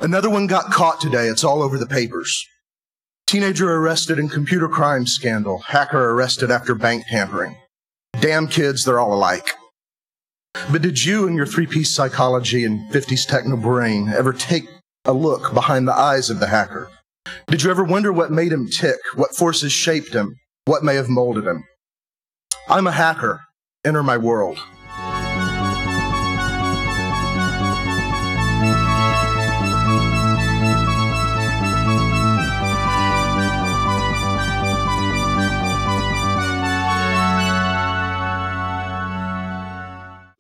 Another one got caught today. It's all over the papers. Teenager arrested in computer crime scandal. Hacker arrested after bank tampering. Damn kids, they're all alike. But did you and your three-piece psychology and 50s techno brain ever take a look behind the eyes of the hacker? Did you ever wonder what made him tick, what forces shaped him, what may have molded him? I'm a hacker. Enter my world.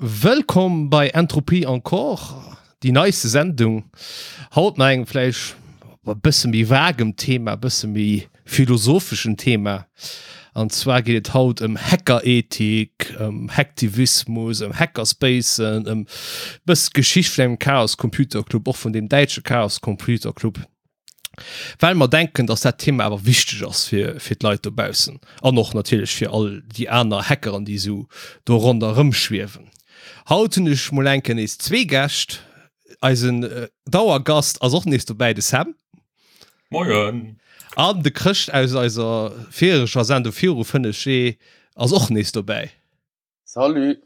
Wëllkomm bei Entropie Encore, déi neiste Sendung. Haut mat engem vläicht e bësse méi vagem Thema, e bësse méi philosopheschen Thema. An zwar geet et haut ëm Hackerethik, ëm Hacktivismus, ëm Hackerspacen, ëm bëss d'Geschicht vun engem Chaos Computer Club, och vun deem däitsche Chaos Computer Club. Well mer denken, dass dat Thema awer wichteg ass fir fir d'Leit dobaussen an och natierlech fir all déi aner Hackeren, déi esou do ronderëm schwiewen. Haut hunn ech mol eng Kéier nees zwee Gäscht. Eisen Dauergast ass och nees dobäi, de Sam. Moien! An de Chrëscht aus eiser vireger Sendung viru 5 Jee ass och nees dobäi. Salut!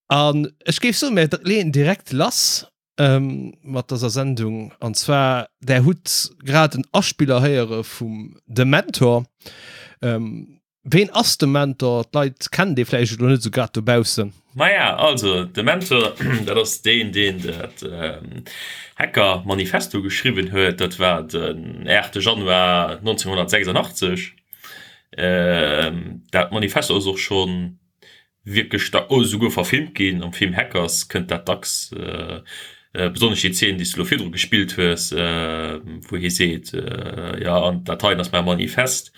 An ech géif soen, mir leeën direkt lass mat dëser Sendung. An zwar, där hutt grad en Aspiller héiere vum De Mentor. Ween ass de Mentor? D'Leit kennen dee vläicht elo net esou grad dobaussen. Maja, also de Mentor, dat ass deen, deen dat Hacker-Manifesto geschriwwen huet. Dat war den 8 Januar 1986. Dat Manifesto ass och schonn wierklech da oh esouguer verfilmt ginn. Am Film Hackers kënnt dat dacks, besonnesch déi Zeen, déi s de elo virdru gespillt hues, wou hie seet, jo an dat heien ass mäi Manifest.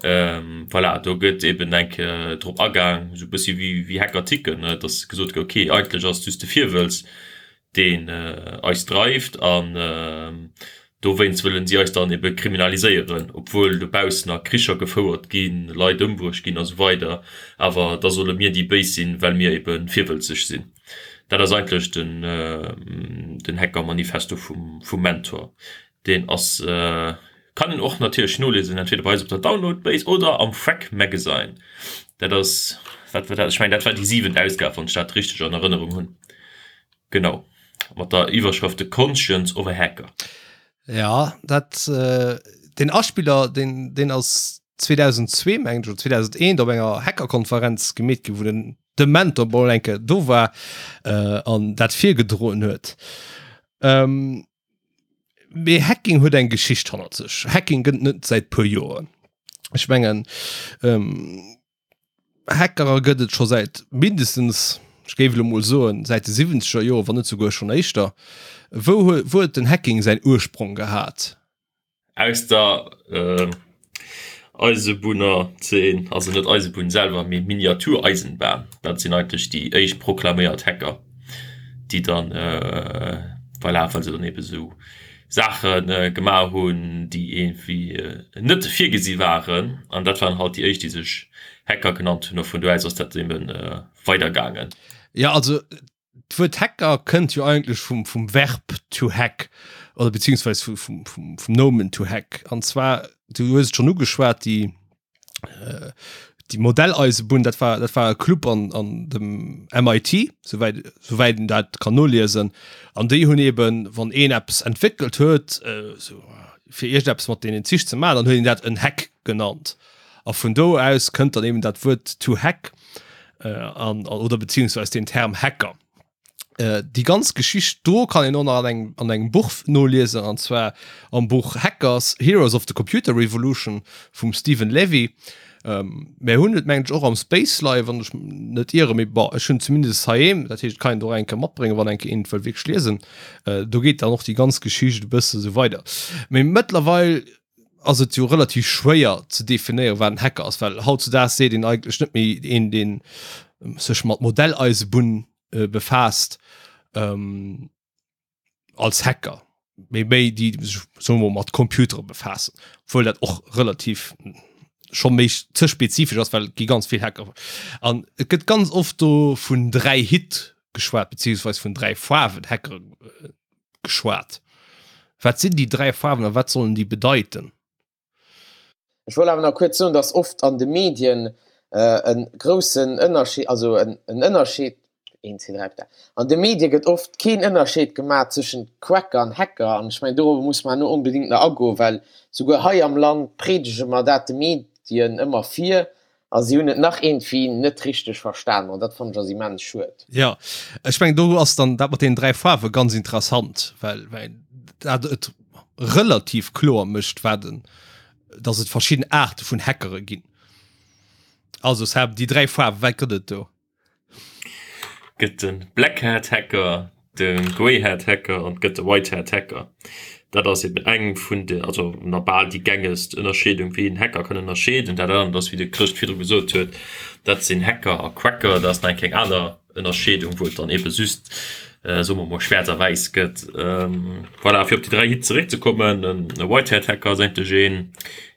Voilà, do gëtt eben eng Kéier drop agaang, esou e bëssi wéi wéi Hacker ticken, ne, dass gesot gëtt, okay, eigentlech ass et just de Virwëlz, deen eis dreift an dowéinst wëllen si eis dann ebe kriminaliséieren, obwuel dobaussen nach Kricher gefouert ginn, Leit ëmbruecht ginn a sou weider, awer da solle mir déi Béis sinn, well mir ebe virwëlzeg sinn. Dat ass eigentlech den den Hacker-Manifesto vum vum Mentor. Deen ass, kann een och natierlech noliesen, entweder bei eis op der Download-Base oder am Phrack Magazine. Dat ass, wat war dat, ech mengen dat war déi siwent Ausgab, wann ech dat richteg an Erënnerung hunn. Genau, mat der Iwwerschrëft The Conscience of a Hacker. Ja, dat, deen Aspiller, deen, deen ass 2002, mengen ech, oder 2001 op enger Hackerkonferenz gemeet ginn, wou den de Mentor mol eng Kéier do war an dat virgedroen huet. Mee Hacking huet eng Geschicht hannert sech. Hacking gëtt net säit puer Joren. Ech mengen ähm, Hackerer gëtt et scho säit mindestens, ech géif elo mol soen, säit de siwwenzeger Joren, wann net souguer schonn éischter. Wou huet, wou huet den Hacking säin Ursprong gehat? Aus der Eisebunnerzeen, also net Eisebunn selwer, mee Miniatureisenbahn, dat sinn eigentlech déi éischt proklaméiert Hacker, déi dann, voilà, well se dann ebe sou Saache gemaach hunn, déi iergendwéi net virgesi waren, an dat waren halt déi éischt, déi sech Hacker genannt hunn, a vun do aus ass dat ebe weidergaangen. Jo, also D'Wuert Hacker kënnt jo eigentlech vum, vum Verb to hack oder beziehungsweise vum, vum, vum, vum Nomen to hack. An zwar, du hues et schonn ugeschwat, déi, äh, déi Modelleisebunn, dat war, dat war e Club an, an dem MIT, souwäit, souwäit een dat kann noliesen. An déi hunn eben, wann een eppes entwéckelt huet, äh, sou fir iergendeppes mat deenen Zich ze maachen, dann huet een dat en Hack genannt. A vun do aus kënnt dann eben dat Wuert to hack an oder beziehungsweise den Term Hacker. Déi ganz Geschicht do kann een och nach an engem an engem Buch noliesen, an zwar am Buch Hackers, Heroes of the Computer Revolution vum Steven Levy. Mär hunn et mengen ech och am Space leien, wann ech net ieren, mee bon, ech hunn zumindest heiheem, dat heescht et kann een et och eng Kéier matbréngen, wann eng Kéier een et wëll wierklech liesen. Do geet dann och déi ganz Geschicht e bësse sou weider. Mee mëttlerweil ass et jo relativ schwéier ze definéieren, wat en Hacker ass, well hautzudaags seet een eigentlech net méi een, deen sech mat Modelleisebunn befaasst, als Hacker, mee méi déi, déi sech, soe mer mol, mat Computere befaassen, obwuel dat och relativ scho méi ze spezifesch ass, well et gi ganz vill Hacker. An et gëtt ganz oft do vun 3 Hitt geschwat, beziehungsweis vun 3 Faarwen Hackere geschwat. Wat sinn déi 3 Faarwen a wat sollen déi bedeiten? Ech wollt awer nach kuerz soen, dass oft an de Medien e groussen Ënnerscheed, also en Ënnerscheed, een, zwee, dräi, véier, an de Medie gëtt oft keen Ënnerscheed gemaach tëschent Quacker an Hacker. An ech mengen, dorobber muss mer elo onbedéngt nach agoen, well souguer hei am Land predege mer dat de Medien ëmmer vir a si hunn et nach iergendwéi net richteg verstanen. An dat fannen ech ass immens schued. Jo, ech mengen, do ass dann dat mat deenen 3 Faarwe ganz interessant, well dat et relativ kloer mécht, wat en, dass et verschidden Aarte vun Hackere ginn. Also Seb, déi 3 Faarwen, wat gëtt et do? Gëtt de Black Hat Hacker, de Grey Hat Hacker an et gëtt de White Hat Hacker. Dat ass eben eng vun de, also na bal déi gängegst Ënnerscheedung, wéi een Hacker kann ënnerscheeden. Dat anert ass, wéi de Chrëscht virdru gesot huet, dat sinn Hacker a Quacker. Dat ass nach eng kleng aner Ënnerscheedung, wou et dann ebe just, soe mer mol, schwaarz a wäiss gëtt. Voilà, fir op déi 3 Hitt zeréckzekommen, e White Hat Hacker ass eigentlech een,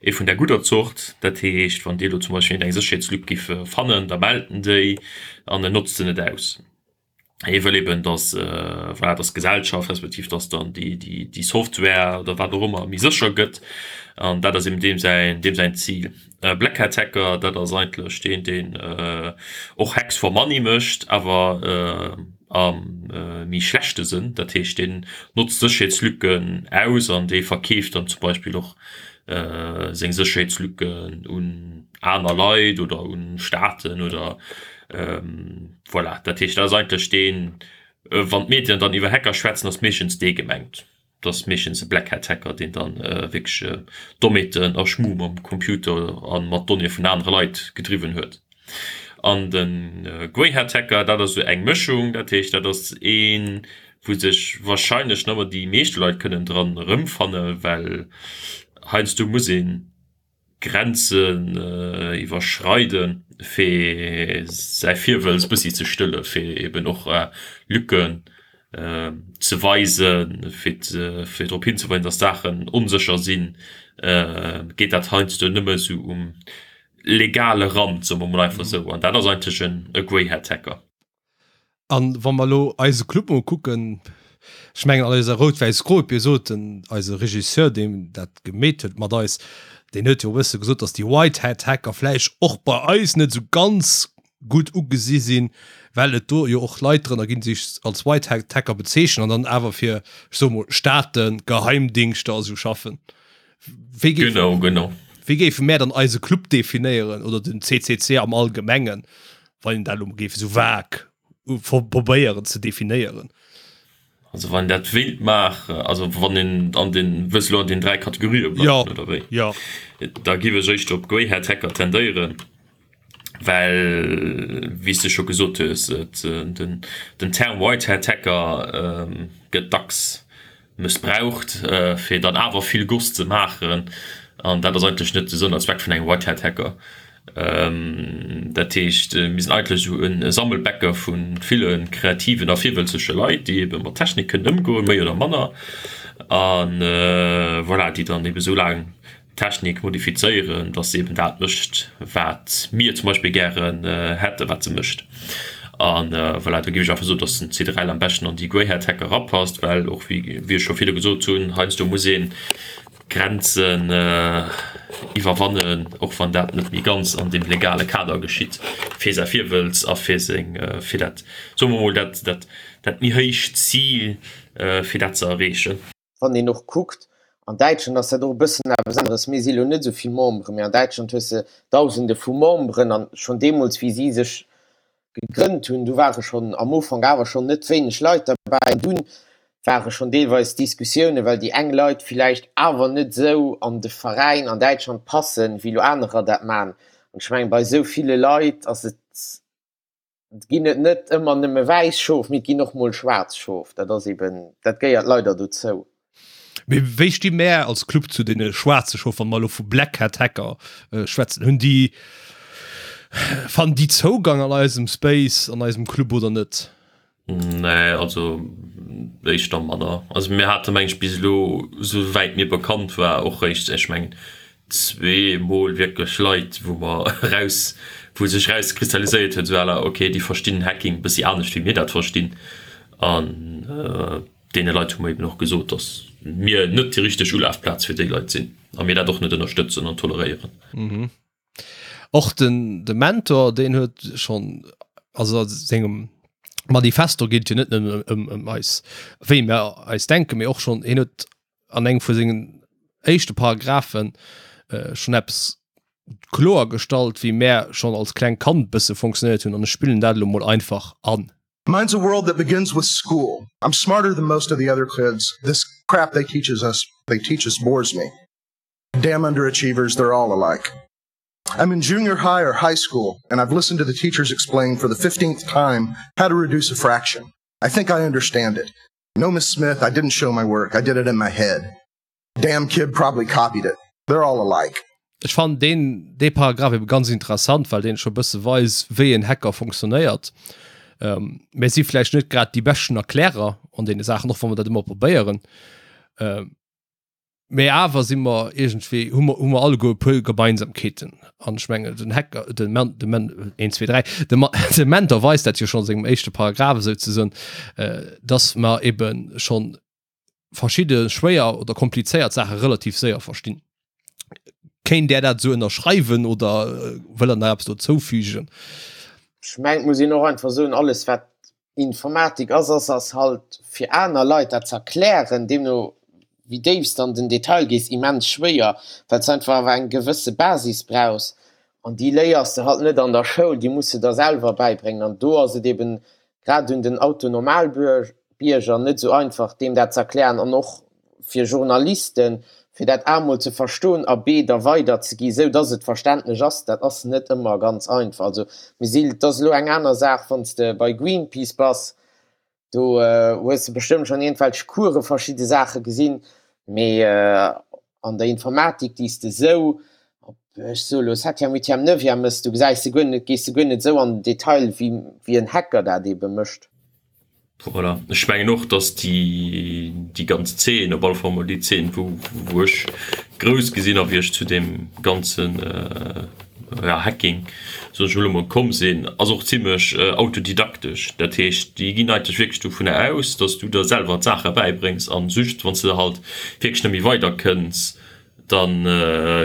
ee vun der gudder Zort. Dat heescht, wann Dir elo zum Beispill eng Sécherheetslück giff fannen, da mellt en déi an en notzt se net aus. Hie wëll eben, dass, voilà, dass d'Gesellschaft, respektiv dass dann déi, déi, déi Software oder wat och ëmmer méi sécher gëtt. An dat ass eben deem säin, deem säin Zil. Black Hat Hacker, dat ass eigentlech deen, deen och Hacks for Money mécht, awer am méi schlechte Sënn. Dat heescht, deen notzt Sécherheetslücken aus an dee verkeeft dann zum Beispill och seng Sécherheetslücken un aner Leit oder un Staaten oder voilà. Dat heescht, dat ass eigentlech deen, wann d'Medien dann iwwer Hacker schwätzen, ass meeschtens dee gemengt. Et ass meeschtens e Black Hat Hacker, deen dann wierklech Dommheeten a Schmu mam Computer a mat Donnéeë vun anere Leit gedriwwen huet. An de Grey Hat Hacker, dat ass esou eng Mëschung, dat heescht, dat ass een, wou sech warscheinlech nëmmer déi meeschte Leit kënnen dran erëmfannen, well heiansdo muss een Grenzen iwwerschreiden, fir säi Virwëlz e bëssi ze stëlle fir eben och Lücken ze weisen, fir drop hinzeweisen, datt Saachen onsécher sinn, geet dat heiansdo nëmme sou um legale Rand, soe mer mol einfach esou. An dat ass eigentlech e Grey Hat Hacker. An wa mer elo eise Club mol kucken, ech mengen an eiser rout-wäiss-gro, et sot den eise Regisseur, deen dat gemeet huet mat eis, deen huet jo e bësse gesot, datt déi White Hat Hacker vläicht och bei eis net esou ganz gutt ugesi sinn, well et do jo och Leit drënner ginn, déi sech als White Hat Hacker bezeechnen an dann awer fir, ech soe mol, Staaten, Geheimdingschter a sou schaffen. Wéi géif, Genau, genau. wéi géife mär dann eise Club definéieren oder den CCC am Allgemengen, wann een dat elo géif esou vague probéieren ze definéieren? Also wann een dat wéilt maachen, also wann een an den, wëlls elo an den 3 Kategorië bleiwen Ja, oder wéi? ja. Da géif ech éischter op Grey Hat Hacker tendéieren, well wéi s de scho gesot hues, et den, den Term White Hat Hacker gëtt dacks mëssbraucht, fir dann awer vill Goss ze maachen, an dat ass eigentlech net de Sënn a Zweck vun engem White Hat Hacker. Dat heescht, mir sinn eigentlech esou e Sammelbecke vu ville kreativen a virwëlzege Leit, déi ebe mat Technik kënnen ëmgoen, méi oder manner, a voilà, déi dann ebe sou laang Technik modifizéieren, dass se eben dat mécht, wat mir zum Beispill gären hätten, wat se mécht. A voilà, do géif ech einfach soen, dass den C3L am beschten an déi Grey Hat Hacker erapasst, well och, wéi ech scho virdu gesot hunn, heiansdo muss ee Grenzen iwwerwannen, och wann dat net méi ganz an deem legale Kader geschitt, fir säi Virwëlz a fir seng, fir dat, soe mer mol, dat, dat, dat méi héicht Zil, fir dat ze erreechen. Wann een och kuckt, an Däitschland ass dat och e bëssen eppes aneres, mir si lo net esou vill Memberen, mee an Däitschland hues de Dausende vu Memberen an schonn deemools, wéi si sech gegrënnt hunn, du ware schonn am Ufank awer schonn net wéineg Leit derbäi an dunn ware schonn deelweis Diskussiounen, well déi eng Leit villäicht awer net esou an de Veräin an Däitschland passen, wéi lo anerer dat man. An ech mengen, bei esou ville Leit ass et Et ginn et net ëmmer nëmme wäiss Schof, mee et ginn och mol schwaarz Schof. Dat ass eben, dat gehéiert leider dozou. Mee wéi sti mär als Club zu deene schwaarze Schof, wa mer elo vu Black Hat Hacker schwätzen? Hunn déi, fannen déi Zougang an eisem Space, an eisem Club oder net? Nee, also éischter manner. Also mir hate meng ech bis elo, esou wäit mir bekannt war, och réischt, ech mengen zweemol wierklech Leit, wou mer eraus, wou sech erauskristalliséiert huet, esou à la, ok, déi verstinn Hacking e bëssi anescht wéi mir dat verstinn. An deene Leit hu mer eben och gesot, dass. mir net déi richteg Ulafplaz fir déi Leit sinn a mir dat och net ënnerstëtzen an toleréieren. Mhm. Och den de Mentor deen huet schonn also a sengem Manifesto geet et jo net nëmmen ëm ëm eis wéi mer eis denken, mee och schonn hien huet an engem vu sengen éischte Paragraphen schonn eppes kloer gestallt, wéi mär schonn als kleng Kand bësse funktionéiert hunn an ech spillen dat elo mol einfach an. Mine's a world that begins with school. I'm smarter than most of the other kids. This crap they teaches us, they teach us bores me. Damn underachievers, they're all alike. I'm in junior high or high school, and I've listened to the teachers explain for the 15th time how to reduce a fraction. I think I understand it. No, Miss Smith, I didn't show my work. I did it in my head. Damn kid probably copied it. They're all alike. Ech fannen deen dee Paragraph ebe ganz interessant, well deen scho bësse weist, wéi en Hacker funktionéiert. Ähm, mir si vläicht net grad déi beschten Erklärer an deene Saachen, och wa mer dat ëmmer probéieren. Ähm, mee awer si mer iergendwéi, hu mer, hu mer alleguer e puer Gemeinsamkeeten. An ech mengen, den Hacker, den Men, de Men, een, zwee, dräi, de Ma, de Mentor weist dat jo schonn a sengem éischte Paragraph esouzesoen, äh, dass mer ebe schonn verschidde schwéier oder komplizéiert Saache relativ séier verstinn. Kéint Där dat esou ënnerschreiwen oder wëllt Der nach eppes dozou fügen? Ech mengen, et muss een och einfach soen, alles wat Informatik ass, ass ass halt fir aner Leit dat ze erklären, deemno wéi déif s de an den Detail gees, immens schwéier, well s einfach awer eng gewësse Basis brauchs an déi léiers de halt net an der Schoul, déi muss de der selwer bäibréngen an do ass et eben grad un den Autonormalbierger net esou einfach, deem dat ze erklären an och fir Journalisten, fir dat A mol ze verstoen a B da weiderzeginn, esou dass et verständlech ass, dat ass net ëmmer ganz einfach. Also mir si, et ass elo eng aner Saach, wann s de bei Greenpeace bass, do hues de bestëmmt schonn iergendwelch Course verschidde Saache gesinn, mee an der Informatik, déi s de esou op, ech soe lo, Septième, Huitième, Neuvième mëss, do gesäis de guer net, gees de guer net esou an den Detail, wéi, wéi en Hacker dat eebe mécht. Voilà. Ech mengen och, dass déi, déi ganz Zeen, op alle Fall mol déi Zeen, wou, wou ech grouss gi sinn a wéi ech zu deem ganzen, ja, Hacking, soen ech elo mol, komm sinn, ass och zimlech autodidaktesch. Dat heescht, déi ginn eigentlech wierklech dovunner aus, dass du der selwer d'Saache bäibréngs an just wann s de halt wierklech net méi weider kënns, da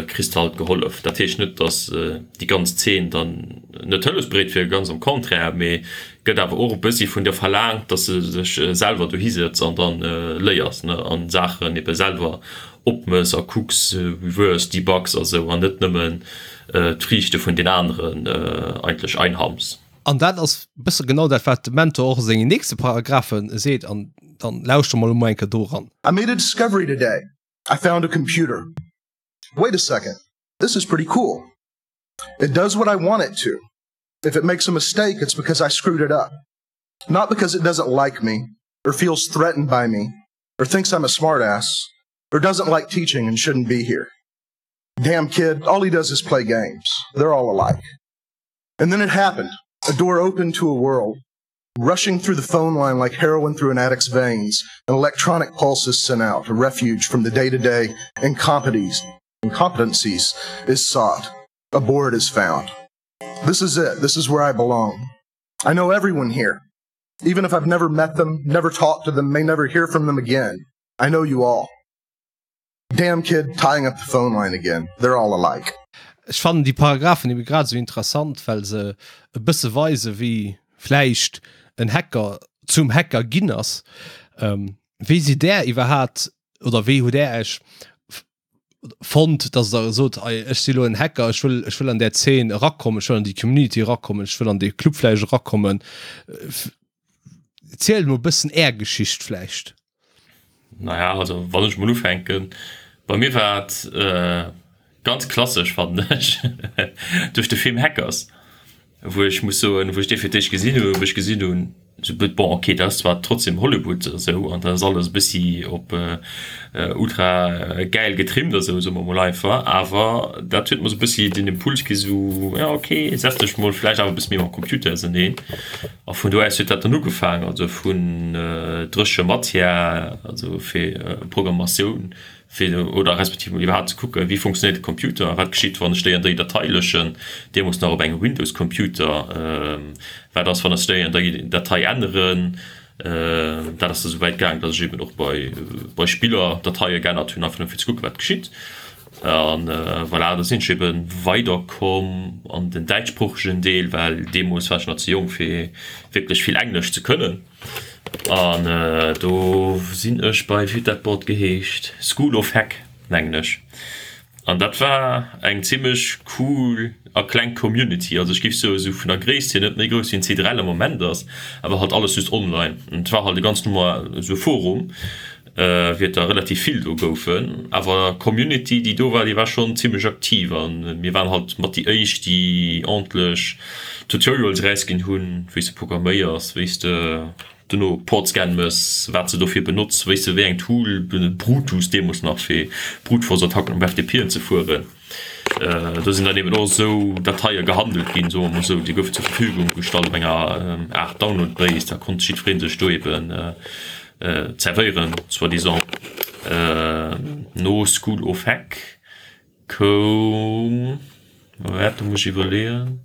kriss de halt gehollef. Dat heescht net, dass déi ganz Zeen dann net hëllefsbereet wier, ganz am Contraire, mee gëtt awer och e bëssi vun der verlaangt, dass de dech selwer dohi sëtz an dann léiers, ne, an Saachen ebe selwer opmëss a kucks, reverse debugs a sou, an net nëmmen d'Friichte vun den aneren eigentlech einhams. An dat ass e bësse genau dat, wat de Mentor och a sengen nächste Paragraphe seet, an dann lauschtere mer elo mol eng Kéier do eran. I made a discovery today. I found a computer. Wait a second. This is pretty cool. It does what I want it to. If it makes a mistake, it's because I screwed it up. Not because it doesn't like me or feels threatened by me or thinks I'm a smartass or doesn't like teaching and shouldn't be here. Damn kid, all he does is play games. They're all alike. And then it happened. A door opened to a world. Rushing through the phone line like heroin through an addict's veins, an electronic pulse is sent out, a refuge from the day-to-day -day incompetencies is sought. A board is found. This is it. This is where I belong. I know everyone here. Even if I've never met them, never talked to them, may never hear from them again. I know you all. Damn kid tying up the phone line again. They're all alike. Ech fannen déi Paragraphen ebe grad esou interessant, well se e bësse weisen, wéi vläicht en Hacker zum Hacker ginn ass. Wéi sidd Där iwwerhaat oder wéi hutt Där Äech fonnt, dass Der sot, ei ech si lo en Hacker, ech wëll, ech wëll an där Zeen erakommen, ech wëll an déi Community erakommen, ech wëll an dee Club vläicht erakommen. Zielt mol e bëssen Är Geschicht vläicht. Naja, also wann ech mol ufänken, bei mir war et ganz klassesch fannen ech, duerch de Film Hackers, wou ech muss soen, wou ech dee fir d'éischt gesinn hunn, wou ech gesinn hunn, sou bon ok, dat ass zwar trotzdem Hollywood a sou an dat ass alles e bëssi op ultra gäil getrimmt a sou, soe mer mol einfach, awer dat huet mer sou e bëssi den Impuls gi sou, ja ok, setz dech mol vläicht awer e bësse méi mam Computer auseneen. A vun do aus huet dat dann ugefaangen, also vun dréche Matière, also fir Programmatioun, fir oder respektiv mol iwwerhaapt ze kucken, wéi funktionéiert de Computer a wat geschitt, wann ech déi an déi Datei löschen, deemools nach op engem Windows-Computer, wat ass, wann ech déi an déi Datei änneren. Dat ass da sou wäit gaang, datt ech eben och bei bei Spiller Dateie geännert hunn, einfach nëmme fir ze kucken, wat geschitt. An voilà, da sinn ech ebe weiderkomm an den däitschsproochegen Deel, well deemools war ech nach ze jonk fir wierklech vill Englesch ze kënnen. An do sinn ech bei, wéi huet dat Board geheescht, School of Hack, mengen ech. An dat war eng zimmlech cool a kleng Community. Also ech géif soen, esou vun der Gréisst hier net méi grouss wéi en CDRL am Moment ass, awer halt alles just online. An et war halt e ganz normal esou e Forum, wéi et der relativ vill do goufen. Awer d'Community déi do war, déi war schonn zimmlech aktiv a mir waren halt mat déi éischt, déi ordentlech Tutorials erausginn hunn, wéi s de programméiers, wéi s de Dono Portscan mëss, wat se dofir benotz, wéis se wéi eng Tool, Brutus deemols nach fir Brute-Force Attacken op FTPen ze fueren. Do sinn dann eben och esou Dateie gehandelt ginn, soe mer mol esou, déi goufen zur Verfügung gestallt op enger Aart Download Base, da konnt jiddweree sech do eben zerwéieren, soi-disant. No School of Hack koum, waart do muss ech iwwerleeën.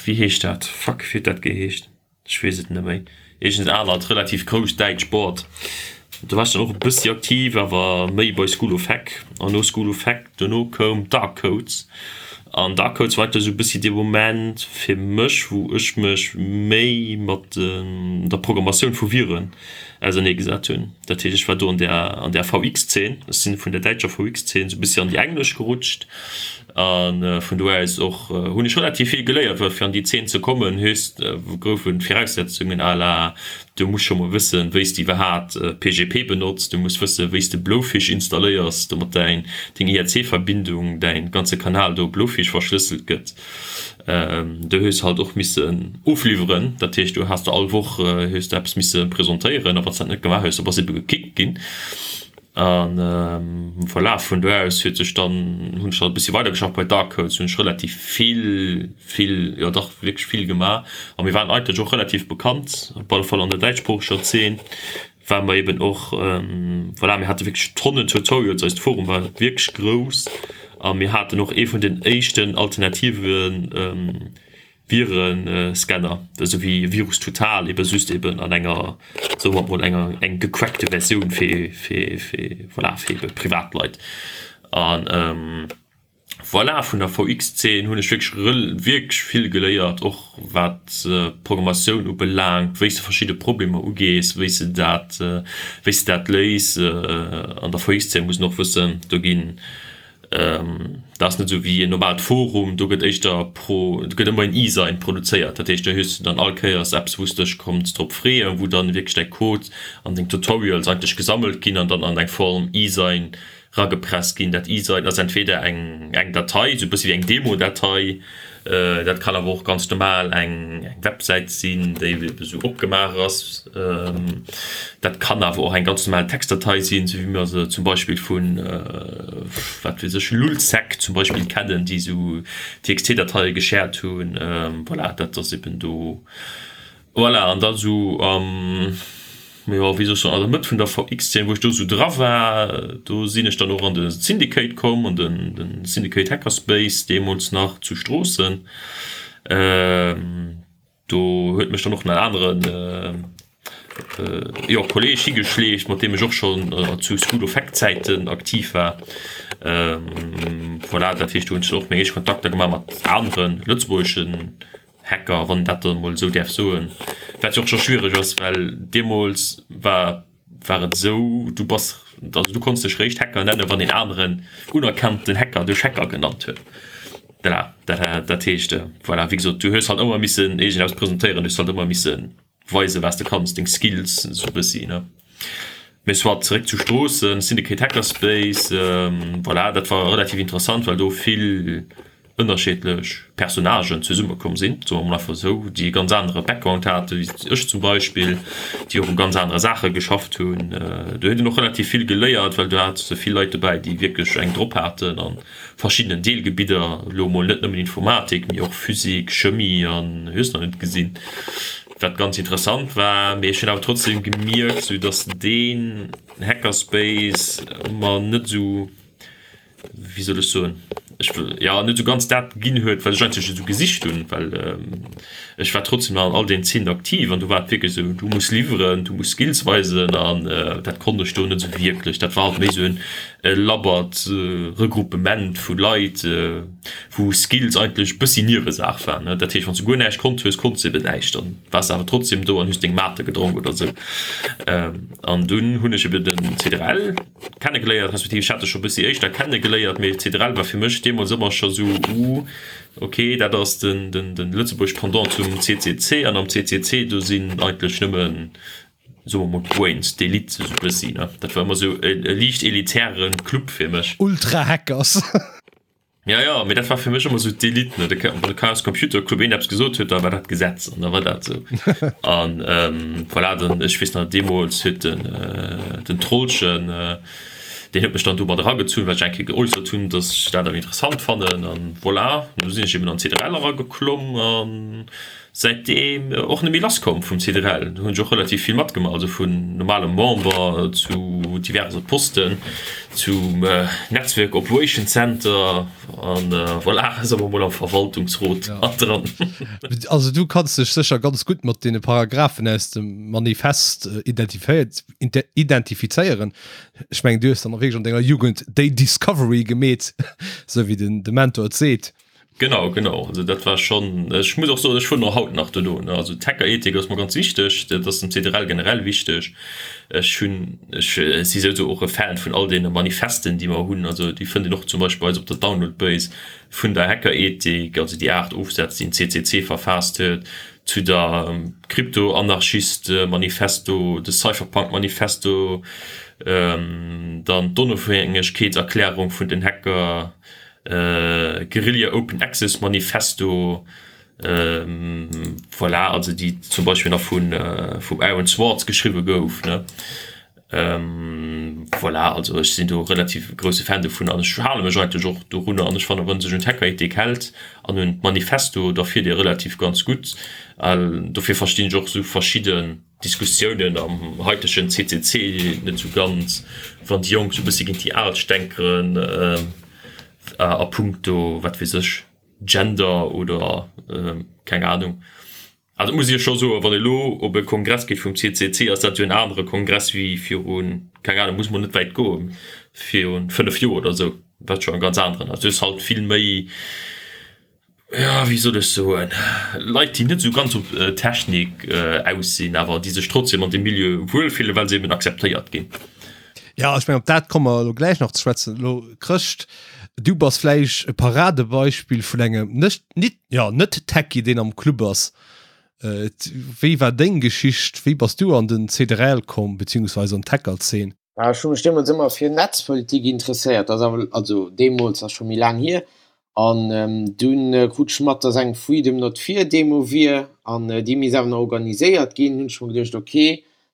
Wéi heescht dat? Fuck, wéi huet dat geheescht? Ech weess et net méi. Iergend anert relativ grousst däitscht Board. Do war ech dann och e bëssi aktiv, awer méi bei School of Hack. An no School of Hack dono koum Dark Codes. An Dark Codes war eigentlech esou e bëssi dee Moment fir mech, wou ech mech méi mat der Programmatioun vu Viren auserneegesat hunn. Dat heescht, ech war do an där an där VX-Zeen. Ech sinn vun der däitscher VX-Zeen esou e bëssi an déi englesch gerutscht. A vun do aus och hunn ech relativ vill geléiert, well fir an déi Zeen ze kommen, hues goufen d'Viraussetzungen à la, du muss scho mol wëssen, wéi s de iwwerhaat PGP benotz, du muss wëssen, wéi s de Blowfish installéiers, domat däin deng IRC-Verbindung, däin ganze Kanal do Blowfish verschlësselt gëtt. Do hues halt och missen ofliwweren, dat heescht, du has de all Woch hues de eppes misse presentéieren a wann s dat net gemaach hues, da bass ebe gekickt ginn. An voilà, vun do aus huet sech dann, hunn ech dann e bëssi weidergeschafft. Bei Dark Codes hunn ech relativ vill, vill, jo dach wierklech vill gemaach. A mir waren eigentlech och relativ bekannt, op alle Fall an der däitschsproocheger Zeen ware mer eben och, voilà, mir hate wierklech Tonnen Tutorials, eist Forum war wierklech grouss a mir haten och ee vun den éischten alternativen Virenscanner, esou wéi Virus Total, eben just eben an enger, soe mer mol, enger eng gecrackte Versioun fir, fir, fir, voilà, fir ebe Privatleit. An voilà, vun der VX-Zeen hunn ech wierklech rel wierklech vill geléiert, och wat d'Programmatioun ubelaangt, wéi s de verschidde Problemer ugees, wéi s de dat, wéi s de dat léis. An der VX-Zeen muss een och wëssen, do ginn Dat ass net esou wéi en normalt Forum, do gëtt éischter pro, do gëtt ëmmer en E-Sign produzéiert. Dat heescht, do hues du dann all Kéiers eppes, wou s de dech konns drop freeën, wou dann wierklech däi Code an deng Tutorials eigentlech gesammelt ginn an dann an eng Form E-Sign ragepresst ginn. Dat E-Sign ass entweder eng eng Datei, esou e bëssi wéi eng Demo-Datei, Dat kann awer och ganz normal eng Websäit sinn, déi esou opgemaach ass. Dat kann awer och eng ganz normal Textdatei sinn, esou wéi mer se zum Beispill vun, wat weess ech, Lulzsec zum Beispill kennen, déi esou TXT-Dateie geshared hunn. Voilà, dat ass eben do. Voilà, an da sou am, jo, wéi soll ech soen, an der Mëtt vun der VX-Zeen, wou ech do sou dra war, do sinn ech dann och an de Syndicate komm, an den, den Syndicate Hackerspace deemools nach zu Stroossen. Do huet mech dann och en aneren, jo, Kolleeg higeschleeft, mat deem ech och schonn zu School of Hack-Zäiten aktiv war. Voilà, dat heescht, do hunn ech dann och meng éischt Kontakter gemaach mat anere lëtzebuergeschen Hacker, wann een dat dann emol esou däerf soen, wat jo och scho schwiereg ass, well deemools war war et esou, du bass, also du konns dech réischt Hacker nennen, wann een aneren unerkannten Hacker dech Hacker genannt huet. Voilà, dat dat heescht, voilà, wéi gesot, du hues halt ëmmer missen iergendeppes presentéieren, du hues halt ëmmer missen weisen, wat s de kanns, deng Skills esou e bëssi, ne. Mee soit, zeréck zu Stroossen, Syndicate Hackerspace, voilà, dat war relativ interessant, well do vill ënnerscheedlech Personnagen zesummekomm sinn, soe mer mol einfach esou, déi e ganz anere Background hate wéi ech zum Beispill, déi och u ganz anere Saache geschafft hunn. Do huet een och relativ vill geléiert, well do hat se vill Leit dobäi, déi wierklech eng drop haten a verschiddenen Deelgebidder, elo mol net nëmmen Informatik, mee och Physik, Chemie an hues nach net gesinn, wat ganz interessant war. Mee ech hunn awer trotzdem gemierkt, sou datt deen Hackerspace mer net esou, wéi soll ech soen? ech wëll, jo, net esou ganz dat ginn huet, wat ech eigentlech esou gesicht hunn, well ech war trotzdem nach an all deenen Zeenen aktiv an do war et wierklech esou, du muss liwweren, du muss Skills weisen an dat konnt ech do net esou wierklech. Dat war halt méi esou en labbert Regruppement vu Leit, wou Skills eigentlech e bëssi Niewesaach waren. Dat heescht, wann s du guer näischt konnt hues, konns de eben näischt, dann waars de awer trotzdem do an hues deng Mate gedronk oder esou. An dunn hunn ech eben den CDRL kennegeléiert, respektiv ech hat e scho e bëssi éischter kennegeléiert, mee CDRL war fir mech deemools ëmmer scho sou, uh, okay, dat ass den, den, den Lëtzebuerg Pendant zum CCC an am CCC do sinn eigentlech nëmmen, soe mer mol, d'Brains, d'Elite sou e bëssi, ne. Dat war ëmmer sou e, e liicht elitäre Club fir mech. Ultra-Hackers. Ja, ja, mee dat war fir mech ëmmer sou d'Elite, ne. De, wann de Chaos Computer Club een eppes gesot huet, da war dat Gesetz an da war dat sou. An ähm, voilà, dann, ech weess nach, deemools huet den, äh, den Trollchen, äh, deen huet mech dann do mat eragezunn, well ech eng Kéier geäussert hunn, dass ech dat awer interessant fannen. An voilà, du sinn ech eben an d'CDRL erageklomm an säitdeem och net méi lass komm vum CDRL. Do hunn ech och relativ vill matgemaach, also vun normalem Member zu diverse Posten, zum Netzwerk Operation Center an voilà, soe mer mol am Verwaltungsrot dran. Also du kanns dech sécher ganz gutt mat deene Paragraphen aus dem Manifest identifizéieren. Ech mengen du hues dann och wierklech an denger Jugend déi Discovery gemeet, esou wéi den de Mentor et seet. Genau, genau. Also dat war schonn, ech muss och soen, ech fueren och haut nach dono, ne. Also d'Hackerethik ass mer ganz wichteg, dat ass dem CDRL generell wichteg. Ech hunn, ech si souwisou och e Fan vun all deene Manifesten, déi mer hunn. Also déi fënnt een och zum Beispill bei eis op der Download-Base vun der Hackerethik, also déi 8 Ofsätz, déi den CCC verfaasst huet, zu der Krypto-Anarchist-Manifesto, de Cypherpunk-Manifesto, dann d'Onofhängegkeetserklärung vun den Hacker, Guerilla Open Access Manifesto, voilà, also déi zum Beispill nach vun vum Aaron Swartz geschriwwe gouf, ne. Voilà, also ech sinn do relativ grousse Fan dovun an ech hale mech eigentlech och dorunner an ech fannen, wann sech un d'Hackerethik hält an un d'Manifesto, da fiert ee relativ ganz gutt. Dofir verstinn ech och esou verschidde Diskussiounen am haitegen CCC net sou ganz, wann déi Jonk sou bëssi géint déi Al stänkeren a punkto, wat weess ech, Gender oder keng Ahnung. Also muss ech scho soen, wann ee lo op e Kongress geet vum CCC, ass dat jo en anere Kongress wéi virun, keng Ahnung, muss mol net wäit goen, virun 5 Joer oder sou, wat scho en ganz aneren ass. Du hues halt vill méi. Jo, wéi soll ech soen, Leit, déi net esou ganz op Technik aus sinn, awer déi sech trotzdem an deem Milieu wuelfillen, well se eben akzeptéiert ginn. Ja, ech mengen, op dat komme mer elo gläich nach ze schwätzen. Elo, Chrëscht, du bass vläicht e Paradebeispill vun engem net, nit, jo, Net-Techie, deen am Club ass. Wéi war deng Geschicht? Wéi bass du an den CDRL komm, beziehungsweise an d'Hacker-Zeen? Ech hu mech deemools ëmmer fir Netzpolitik interesséiert, dat ass awer, also deemools ass scho méi laang hier, an dunn krut ech mat, datt eng Freedom Not Fear Demo wier an déi misst awer nach organiséiert ginn. Hunn ech mer geduecht, ok,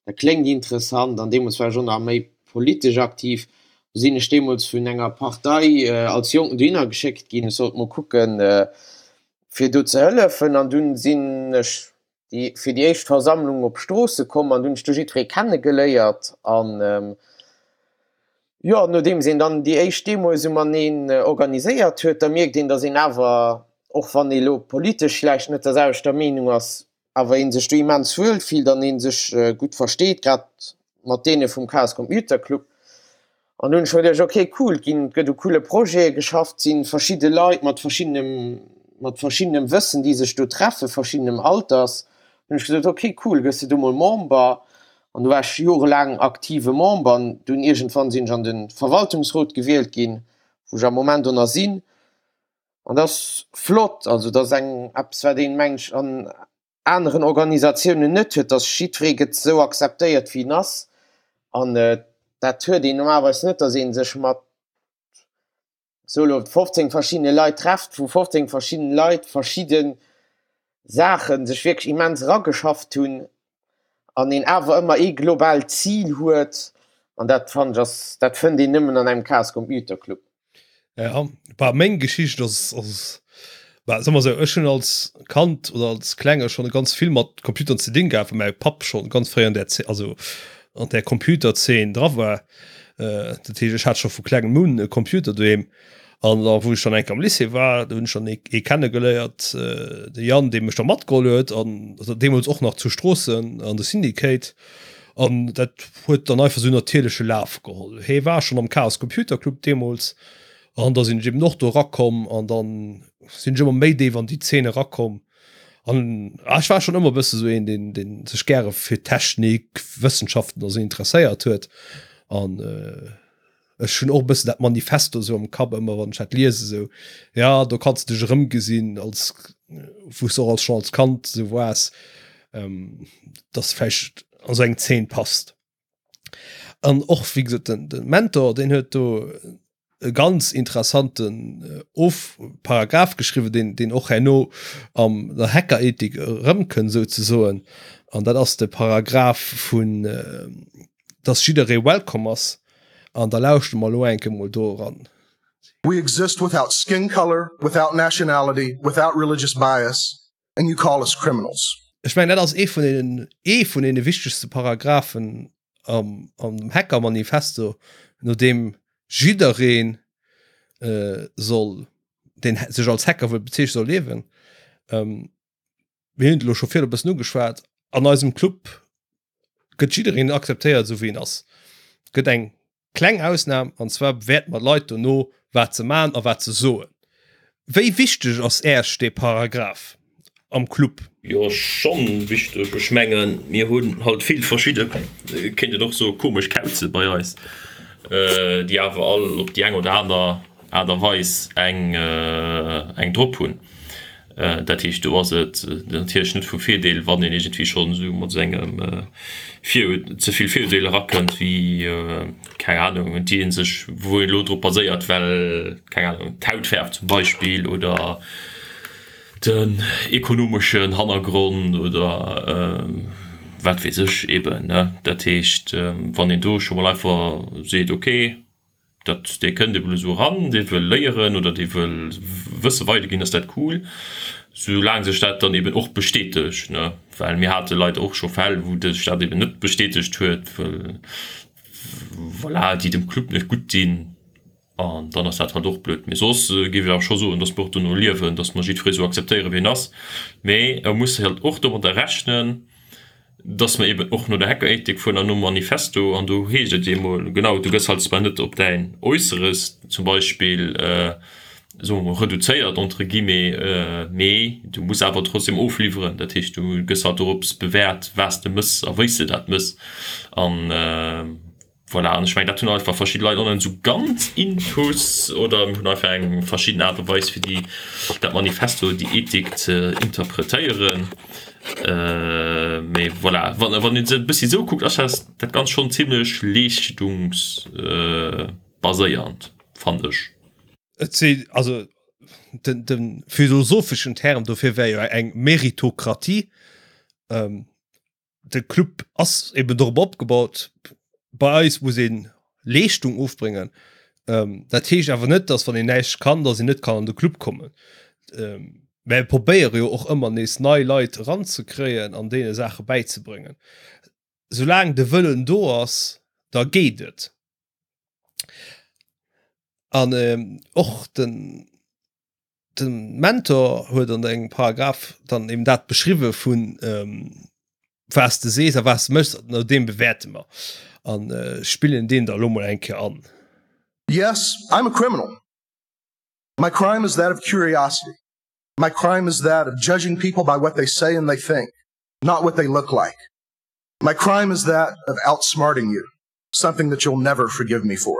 dat kléngt interessant, an deemools war ech och nach méi politesch aktiv. Du sinn ech deemools vun enger Partei als Jonken dohinner geschéckt ginn, ech sollt mol kucken, fir do ze hëllefen, an dunn sinn ech déi fir déi éischt Versammlung op Stroosse komm an hunn ech do jiddweree kenne geléiert an jo nodeems een dann déi éischt Demo esou mateneen organiséiert huet, da mierkt een, datt een awer, och wann ee lo politesch vläicht net der selwechter Meenung ass, awer ee sech do immens wuel fillt an ee sech gutt versteet, grad mat deene vum Chaos Computer Club. An hunn ech mer geduecht, ok cool, et ginn, et gëtt u coole Projete geschafft, et si verschidde Leit mat verschiddenem, mat verschiddenem Wëssen, déi sech do treffen, verschiddenem Alters. Hunn ech gesot, ok cool, gëss de do mol Member. An du war ech jorelaang aktive Member an dunn iergendwann sinn ech an de Verwaltungsrot gewielt ginn, wou ech am Moment och nach sinn. An dat ass flott, also dat ass eng eppes wat een, meng ech, an aneren Organisatiounen net huet, dass jiddweree gëtt esou akzeptéiert wéi en ass an dat huet een normalerweis net, dass ee sech mat sou elo 15 verschiddene Leit trefft, wou 15 verschidden Leit verschidde Saache sech wierklech immens erageschafft hunn an een awer ëmmer ee globaalt Zil huet an dat fannen ech ass, dat fënnt een nëmmen an engem Chaos Computer Club. Ja, bah, meng Geschicht ass, ass bah, soe mer sou, ech hunn als Kand oder als Klenge schonn ganz vill mat Computern ze dinn gehat, well mäi Papp schonn ganz fréi an där Zeen, also an där Computerzeen dra war. Äh, dat heescht, ech hat scho vu klengem un e Computer doheem. An da wou ech dann eng Kéier am Lycée war, do hunn ech dann ee kennegeléiert, de Yann, dee mech da matgeholl huet an deemools och nach zu Stroossen an de Syndicate. An dat huet dann einfach esou natierleche Laf geholl. Hee war schonn am Chaos Computer Club deemools an da sinn ech eben och do erakomm an dann sinn ech ëmmer méi déif an déi Zeen erakomm. An ech war schonn ëmmer e bësse sou een, deen, deen sech gäre fir Technik, Wëssenschaften a sou interesséiert huet. An ech hunn och e bëssen dat Manifesto sou am Kapp ëmmer, wann ech dat liese sou, ja do kanns de dech erëmgesinn als wou s de och als schonn als Kand sou waars, dass vläicht an sou eng Zeen passt. An och wéi gesot den, den Mentor, deen huet do e ganz interessanten of Paragraph geschriwwen, deen, deen och herno am der Hackerethik erëmkënnt souzesoen. An dat ass de Paragraph vun, dass jidderee welcome ass. An da lauschte mer elo eng Kéier mol do eran. We exist without skin color, without nationality, without religious bias, and you call us criminals. Ech mengen, dat ass ee vun deenen, ee vun deene wichtegste Paragraphen am, am dem Hacker-Manifesto, no deem jiddereen soll, deen sech als Hacker wëll bezeechnen, soll liewen. Mir hunn et elo scho virdu e bëssen ugeschwat, an eisem Club gëtt jiddereen akzeptéiert, esou wéi en ass. Et gëtt eng Kleng Ausnam, an zwar bewäerte mer d'Leit dono, wat se man a wat se soen. Wéi wichteg ass Äech dee Paragraph am Club? Jo, schonn wichteg. Ech mengen, mir hunn halt vill verschidde, kéint een och soe komesch Kauze bei eis, déi awer all op déi eng oder aner Aart a Weis eng eng drop hunn. Dat heescht, do ass et natierlech net vu Virdeel, wann een iergendwéi schonn esou mat esou engem Vir, ze vill Virurteel erakënnt, wéi, keng Anung, déi ee sech, wou een elo drop baséiert, well, keng Anung, d'Hautfäerf zum Beispill oder den ekonomeschen Hannergrond oder wat weess ech eeben, ne. Dat heescht, wann een do scho mol einfach seet, okay, Dat, dee kënnt eben esou eran, dee wëll léieren oder dee wëll Wësse weiderginn, ass dat cool, soulaang sech dat dann eben och bestätegt, ne? Well mir hate leider och scho Fäll, wou sech dat eben net bestätegt huet, wëll, voilà, déi dem Club net gutt dinn an dann ass dat halt och blöd. Mee soss géif ech awer scho soen, dass mer och dono liewen, dass mer jiddweree sou akzeptéieren, wéi en ass, mee e muss halt och domadder rechnen, dass mer eben och no der Hackerethik fueren an nom Manifesto, an do heescht et eemol genau, du gëss halt zwar net op däin Äusseres zum Beispill, soe mer mol, reduzéiert entre guillemets, mee du muss awer trotzdem ofliwweren. Dat heescht, du gëss halt dorops bewäert, wat s de mëss a wéi s de dat mëss. An Voilà, an ech mengen, dat hunn einfach verschidde Leit och net esou ganz intus oder mir hunn einfach eng verschidden Aart a Weis, fir déi, dat Manifesto, déi Ethik ze interpretéieren. Mee voilà, wann, wann een se e bëssi esou kuckt, ass dat dat Ganzt schonn zimlech leeschtungsbaséiernd, fannen ech. Et si, also den, de philosopheschen Term dofir wär jo eng Meritokratie. De Club ass eben dorop opgebaut, bei eis muss een Leeschtung ofbréngen. Ähm, dat heescht awer net, dass wann een näischt kann, dass een net kann an de Club kommen. Ähm, mä probéiere jo och ëmmer nees nei Leit eranzekréien an deene Saache bäizebréngen. Soulaang de Wëllen do ass, da geet et. An ähm, och den Den Mentor huet an engem Paragraph dann eben dat beschriwwe vun ähm, was de sees a was de méchs, no deem bewäerte mer an äh, spillen deen da lo mol eng Kéier an. Yes, I'm a criminal. My crime is that of curiosity. My crime is that of judging people by what they say and they think, not what they look like. My crime is that of outsmarting you. Something that you'll never forgive me for.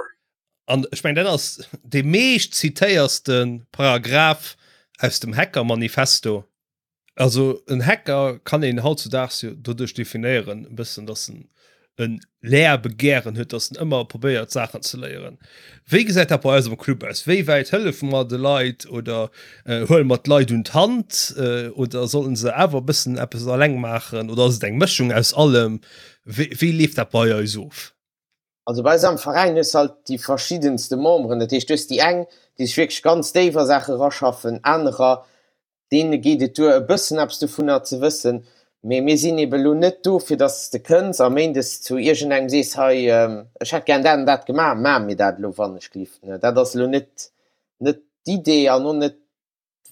An ech mengen, dat ass dee meescht zitéierste Paragraph aus dem Hacker-Manifesto. Also en Hacker kann een hautzudaags jo doduerch definéieren e bëssen, datt en e Lehrbegehren huet, datt en ëmmer probéiert Saachen ze léieren. Wéi gesäit dat bei eis am Club aus? Wéi wäit hëllefe mer de Leit oder huele mer d'Leit un d'Hand oder sollen se awer e bëssen eppes alleng maachen oder ass et eng Mëschung aus allem? Wéi, wéi leeft dat bei eis of? Also bei eis am Veräin hues halt déi verschiddenste Memberen, dat heescht du hues déi eng, déi sech wierklech ganz déif a Saache raschaffen, anerer, deene geet et duer e bëssen eppes dovunner ze wëssen, mee mir sinn ebe lo net do fir dass s de kënns a méindes zu iergendengem sees, hei ech hätt gären dat an dat gemaach, maach mir dat elo wannechgelift. Dat ass elo net. net d'Idee an och net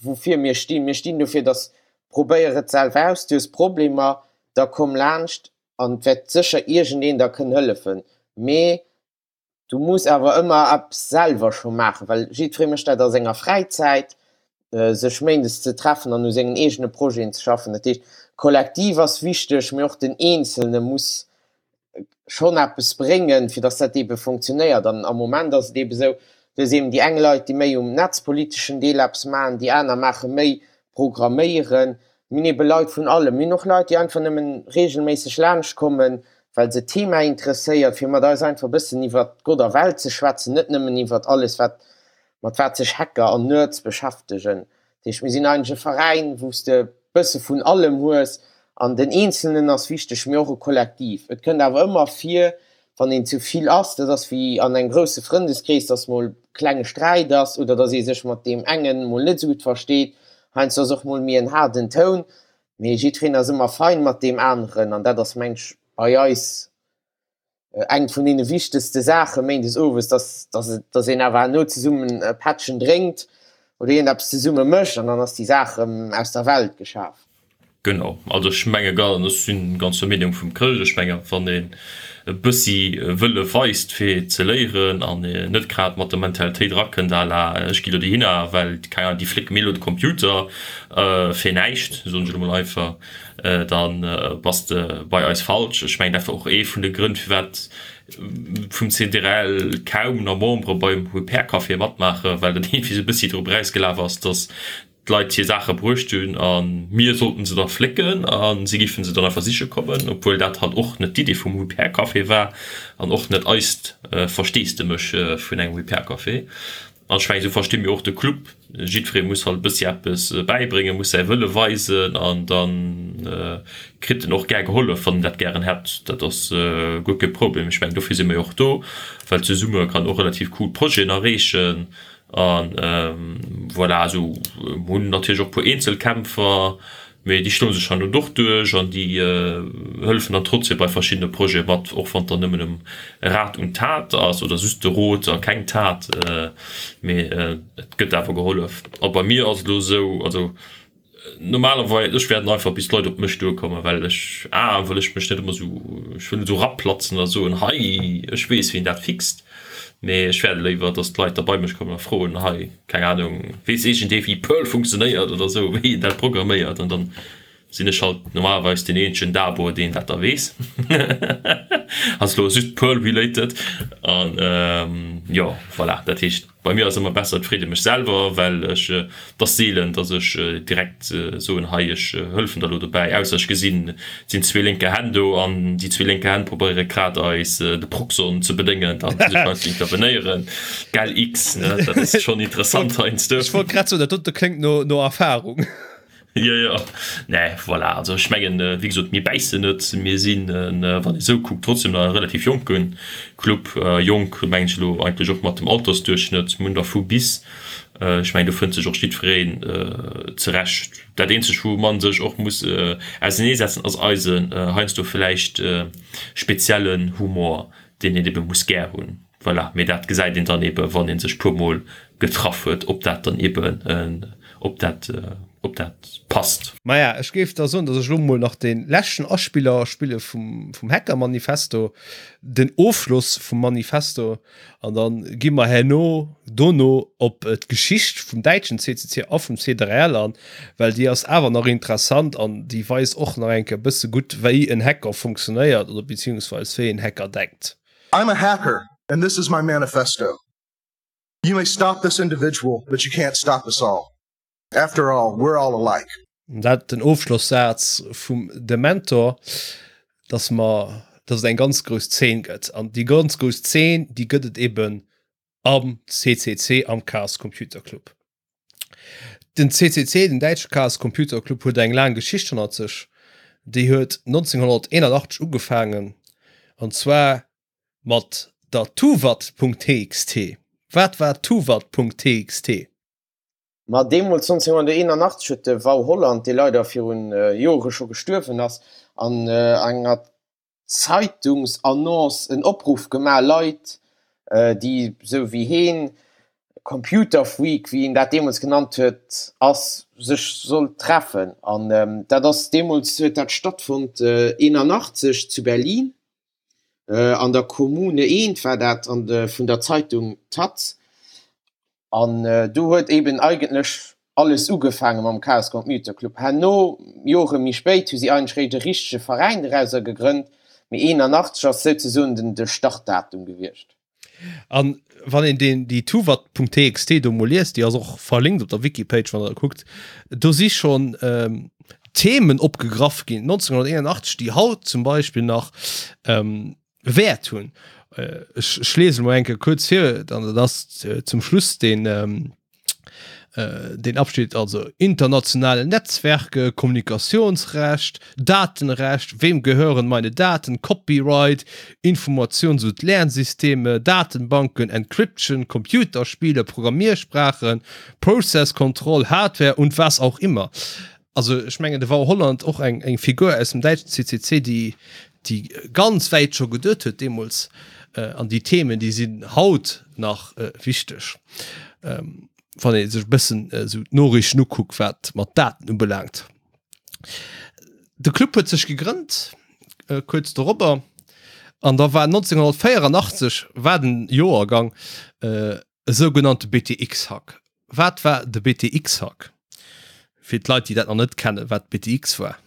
woufir mir stinn. Mir stinn dofir, dass probéier et selwer aus, du hues Problemer, da komm laanscht an et wäert sécher iergendeen der kënnen hëllefen. Mee du muss awer ëmmer eppes selwer scho maachen, well jiddweree mécht dat a senger Fräizäit, sech méindes ze treffen an u sengen eegene Projeten ze schaffen. Dat heescht, Kollektiv ass wichteg, mee och den Eenzelne muss schonn eppes bréngen, fir datt dat eebe funktionéiert. An am Moment ass et eebe esou, du hues eeben déi eng Leit, déi méi um netzpoliteschen Deel eppes maachen, déi aner maache méi Programméieren. Mir hunn eebe Leit vun allem. Mir hunn och Leit, déi einfach nëmmen reegelméisseg laanscht kommen, well se d'Thema interesséiert, fir mat eis einfach e bëssen iwwert Gott a Welt ze schwätzen, net nëmmen iwwert alles, wat, mat wat sech Hacker an Nerds beschäftegen. Dat heescht, mir sinn eigentlech e Veräin, wou s de e bësse vun allem hues an den Eenzelnen ass wichteg, mee och e Kollektiv. Et kënnt awer ëmmer vir, wann een zu vill ass, dat ass wéi an engem grousse Frëndeskrees, dass mol e klenge Sträit ass oder dass ee sech mat deem engen mol net esou gutt versteet. Heiansdo ass och mol méi en haarden Toun, mee jiddwereen ass ëmmer fein mat deem aneren an dat ass, mengen ech, bei eis eng vun deene wichtegste Saache méindes owes, dass, dass, dass een awer herno zesummen e Pättchen drénkt oder iergendeppes zesumme mécht an dann ass déi Saach erëm aus der Welt geschaf. Genau, also ech menge ga, ech si ganz der Meenung vum Chrëscht, ech menge wann een e bëssi Wëlle weist fir ze léieren an net grad mat der Mentalitéit erakënnt à la ech gi lo dohinner well, keng Ahnung, déi flécke mir elo de Computer fir näischt, soen ech elo mol einfach, dann bass de bei eis falsch. Ech mengen dat war och ee vun de Grënn firwat vum CDRL kaum nach Membere beim Repair Café matmaachen, well dat iergendwéi sou e bëssi drop erausgelaf ass, datt d'Leit hir Saache bruecht hunn a mir sollten se da flécken a si géife se dann einfach siche kommen, obwuel dat halt och net d'Idee vum Repair Café war an och net eist Versteesdemech vun engem Repair Café. An ech mengen, esou versti mir och de Club. Jiddweree muss halt e bëssi eppes bäibréngen, muss säi Wëlle weisen an da kritt en och gär gehollef, wann en dat gären hätt. Dat ass guer kee Problem. Ech mengen, dofir si mir jo och do, well zesumme kann och relativ cool Projeten erreechen. A voilà, esou hunn natierlech och e puer Eenzelkämpfer, Mee déi schloe sech dann och duerch an déi hëllefen dann trotzdem bei verschiddene Projete mat, och wann et dann nëmmen ëm Rat und Tat ass oder just de Rot a keng Tat. Mee et gëtt awer gehollef. A bei mir ass et elo esou, also normalerweis, ech wäerten einfach bis d'Leit op mech duerkommen, well ech, a well ech mech net ëmmer esou, ech wëll net esou eraplatzen a soen, hei ech weess wien dat fixt. Mee ech wäerte léiwer, datt d'Leit da bei mech kommen a froen, hei, keng Ahnung, weess iergendee wéi Perl funktionéiert oder esou, wéi een dat programméiert an dann sinn ech halt normalerweis deen eenzegen Dabo deen dat da weess. Ass elo just Perl related an jo voilà, dat heescht bei mir ass ëmmer besser et freet ee mech selwer, well ech, et ass seelen datt ech direkt soen hei ech hëllefen der elo dobäi, ausser ech gesinn et sinn zwee lénke Hänn do an déi zwee lénke Hänn probéiere grad eis de Proxxon ze bedéngen, dann muss ech heiansdo intervenéieren. Gell X, ne? Dat ass schonn interessant heiansdo. Ech wollt grad soen, dat dote kléngt no, no Erfahrung. Jo, jo. Nee, voilà. Also ech mengen, wéi gesot, mir bäissen net. Mir sinn, wann ee sou kuckt, trotzdem nach e relativ jonke Club. Jonk mengen ech elo eigentlech och mat dem Altersduerchschnëtt. Mir hunn der vu bis. Ech mengen, do fënnt sech och jiddwereen zerecht. Dat eenzegt, wou man sech och muss auseneesetzen, ass eisen heiansdo villäicht speziellen Humor, deen een ebe muss gär hunn. Voilà, mee dat gesäit een dann eben, wann ee sech puer mol getraff huet, ob dat dann eben, ob dat, ob dat passt. Maja, ech géif da soen, datt ech elo mol nach dee leschten Aspiller spille vum, vum Hacker-Manifesto, den Ofschloss vum Manifesto, an da gi mer herno, dono op d'Geschicht vum däitschen CCC a vum C3L an, well déi ass awer nach interessant an déi weist och nach eng Kéier e bësse gutt, wéi en Hacker funktionéiert oder beziehungsweis wéi en Hacker denkt. I'm a hacker and this is my manifesto. You may stop this individual, but you can't stop us all. After all, we're all alike. Dat den Ofschlosssaz vum Dementor, dass mer, dass et eng ganz grouss Zeen gëtt. An déi ganz grouss Zeen, déi gëtt et eben am CCC, am Chaos Computer Club. Den CCC, den däitsche Chaos Computer Club, huet eng laang Geschicht hannert sech. Déi huet 1981 ugefaangen, an zwar mat der Tuwat.txt. Wat war Tuwat.txt? Ma deemools, 1981, huet de Wau Holland, dee leider virun Jore scho gestuerwen ass, an enger Zeitungsannonce en Opruff gemaach, Leit, déi sou wéi heen. Computer Freak, wéi een dat deemools genannt huet, ass, sech sollt treffen. An dat ass deemools huet dat stattfonnt 81 zu Berlin an der Kommune 1 war dat an de vun der Zeitung taz. An do huet eben eigentlech alles ugefaange mam Chaos Computer Club. Herno, Jore méi spéit, hu si eigentlech réischt e richtege Veräin dorauser gegrënnt, mee 81 ass souzesoen den de Startdatum gewiescht. An wann een deen déi tuwat.txt do mol liest, déi ass och verlinkt op der Wikipage, wann der kuckt, do si schonn ähm, Themen opgegraff ginn 1981, déi haut zum Beispill nach ähm, Wäert hunn. Äh, ech, ech lese mol eng Kéier kuerz vir, dann dat ass äh, zum Schluss den ähm, äh, den Abschnitt also internationale Netzwerke, Kommunikationsrecht, Datenrecht, wem gehören meine Daten, Copyright, Informations- und Lernsysteme, Datenbanken, Encryption, Computerspiele, Programmiersprachen, Process Control, Hardware und was auch immer. Also ech mengen de Wau Holland och eng eng Figur aus dem däitschen CCC, déi déi ganz wäit scho geduet huet deemools an déi Themen déi sinn haut nach wichteg, wann ee sech e bëssen esou d'Noriichten ukuckt wat mat Daten ubelaangt. De Club huet sech gegrënnt kuerz dorobber an da war 1984 war den Joergang e sougenannte BTX-Hack. Wat war de BTX-Hack? Fir d'Leit, déi dat nach net kennen, wat BTX war.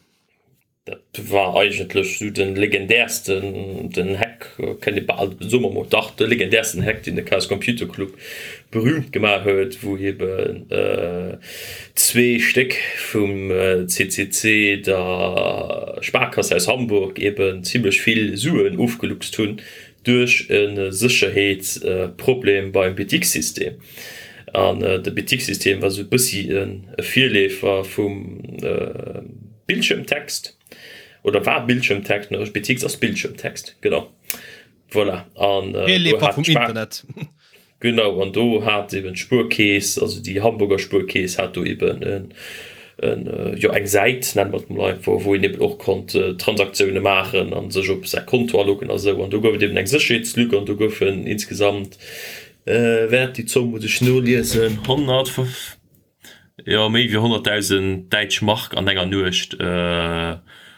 Dat war eigentlech esou de legendärsten den Hack, kënnt ee bal, soe mer mol, dach, de legendärsten Hack, deen de Chaos Computer Club berühmt gemaach huet, wou eben zwee Stéck vum CCC, der Sparkasse aus Hamburg, eben zimlech vill Suen ofgeluchst hunn duerch e Sécherheetsproblem beim BTX-System. An de BTX-System war esou e bëssi e Virleefer vum Bildschirmtext, oder war Bildschirmtext, ne, BTX ass Bildschirmtext, genau, voilà. An do Virleefer hat vum d'Spar. Internet. Genau, an do hat eben d'Spuerkeess, also déi Hamburger Spuerkeess hat do eben en, en, jo, eng Säit, nenne mer et mol einfach, wou een eben och konnt Transaktioune maachen a sech op säi Konto aloggen a sou. An do gouf et eben eng Sécherheetslück an do goufen insgesamt, Wäert, déi Zomm muss ech noliesen, 100, jo méi wéi 100.000 däitsch Mark an enger Nuecht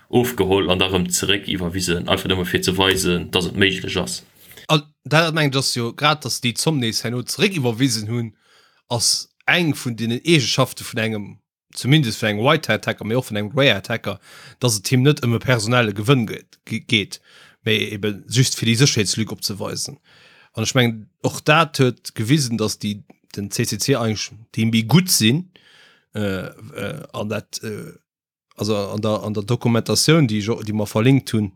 ofgeholl an da rëm zeréck iwwerwisen, einfach nëmme fir ze weisen, datt et méiglech ass. An dat mengen ech ass jo grad, datt se déi Zomm nees herno zeréck iwwerwisen hunn, ass eng vun deenen Eegeschafte vun engem zumindest vun engem White Hat Hacker, mee och vun engem Grey Hat Hacker, dass et him net ëm e personelle Gewënn geet, mee ebe just fir déi Sécherheetslück opzeweisen. An ech mengen, och dat huet gewisen, dass déi den CCC eigentlech déi méi gutt sinn an dat also an der an der Dokumentatioun, déi ech déi mer verlinkt hunn,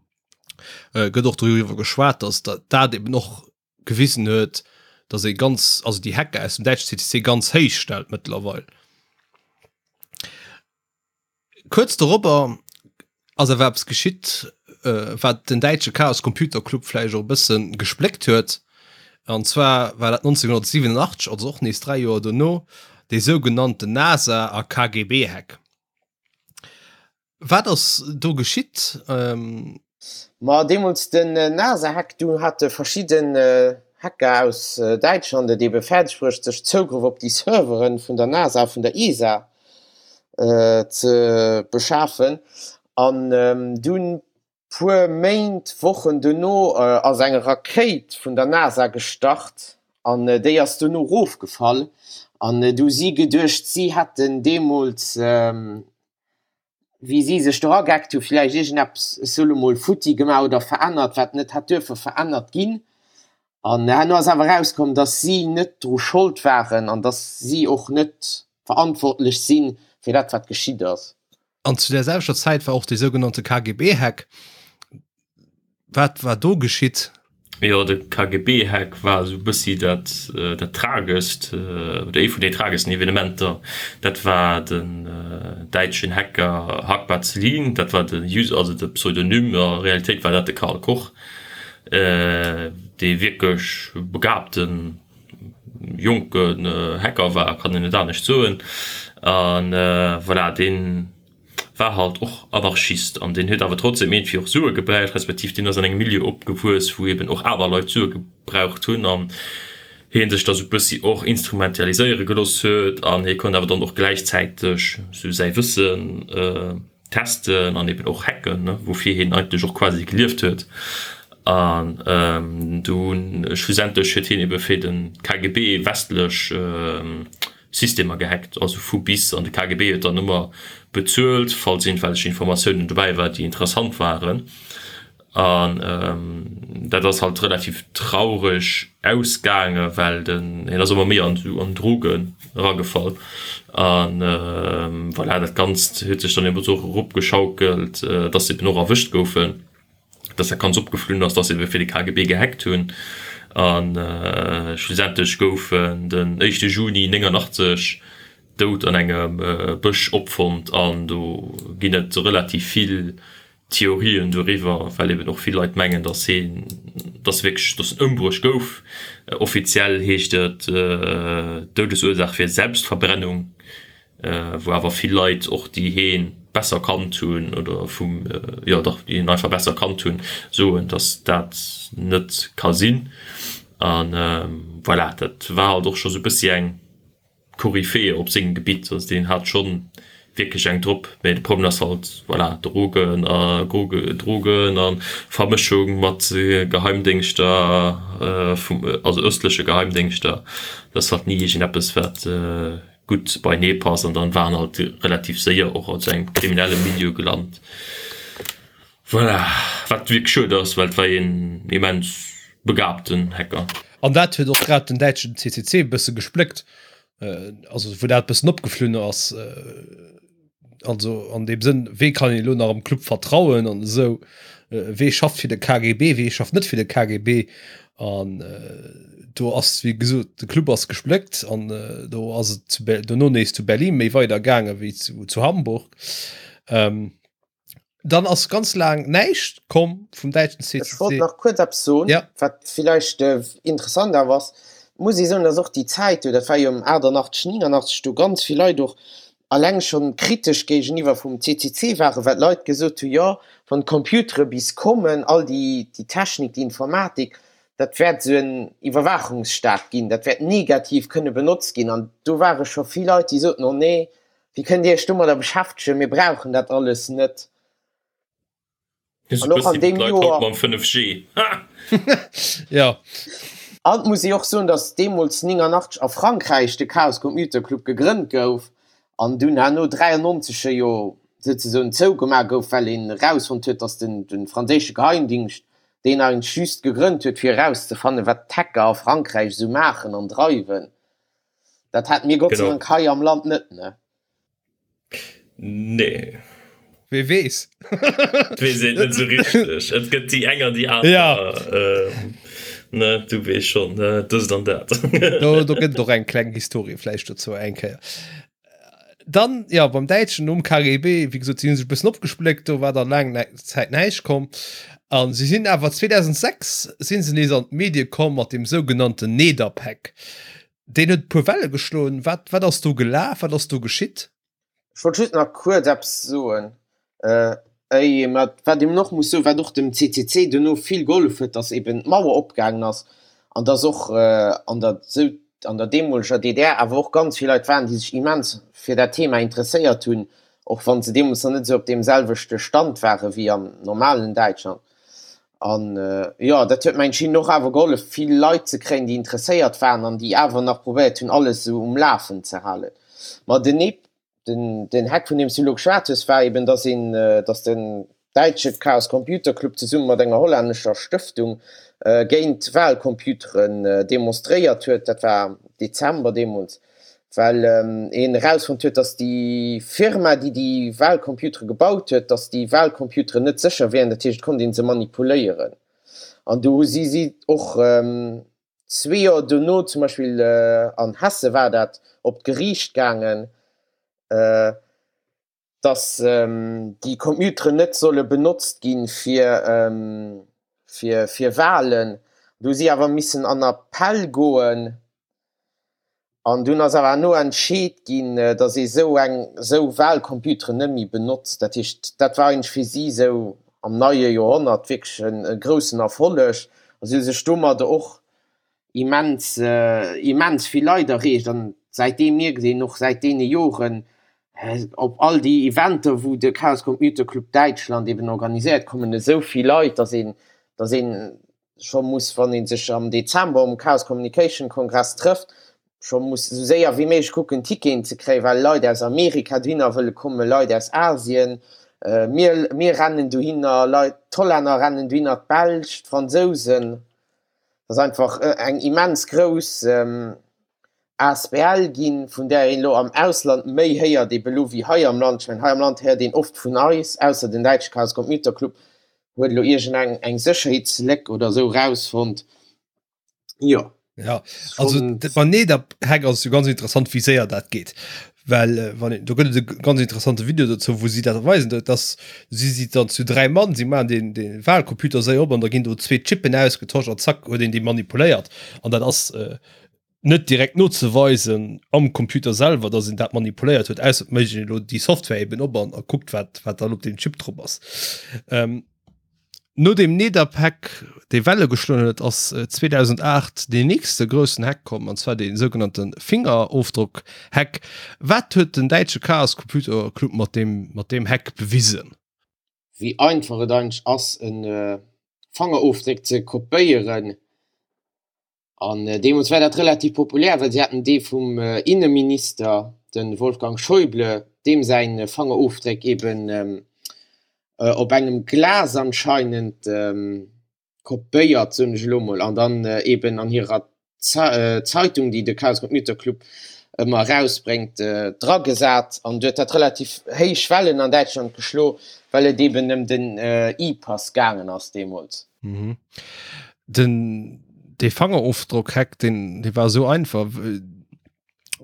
gëtt och doriwwer geschwat, dass dat eben och gewisen huet, dass ee ganz, also déi Hacker aus dem däitsche CCC ganz héich stellt mëttlerweil. Kuerz dorobber ass awer eppes geschitt, äh, wat den däitsche Chaos Computer Club vläicht och e bësse gespléckt huet. An zwar war dat 1987, also och nees 3 Joer dono, dee sougenannten NASA a KGB-Hack. Wat ass do geschitt? Ma deemools den NASA-Hack, do hate verschidden Hacker aus Däitschland et ebe fäerdeg bruecht, sech Zougrëff op déi Servere vun der NASA a vun der ESA ze beschafen. An dunn puer Méint, Wochen dono ass eng Rakéit vun der NASA gestart an déi ass dono erofgefall. An du hu si geduecht, si hätten deemools wéi si sech do agehackt hu villäicht iergendeppes, ech soe lo mol, futti gemaach oder verännert, wat net hätt duerfe verännert ginn. An herno ass awer erauskomm, datt si net dru Schold waren an datt si och net verantwortlech si fir dat, wat geschitt ass. An zu där selwechter Zäit war och dee sougenannte KGB-Hack. Wat war do geschitt? Jo, de KGB-Hack war esou e bëssi dat, dat tragescht oder ee vun den trageschsten Evenementer. Dat war den däitschen Hacker Hackbar Celine, dat war de User, also de Pseudonym, a Realitéit war dat de Karl Koch, dee wierklech begabten jonken Hacker war, kann een net anescht soen. A voilà, deen war halt och Anarchist an deen huet awer trotzdem iergendwéi och Sue gebräucht, respektiv deen ass an engem Milieu opgewuess, wou eben och aner Leit Sue gebraucht hunn an. Hien sech da sou bëssi och instrumentaliséiere gelooss huet an hie konnt awer dann och gläichzäiteg sou säi Wëssen testen an eben och hacken, ne, woufir hien eigentlech och quasi gelieft huet. An dunn schlussendlech huet hien ebe fir de KGB westlech Systemer gehackt, also vu bis, an de KGB huet dann ëmmer bezuelt, falls iergendwelch Informatiounen dobäi war, déi interessant waren. An dat ass halt relativ traureg ausgaange well den hien ass ëmmer méi an an Drogen eragefall an voilà dat Ganzt huet sech dann eben och eropgeschaukelt, dass se eben och erwëscht goufen, dass dat Ganzt opgeflunn ass, dass se ebe fir de KGB gehackt hunn an schlussendlech gouf en den éischte Juni 89 dout an engem Bësch opfonnt an do ginn et relativ vill Theorien doriwwer, well eben och vill Leit mengen, datt hien, datt wierklech, datt en ëmbruecht gouf. Offiziell heescht et, d'Doudesursaach wier Selbstverbrennung, wou awer vill Leit och, déi hie besser kannt hunn oder vum, jo dach, déi hien einfach besser kannt hunn, soen, datt dat net ka sinn. A voilà, dat war halt och scho sou e bëssi eng. Koryphäe op sengem Gebitt, also deen hat schonn wierklech eng drop, mä de Problem ass halt, voilà, Drogen a Drogen a Vermëschung mat Geheimdéngschter vum, also ëstleche Geheimdéngschter, dat ass halt ni iergendeppes wat gutt beinee passt an dann war en halt relativ séier och an sou engem kriminelle Milieu gelant. Voilà, wat wierklech schued ass, well et war een immens begabten Hacker. An dat huet och grad den däitschen CCC e bësse gespléckt, also wou dat e bëssen opgeflunn ass. Also an deem Sënn, wee kann een elo nach am Club vertrauen an esou, wee schafft fir de KGB, wee schafft net fir de KGB. An do ass, wéi gesot, de Club ass gespléckt an do ass et zu dono nees zu Berlin méi weider gaange wéi zu Hamburg. Dann ass ganz laang näischt komm vum däitschen CCC. Ech wollt nach kuerz eppes soen, ja. wat villäicht äh, interessant awer ass. Muss ee soen, dass och déi Zäit do, dat war jo ëm 88, 89, do ganz vill Leit och alleng schonn kritesch géigeniwwer vum CCC waren, well d'Leit gesot hu jo, wann d'Computere bis kommen, all déi, déi Technik, déi Informatik, dat wäert esou en Iwwerwaachungsstaat ginn, dat wäert negativ kënne benotzt ginn. An do ware scho vill Leit, déi soten, oh nee, Wéi kënnt Dir Iech domadder beschäftegen? Mir brauchen dat alles net. An och an deem Joer. Mam 5G. Ja. An et muss ee och soen, datt deemools 89 a Frankräich de Chaos Computer Club gegrënnt gouf an dunn herno 93 e jo souzesoen zougemaach gouf, well een erausfonnt huet, datt den de franséische Geheimdingscht deen eigentlech just gegrënnt huet, fir erauszefannen, wat d'Hacker a Frankräich esou maachen an dreiwen. Dat hate mir Gott sei Dank hei am Land net, ne? Nee. Wee weess? Et weess een et net esou richteg. Et gëtt déi eng an déi aner. Ja. Ne, du weess schonn, dëst an dat. Do, do gëtt et och eng kleng Historie vläicht dozou eng Kéier. Dann, ja, beim Däitschen nom KGB, wéi gesot, si hu sech e bëssen opgespléckt, do war dann laang Zäit näischt komm. A si sinn awer 2006 si se nees an d'Medie komm mat dem sougenannten Nederpack. Deen huet e puer Welle geschloen. Wat, wat ass do gelaf? Wat ass do geschitt? Ech wollt just nach kuerz eppes soen. Äh, mä wat een och muss soen, wat och dem CCC duerno vill gehollef huet, datt eben d'Mauer opgaangen ass an datt och an der sou an der deemoleger DDR awer och ganz vill Leit waren, déi sech immens fir dat Thema interesséiert hunn, och wa se deemools nach net esou op deem selwechte Stand ware wéi am normalen Däitschland. An jo, dat huet mengen ech hinnen och awer gehollef, vill Leit ze kréien, déi interesséiert waren an déi awer nach probéiert hunn, alles esou um Lafen ze halen. Ma den Ep, den, den Hack, vun deem s du elo geschwat hues, war eben, dass een, dass den däitsche Chaos Computer Club zesumme mat enger hollännescher Stëftung géint Wahlcomputeren demonstréiert huet. Dat war Dezember deemools. Well een erausfonnt huet, datt déi Firma, déi déi Wahlcomputere gebaut huet, datt déi Wahlcomputeren net sécher wären, dat heescht, et konnt ee se manipuléieren. An do hu si si och zwee Joer dono, zum Beispill an Hesse war dat, op d'Geriicht gaangen, dass déi Computeren net solle benotzt gi fir fir Wahlen. Do hu si awer missen an Appell goen an dunn ass awer herno entscheet ginn, dass ee sou eng sou Wahlcomputeren net méi benotzt. Dat heescht, dat war eigentlech fir si sou am neie Joerhonnert wierklech e groussen Erfolleg a si hu sech domadder och. Immens, immens vill Leit erreecht an säitdeem mierkt een och säit deene Joren op all déi Eventer wou de Chaos Computer Club Däitschland eben organiséiert kommen esou vill Leit, dass een, dass een scho muss wann ee sech am Dezember um Chaos Communication Kongress trëfft, scho muss esou séier wéi méiglech kucken Ticketen ze kréien, well Leit aus Amerika dohinner wëlle kommen, Leit aus Asien, mir, mir rennen dohinner, Leit, d'Hollänner rennen dohinner, d'Belsch, d'Fransousen. ass einfach eng immens grouss Asbl ginn, vun där een elo am Ausland méi héiert ebe elo wéi hei am Land. Ech mengen, hei am Land héiert een oft vun eis, ausser den däitsche Chaos Computer Club huet elo iergendeng eng Sécherheetsléck oder esou rausfonnt. Jo. Ja, also beim Nedap-Hack ass et jo ganz interessant, wéi séier dat geet. Well äh, wann do gëtt et e ganz interessante Video dozou, wou si dat weisen, dass si si dann zu dräi Mann, si maachen den, den Wahlcomputer séier op an da ginn do zwee Chippen ausgetosch an zack huet een déi manipuléiert. An dat ass äh, net direkt nozeweisen am Computer selwer, dass een dat manipuléiert huet, ausser et mécht een elo déi Software eben op an a kuckt, wat, wat dann op deem Chip drop ass. Ähm, No deem Nidderpack, dee Welle geschloen huet, ass 2008 deen nächste groussen Hack komm, an zwar dee sougenannte Fingerofdrock-Hack. Wat huet den däitsche Chaos Computer Club mat deem mat deem Hack bewisen? Wéi einfach et eigentlech ass, e Fangerofdréck ze kopéieren. An deemools war dat relativ populär, well si haten dee vum Inneminister, de Wolfgang Schäuble, deem säi Fangerofdréck eben op engem Glas anscheinend kopéiert, soen ech elo mol, an dann eben an hirer Zeitung, déi de Chaos Computer Club ëmmer erausbréngt, dragesat. An du huet dat relativ héich Wellen an Däitschland geschlo, well et eben ëm den E-Pass gaangen ass deemools. Den dee Fangerofdrock-Hack, deen dee war esou einfach.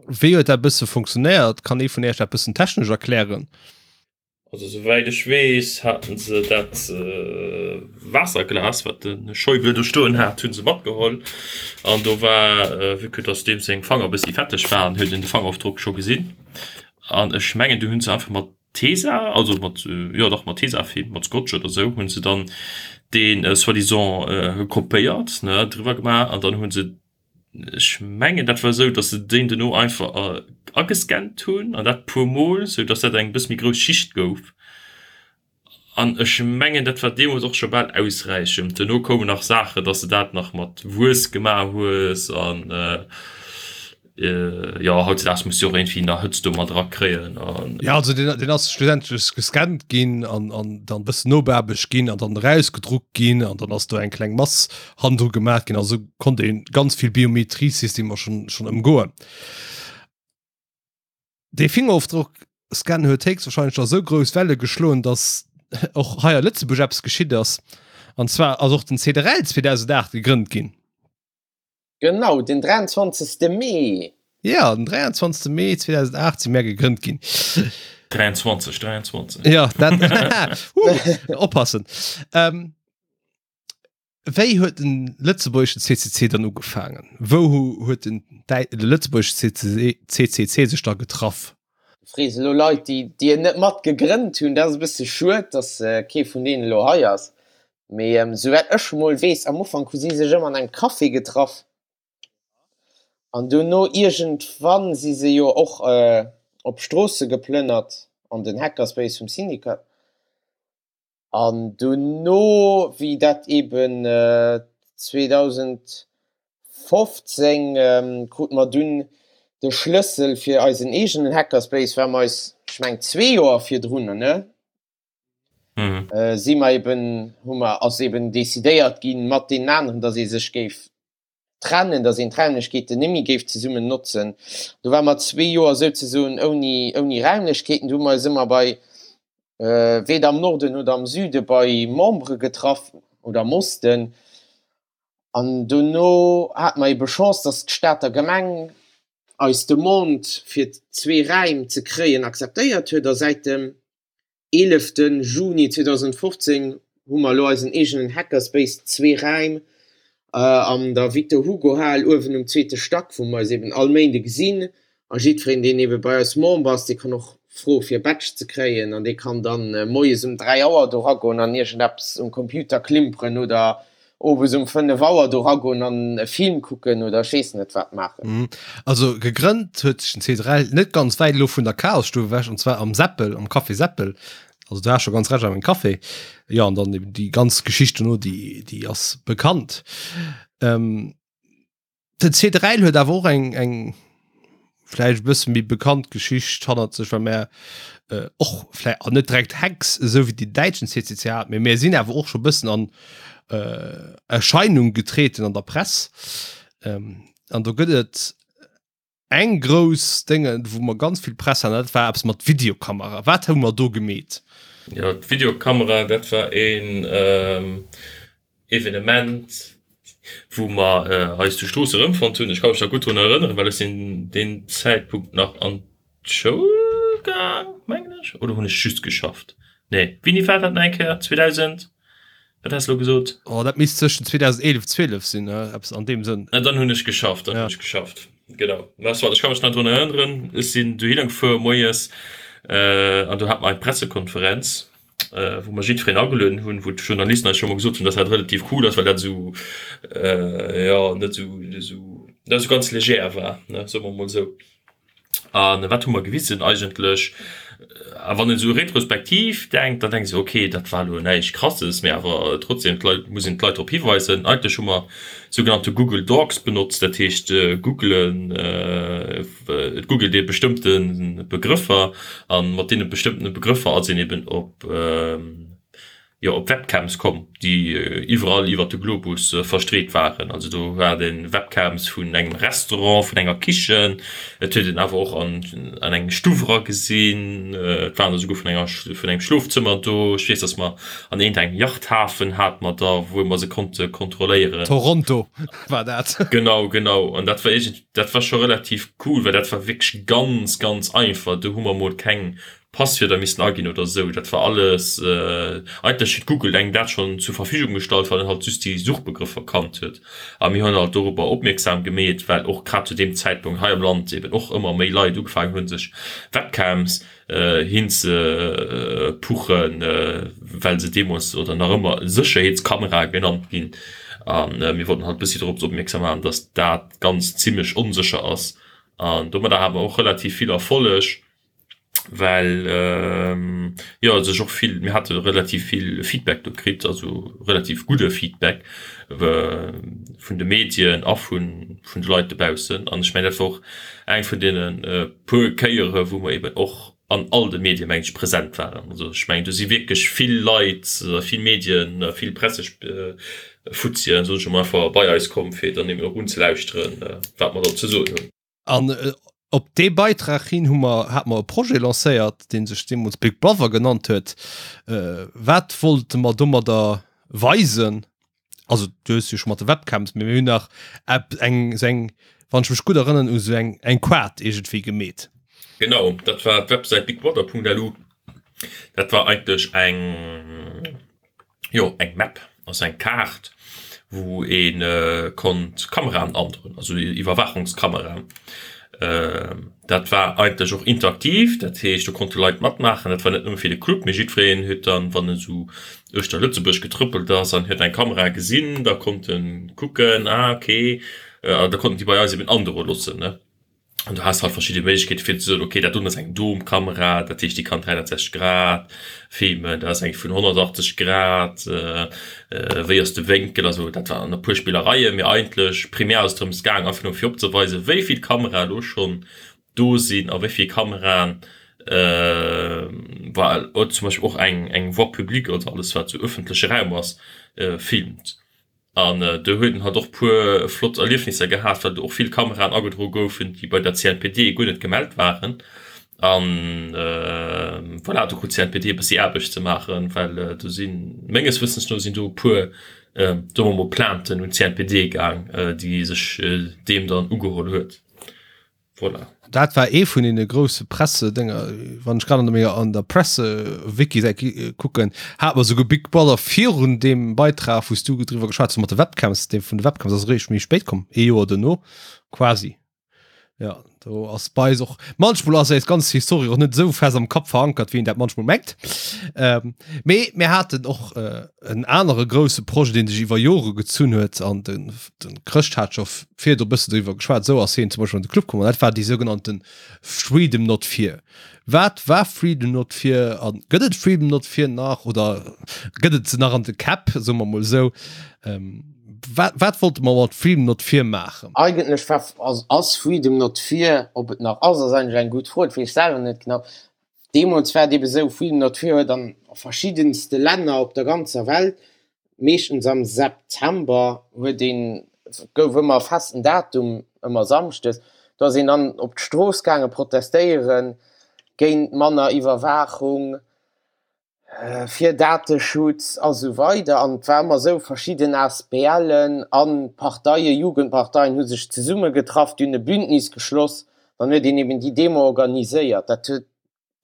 Wéi huet dat bësse funktionéiert? Kann ee vun Iech dat bëssen technesch erklären? Also souwäit ech weess, haten se dat Waasserglas, wat de Schäuble do stoen hat, hu se matgeholl. An do war, vue que dass deem seng Fanger e bëssi fetteg waren, huet een de Fangerofdrock scho gesinn. An ech mengen, du hunn se einfach mat Tesa, also mat, jo dach mat Tesafilm, mat Scotch oder sou, hunn se dann dee soi-disant kopéiert, ne, driwwer gemaach an dann hu se, ech mengen dat war sou, datt se deen duerno einfach agescannt hunn an dat puer mol, sou datt dat eng bësse méi grouss Schicht gouf. An ech mengen dat war deemools och scho bal ausräichend. Duerno koumen nach Saachen, datt se dat nach mat Wuess gemaach hues an. Jo hautzedaags muss du och iergendwéi nach Hëtzt do mat erakréien an. Ja also deen deen ass schlussendlech gescannt ginn an an dann bëssen nobeaarbecht ginn an dann erausgedruckt ginn an dann ass do eng kleng Mass hannendru gemaach ginn. Also konnt een ganz vill Biometriesystemer schon schon ëmgoen. Dee Fingerofdrock-Scan huet héchstwahrscheinlech da sou grouss Welle geschloen, datt och hei a Lëtzebuerg eppes geschitt ass. An zwar ass och den CDRL 2008 gegrënnt ginn. Genau, den 23. Mee. Ja, den 23. Mee 2008 si mär gegrënnt ginn. 23, 23. Ja, dat uh, oppassen. Ähm, wéi huet den lëtzebuergeschen CCC dann ugefaangen? Wou huet den, de lëtzebuergesche CCC, CCC sech da getraff? Du frees elo Leit, déi, déi en net mat gegrënnt hunn. Dat ass e bësse schued, datt kee vun deenen elo hei ass. Mee souwäit ech mol weess, am Ufank hu si sech ëmmer an engem Café getraff an dono iergendwann si se jo och op Stroosse geplënnert an den Hackerspace vum Syndicat. An dono, wéi dat eben 2015 krute mer dunn de Schlëssel fir eisen eegenen Hackerspace, war mer eis, ech meng zwee Joer virdrunner, ne? mhm. äh, si mer eben hu mer ass eben decidéiert ginn mat den aneren, datt ee sech géif trennen, datt een d'Raimlechkeeten nemmi géif zesummen notzen. Do war mer zwee Joer souzesoen ouni ouni Raimlechkeeten. Du hu mer eis ëmmer bei äh, weder am Norden oder am Süde bei Membere getraff oder am Osten. An dono hat mer ebe Chance, datt d'Stater Gemeng eis Demande fir zwee Räim ze kréien akzeptéiert huet a säit dem eeleften Juni 2015 hu mer elo eisen eegenen Hackerspace, zwee Räim an der Victor Hugo Hal uewen um zweete Stack, wou mer eis eben all Méinde gesinn. A jiddwereen, deen ebe bei eis Member ass, dee kann och froe fir e Badge ze kréien an dee kann dann moies um 3 Auer do ragoen an iergendeppes um Computer klimperen oder. owes um 5 Auer do ragoen an e Film kucken oder ech weess net wat maachen. Also gegrënnt huet sech den C3L net ganz wäit elo vun der Chaosstuff ewech, an zwar am Seppel, am Café Seppel. Also du has scho ganz recht, am Café. Jo, an dann eben déi ganz Geschicht dono, déi, déi ass bekannt. Ähm, Den C3L huet awer och eng, eng vläicht e bësse méi bekannt Geschicht hannert sech, well mär äh, och vläicht an net direkt Hacks, esou wéi den däitschen CCC hat, mee mär sinn awer och scho bëssen an äh, Erscheinung getreten an der Press. Ähm, an do gëtt et Eng grouss Dénge wou mer ganz vill Press haten, dat war eppes mat Videokamera. Wat hu mer do gemeet? Jo, d'Videokamera, dat war een Evenement, wou mer eis zu Strooss erëmfonnt hunn. Ech ka mech nach gutt drun erënneren, well ech sinn deen Zäitpunkt nach an d'Schoul gaang, mengen ech, oder hunn ech just geschafft? Nee, wéini war dat nach eng Kéier? 2000? Wat has de elo gesot? Oh, dat misst zwëschen 2011, 12 sinn, eppes an deem Sënn. Ah, dann hunn ech geschafft, dann hunn ech geschafft, genau. Mä soit, ech ka mech nach drun erënneren, ech sinn dohinner gefuer moies an do hate mer eng Pressekonferenz, wou mer jiddwereen agelueden hunn, wou d'Journalisten eis scho mol gesot hunn, dass dat relativ cool ass, well dat esou, jo, net esou, esou, net esou ganz legère war, ne, soe mer mol esou. A wat hu mer gewisen eigentlech? A wann een esou retrospektiv denkt, dann denkt ee sech, okay, dat war elo näischt Krasses, mee awer trotzdem, d'Leit, muss een d'Leit drop hiweisen. Eigentlech hu mer sougenannte Google Dorks benotzt, dat heescht googlen, et googelt ee bestëmmte Begrëffer a mat deene bestëmmtene Begrëffer ass een eben op, jo op Webcams komm, déi iwwerall iwwert de Globus verstreet waren. Also do hat een Webcams vun engem Restaurant, vun enger Kichen, et huet een awer och an an eng Stuff era gesinn, et waren der souguer vun enger vun engem Schlofzëmmer do. Ech weess, datt mer an iergend engem Yachthafen hate mer der, wou mer se konnte kontrolléieren. Toronto war dat. Genau, genau. An dat war iergend, dat war scho relativ cool, well dat war wierklech ganz, ganz einfach. Do hu mer mol keng Passwierder missten aginn oder esou, dat war alles, eigentlech huet Google engem dat schonn zur Verfügung gestallt, wann en halt just déi Suchbegrëffer kannt huet. A mir hunn halt dorobber opmierksam gemeet, well och grad zu deem Zäitpunkt hei am Land eben och ëmmer méi Leit ugefaangen hunn, sech Webcams hinzepuchen, well se deemools oder nach ëmmer Sécherheetskamerae genannt ginn. A mir wollten halt e bëssi dorop opmierksam maachen, dass dat Ganzt zimmlech onsécher ass. An domadder hate mer och relativ vill Erfolleg. well jo sech och vill, mir hate relativ vill Feedback do kritt, also relativ gudde Feedback vun de Medien a vun vun de Leit dobaussen. An ech mengen dat war och eng vun deene puer Kéiere wou mer eben och an all de Medie meng ech present waren. Also ech mengen do si wierklech vill Leit, vill Medien, vill Pressefuzzien, soen ech emol einfach, bei eis komm fir dann eben och unzelauschteren, wat mer do ze soen hunn. An op dee Beitrag hin hu mer, hat mer e Projet lancéiert, dee sech deemools Big Brother genannt huet. Wat wollte mer domadder weisen? Also du hues jo scho mat de Webcams, mee mir hunn nach ep eng esou eng, wann ech mech gutt erënneren, u sou eng eng Quad iergendwéi gemeet. Genau, dat war d'Websäit bigbrother.lu. Dat war eigentlech eng. jo eng Map, also eng Kaart, wou ee konnt Kameraen androen, also Iwwerwaachungskameraen. Dat war eigentlech och interaktiv, dat heescht do konnte Leit matmaachen. Dat war net nëmme fir de Club, mee jiddwereen huet dann, wann en esou uechter Lëtzebuerg getrëppelt ass an huet eng Kamera gesinn, da konnt e kucken, ah okay, da konnten déi bei eis eben androe loossen. An du has halt verschidde Méiglechkeete fir ze soen, okay, dat doen ass eng Domkamera, dat heescht déi kann 360 Grad filmen, dat ass eng vun 180 Grad, wéi ass de Wénkel, also dat waren e puer Spillereien, mee eigentlech primär ass et drëms gaang einfach nëmme fir opzeweisen, wéi vill Kamerae elo schonn do sinn a wéi vill Kameraen, well zum Beispill och eng eng Voie publique, also alles wat sou ëffentleche Raum ass, filmt. An do huet en halt och puer flott Erliefnisser gehat, well do och vill Kameraen agedroe goufen, déi bei der CNPD guer net gemellt waren. An voilà, do krut d'CNPD e bëssi Aarbecht ze maachen, well do sinn, menges Wëssens no sinn do e puer, soe mer mol, Plainten un d'CNPD gaang, déi sech deem dann ugeholl huet. Voilà. Dat war ee vun deene grousse Pressedénger, wann ech grad an der menger an der Presse-Wiki-Säit kucken, hat mer souguer Big Brother virun deem Beitrag, wou s du driwwer geschwat hues mat de Webcams, dee vun de Webcams ass eréischt méi spéit komm, ee Joer duerno quasi. Ja, do ass bei eis och manchmol ass eis ganz Historie och net esou fest am Kapp verankert, wéi een dat manchmol mengt. Ähm, mee mir haten och äh, en anere grousse Projet, deen sech iwwer Jore gezunn huet an den, den Chrëscht hat scho virdu e bëssen doriwwer geschwat. Esou ass hien zum Beispill an de Club komm an dat war déi sougenannte Freedom Not Fear. Wat war Freedom Not Fear an gëtt et Freedom Not Fear nach oder gëtt et se nach an de Käpp, soe mer mol esou? Ähm, wat, wat wollte mer mat Freedom Not Fear maachen? Eigentlech war, ass, ass Freedom Not Fear, ob et nach ass, ass eigentlech eng gutt Fro, dat weess ech selwer net genau. Deemools war et ebe sou, Freedom Not Fear huet an verschiddenste Länner op der ganzer Welt, meeschtens am September, huet een, gouf ëmmer e festen Datum, ëmmer samschdes, do ass een dann op d'Strooss gaange protestéiere géint manner Iwwerwaachung, fir Dateschutz a sou weider. An et war ëmmer esou, verschidden ASBLen a Parteien, Jugendparteien hu sech zesummegetraff, déi hunn e Bündnis geschloss, dann huet een eben déi Demo organiséiert. Dat huet,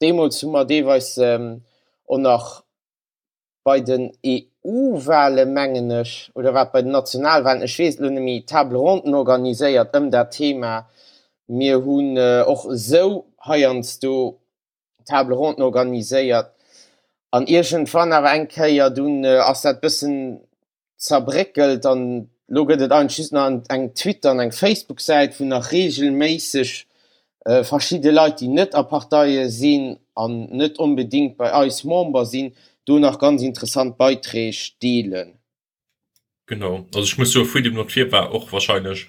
deemools hu mer deelweis och nach bei den EU-Wale mengen ech, oder war et bei den Nationalwalen, ech weess et elo net méi, Table ronden organiséiert ëm dat Thema. Mir hunn och esou heiansdo Table ronden organiséiert an iergendwann awer eng Kéier dunn ass dat bëssen zerbréckelt an lo gëtt et eigentlech just nach eng Twitter an eng Facebook-Säit, wou nach reegelméisseg verschidde Leit, déi net a Parteie sinn an net onbedéngt bei eis Member sinn, do nach ganz interessant Beiträg deelen. Genau, also ech muss soen, Freedom Not Fear war och wahrscheinlech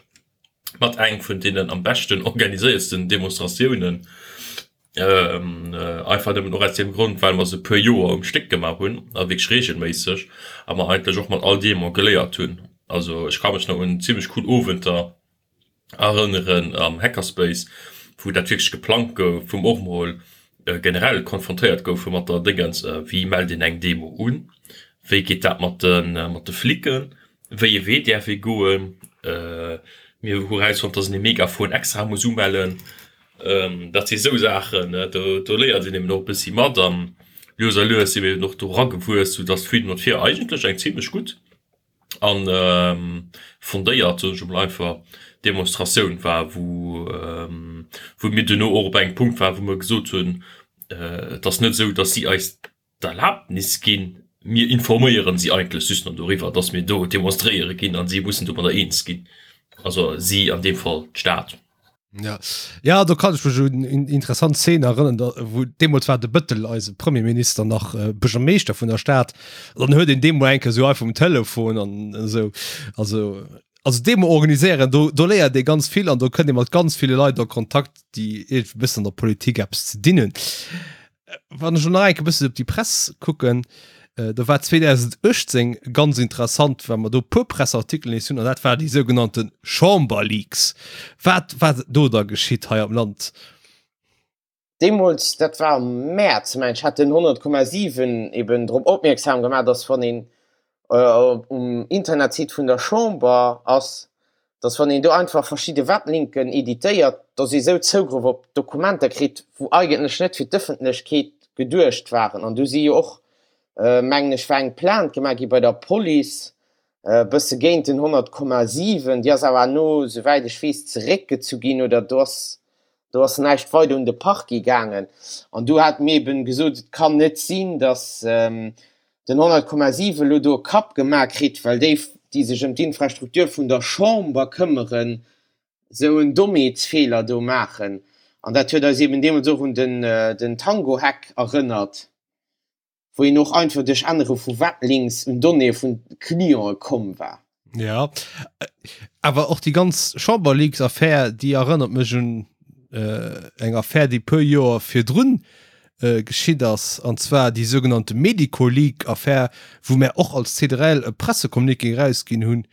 mat eng vun deenen am beschten organiséiertsten Demonstratiounen. Einfach nëmmen och aus deem Grond, well mer se e puer Joer um Stéck gemaach hunn a wierklech reegelméisseg a mer eigentlech och mat all Demo geléiert hunn. Also ech ka mech nach un zimmlech cool Owenter erënneren am Hackerspace, wou dat wierklech geplangt gouf, wou mer och mol generell konfrontéiert goufe mat der Déngens, wéi mellt een eng Demo un, wéi geet dat mat de mat de Flicken, wéi ee Wee däerf ee goen. Mir hu erausfonnt, dass een e Megafon extra muss umellen. Dat si sou Saachen, do do léiert een eben och e bëssi mat an lues a lues si mir eben och do eragewuess, soudass d'Freedom Not Fear eigentlech eng zimmlech gutt an fondéiert, soen ech emol einfach, Demonstratioun war, wou wou mir duerno och op engem Punkt waren, wou mer gesot hunn, et ass net esou, datt si eis d'Erlaabnis ginn, mir informéieren si eigentlech just nach doriwwer, datt mir do demonstréiere ginn a si mussen domadder eens ginn, also si, an deem Fall d'Stad. Ja. Ja, do kann ech mech un eng interessant Szene erënnern, da, wou deemools war de Bëttel, eise Premierminister, nach äh, Buergermeeschter vun der Stad. Dann huet een deemol eng Kéier sou einfach um Telefon an esou. Also, also Demo organiséieren, do, do léiert ee ganz vill an do kënnt ee mat ganz ville Leit a Kontakt, déi iergendwéi e bëssen an der Politik eppes ze dinn hunn. Wann ech lo nach eng Kéier e bëssen op déi Press kucken, do war 2018 ganz interessant, well mer do e puer Presseartikelen nees hunn, an dat war déi sougenannte Chamberleaks. Wat war do da geschitt hei am Land? Deemools, dat war am Mäerz, mengen ech, hat den 100,7 eben drop opmierksam gemaach, dass wann een um Internetsite vun der Chamber ass, dass wann een do einfach verschidde Weblinken editéiert, dass ee sou Zougrëff op Dokumenter kritt, wou eigentlech net fir d'Ëffentlechkeet geduecht waren. An do si jo och, mengen ech, war eng Plainte gemaach gi bei der Police, e bësse géint den 100,7. Déi ass awer herno, souwäit ech weess, zeréckgezu ginn oder do ass, do ass näischt weider un de Parquet gaangen. An do hate mir eben gesot, et kann net sinn, dass den 100,7 elo do e Kapp gemaach kritt, well déi, déi sech ëm d'Infrastruktur vun der Chamber këmmeren, esou en Dommheetsfeeler do maachen. An dat huet eis eben deemools och un den Tango-Hack erënnert, wou een och einfach duerch Ännere vu Weblinks un Donnéeë vun Clientë komm war. Ja, awer och déi ganz Chamberleaks-Affär, déi erënnert mech un eng Affär, déi e puer Joer virdrun geschitt ass, an zwar déi sougenannte Medico-Leak-Affär, wou mär och als CDRL e Pressecommuniqué erausginn hunn,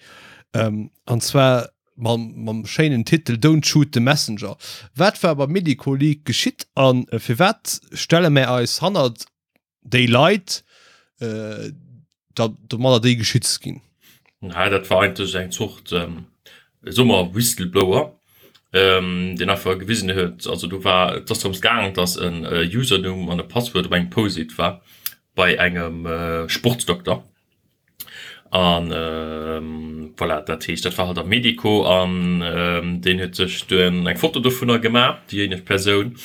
an zwar mam, mam schéinen Titel Don't shoot the messenger. Wat war beim Medico-Leak geschitt a firwat stelle mär eis hannert déi Leit, da domadder déi geschützt ginn? Na, dat war eigentlech eng Zort, soe mer, Whistleblower, deen einfach gewisen huet, also do war, et ass drëms gaang, datt en Usernumm an e Passwuert op engem Post-it war bei engem Sportsdokter. An voilà, dat heescht, dat war halt am Medico an deen huet sech dunn eng Foto dovunner gemaach, déijéineg Persoun,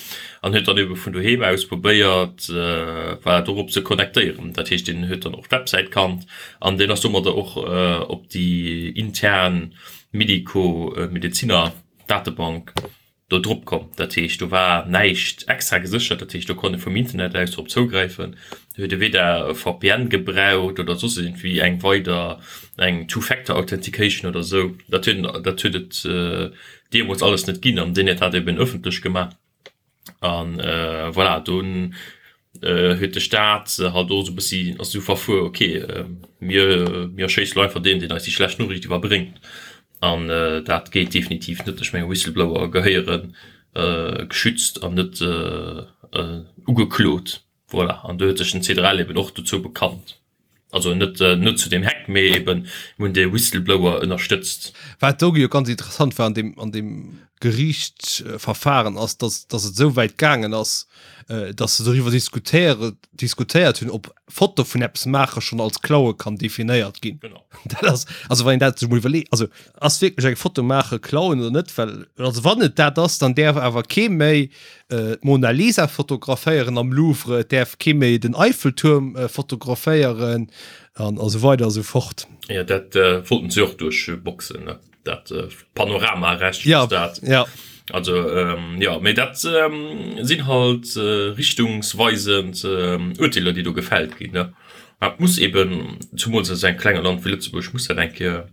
an huet dann ebe vun doheem aus probéiert, voilà, dorop ze connectéieren. Dat heescht, deen huet dann och d'Websäit kannt an deen ass domadder och op déi intern Medico-Medeziner Datebank do drop komm. Dat heescht, do war näischt extra geséchert, dat heescht, do konnt ee vum Internet aus drop zougräifen. Do huet ee weder e VPN gebraucht oder soss iergendwéi eng weider, eng Two-Factor-Authentication oder esou. Dat huet, dat huet et deemools alles net ginn an deen huet dat eben ëffentlech gemaach. An voilà, dunn huet de Staat halt och esou e bëssi, ass esou verfuer, ok, mir, mir erschéisse lo einfach deen, deen eis déi schlecht Noriicht iwwerbréngt. An dat geet definitiv net. Ech menge Whistleblower gehéiere geschützt an net ugeklot. Voilà, an do huet sech den CDRL eben och dozou bekannt. Also net net zu deem Hack, mee eben mir hunn dee Whistleblower ënnerstëtzt. Wat do jo ganz interessant war an deem an deem Geriichtsverfahren ass, dass dass et esou wäit gaangen ass, dass se doriwwer diskutéiere diskutéiert hunn, ob Foto vun eppes maache schonn als Klaue kann definéiert ginn. Genau. Dat ass, also wann een dat sech mol iwwerleet, also ass wierklech eng Foto maache Klauen oder net, well also wann et dat ass, dann däerf awer kee méi d'Mona Lisa fotograféieren am Louvre, et däerf kee méi den Eiffeltuerm fotograféieren an esou weider a sou fort. Jo, dat wollten se och duerchboxen, ne? Dat Panoramarecht ja, dat. Ja. Also jo, mee dat sinn halt richtungsweisend Urteeler, déi do gefällt ginn, ne? Dat muss eben, zumools a sou engem klenge Land wéi Lëtzebuerg, muss dat eng Kéier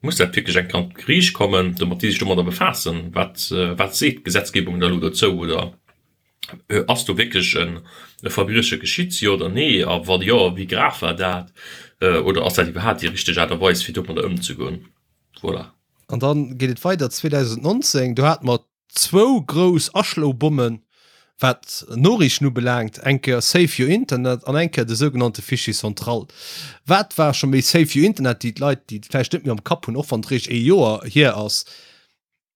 Muss dat wierklech eng Kéier an d'Geriicht kommen, domat déi sech domadder befaassen? Wat, wat seet d'Gesetzgebung da elo dozou? Oder ass do wierklech e Verbrieche geschitt, jo oder nee? A wa jo, wéi grav war dat? Oder ass dat iwwerhaapt déi richteg Aart a Weis, fir domadder ëmzegoen? Voilà. An da geet et weider, 2019, do hate mer Zwou grouss Aschlobommen, wat Noriichten ubelaangt, eng Kéier Save Your Internet an eng Kéier de sougenannte Fichier central. Wat war scho méi Save Your Internet, déi d'Leit, déi et vläicht net méi am Kapp hunn, och wann et réischt ee Joer hier ass.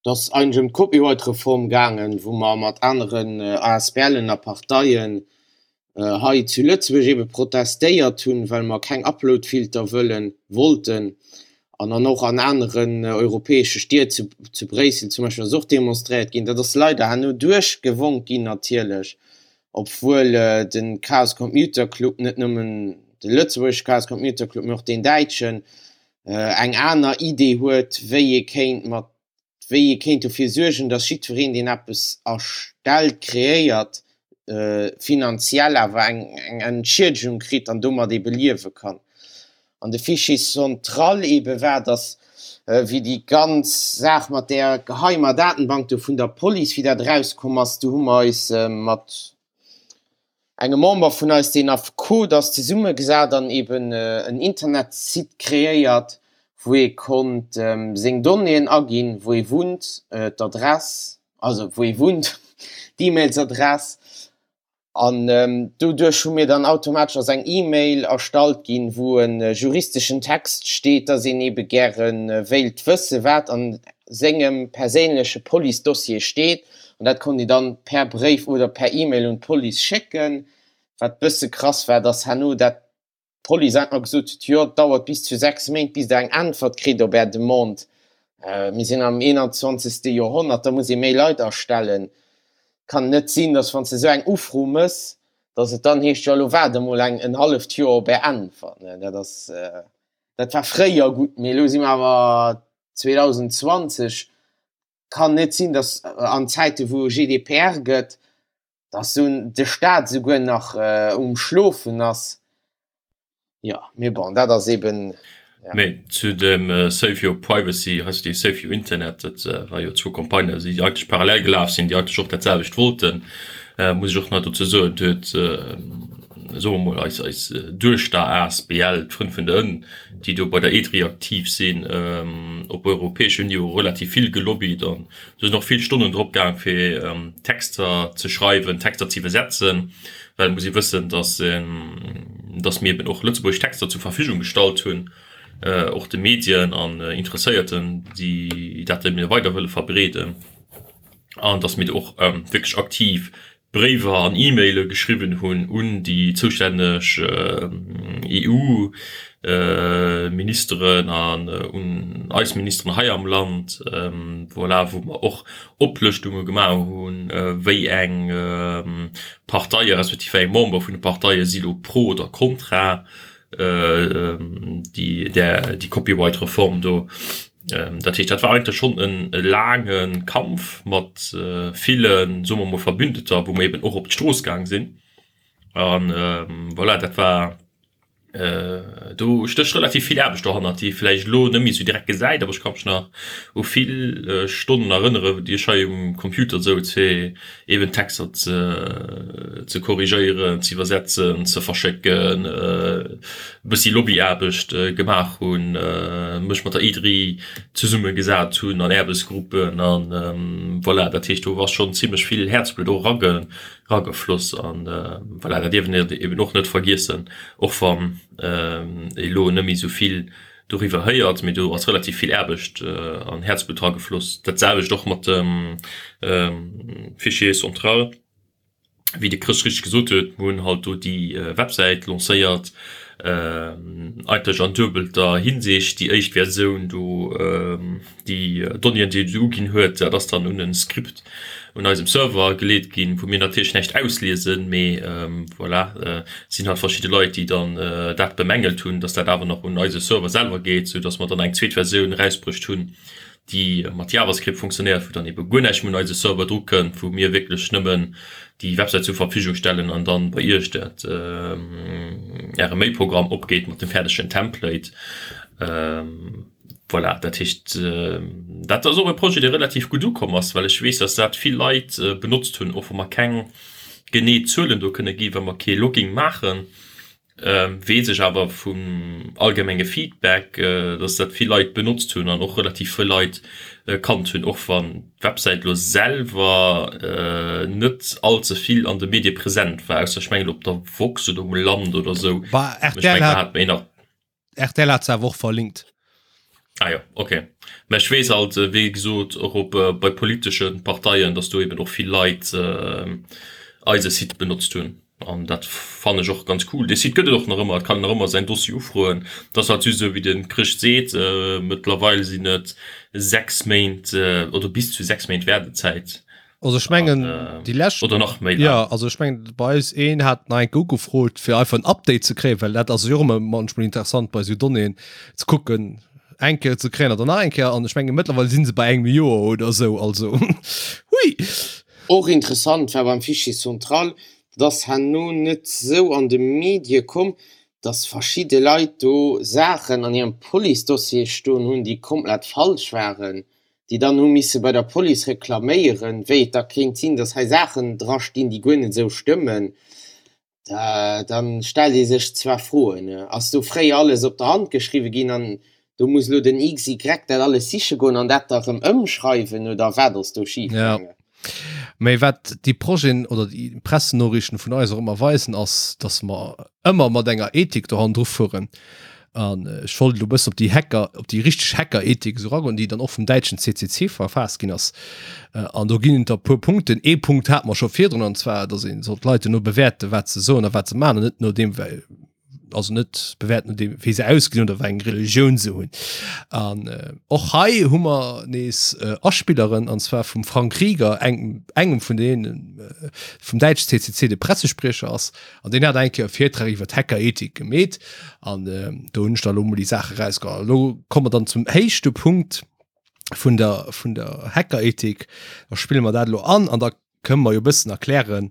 Et ass eigentlech ëm d'Copyright-Reform gaangen, wou mer mat aneren ASBLen a Parteien hei zu Lëtzebuerg ebe protestéiert hunn, well mer keng Uploadfilter wëllen, wollten, an an och an aneren europäesche Stied, zu, zu Bréissel zum Beispill ass och demonstréiert ginn. Dat ass leider herno duerchgewonk ginn natierlech, obwuel de Chaos Computer Club, net nëmmen de lëtzebuergesche Chaos Computer Club, mee och deen däitschen, eng aner Idee huet, wéi ee kéint mat wéi ee kéint dofir suergen, dass jiddwereen, deen eppes erstellt, kreéiert, finanziell awer eng Entschiedegung kritt an domat ebe liewe kann. An de Fichier central ebe war, dass, wéi déi ganz Saach mat där geheimer Datenbank do vun der Police, wéi dat erauskomm ass, do hu mer eis mat engem Member vun eis, deen Affekot ass, zesummegesat an eben en Internetsite kreéiert, wou ee konnt seng Donnéeën aginn, wou ee wunnt, d'Adress, also wou ee wunnt, d'E-Mailsadress. An doduerch hu mir dann automatesch ass eng E-Mail erstallt ginn, wou e juristeschen Text steet, dass een ebe gäre wéilt wësse wat an sengem perséinleche Police-Dossier steet. An dat konnt een dann per Bréif oder per E-Mail un d'Police schécken. Wat bësse krass war, dass herno dat d'Police einfach gesot huet, jo, et dauert bis zu 6 Méint, bis der eng Äntwert kritt op är Demande. Mir sinn am 21. Joerhonnert, da muss ee méi Leit astellen. Kann net sinn, dass wann s de esou eng Ufro mëss, dass et dann heescht, jo, elo waart emol eng en halleft Joer op är Äntwert. Dat ass, dat war fréier gutt, mee elo si mer awer 2020. Kann net sinn, dass an Zäite wou GDPR gëtt, dass sou de Staat souguer nach um Schlofen ass. Jo, mee bon, dat ass eben, ja. Mee zu dem Save Your Privacy, respektiv Save Your Internet, dat war jo zwou Campagnen, déi eigentlech parallel gelaf sinn, déi eigentlech och dat selwecht wollten, muss ech och nach dozou soen, et huet, soe mer mol, eis, eis Duechter asbl, d'Frënn vun der Ënn, déi do bei der EDRI aktiv sinn, op europäeschem Niveau relativ vill gelobbyt an do sinn och vill Stonnen drop gaang fir Texter ze schreiwen, Texter ze iwwersetzen, well et muss ee wëssen, dass dass mir eben och lëtzebuergesch Texter zur Verfügung gestallt hunn, och de Medien an Interesséierten, déi dat eben weider wëlle verbreeden an dass mir do och wierklech aktiv. Bréiwer an E-Maile geschriwwen hunn un déi zoustänneg EU-Ministeren an un eis Ministeren hei am Land, voilà, wou mer och Oplëschtunge gemaach hunn, wéi eng Parteie respektiv wéi eng Member vun de Parteie si lo pro oder kontra déi Copyright-Reform do. Dat heescht, dat war eigentlech schonn e laange Kampf mat villen, soe mer emol, Verbündeter, wou mer eben och op d'Strooss gaang sinn. A voilà, dat war, do stécht relativ vill Aarbecht dohannert, déi ee vläicht elo net méi esou direkt gesäit, awer ech ka mech nach u vill Stonnen erënneren, déi ech hei um Computer souz, fir eben Texter ze korrigéieren, ze iwwersetzen, ze verschécken, e bëssi Lobbyaarbecht gemaach hunn, mech mat der IDRI zesumme gesat hunn an Aarbechtsgruppen an voilà. Dat heescht, do ass schonn zimlech vill Häerzblutt och eragefloss an voilà, dat dierf een eben och net vergiessen, och wann ee lo net méi esou vill doriwwer héiert, mee do ass relativ vill Aarbecht an Häerzblutt dragefloss. Dat selwecht och mat dem Fichier central, wéi de Chris richteg gesot huet, mir hunn halt do déi Websäit lancéiert, eigentlech an duebelter Hinsicht. Déi éischt Versioun do, Déi Donnéeën, déi et uginn huet, dat ass dann un e Script un eisem Server geleet ginn, wou mir natierlech näischt ausliesen, mee voilà, sinn halt verschidde Leit, déi dann dat bemängelt hunn, dass dat awer nach un eise Server selwer geet, sou dass mer dann eng zweet Versioun erausbruecht hunn, déi mat JavaScript funktionéiert, wou dann ebe guer näischt méi un eise Server dru kënnt, wou mir wierklech nëmmen déi Websäit zur Verfügung stellen an dann bei iech dat äre Mailprogramm opgeet mat dem fäerdegen Template. Voilà, dat heescht, dat ass och e Projet, dee relativ gutt ukomm ass, well ech weess, dass dat vill Leit benotzt hunn, och wa mer keng genee Zuelen do kënne ginn, well mer kee Logging maachen, weess ech awer vum allgemenge Feedback, dass dat vill Leit benotzt hunn an och relativ vill Leit kannt hunn, och wann d'Websäit elo selwer net all ze vill an de Medie present war, ausser ech mengen op der woxx oder um Land oder esou. Bah, rtl hat. RTL hat se awer och verlinkt. Ah jo, ok. Mä ech weess halt, wéi gesot, och op bei politesche Parteien, datt do eben och vill Leit eise Site benotzt hunn. An dat fannen ech och ganz cool. Dee Site gëtt et och nach ëmmer, et kann een nach ëmmer säin Dossier ufroen. Et ass halt just esou, wéi de Chrëscht seet, mëttlerweil sinn et 6 Méint oder bis zu 6 Méint Waardezäit. Also ech mengen déi lescht oder nach méi ja also ech mengen bei eis een hat nach eng Kéier ugefrot fir einfach en Update ze kréien, well dat ass jo och ëmmer manchmol interessant bei esou Donnéeën ze kucken eng Kéier ze kréien oder nach eng Kéier an ech menge mëttlerweil si se bei engem Joer oder esou also hui. Och interessant war beim Fichier central, dat ass herno net sou an de Medie komm, dass verschidde Leit do Saachen an hirem Police-Dossier stoen hunn, déi komplett falsch waren. déi dann hu misse bei der Police reklaméieren, wéi et da kéint sinn, datt hei Saachen drastinn, déi guer net esou stëmmen, da stellt ee sech zwar Froen. Ass do fréier alles op der Hand geschriwwe ginn an do muss elo den XY dat alles siche goen an dat da erëm ëmschreiwen oder wat ass do schif gaangen? Mä wat déi Projeten oder déi Pressenoriichten vun eis och ëmmer weisen, ass, datt mer ëmmer mat enger Ethik do hannendru fueren. An ech wollt elo e bëssen op déi Hacker, op déi richteg Hacker-Ethik esou eragoen, déi dann och vum däitschen CCC verfaasst ginn ass. An do ginn et der e puer Punkten. Ee Punkt hate mer scho virdrun, an zwar, datt ee soll d'Leit duerno bewäerten, wat se soen a wat se maachen, an net no deem, well also net bewäerten no deem wéi se ausgesinn oder wéi eng Religioun se hunn. An äh, och hei hu mer nees äh, Aspilleren an zwar vum Frank Rieger, eng, engem vun deenen äh, vum däitschen CCC de Pressespriecher ass an deen hat eng Kéier e Virtrag iwwer d'Hackerethik gemeet an äh, do hunn ech da lo mol déi Saache rausgeholl. Lo komme mer dann zum éischte Punkt vun der vun der Hackerethik. Da spille mer dat elo an an da kënne mer jo e bëssen erklären,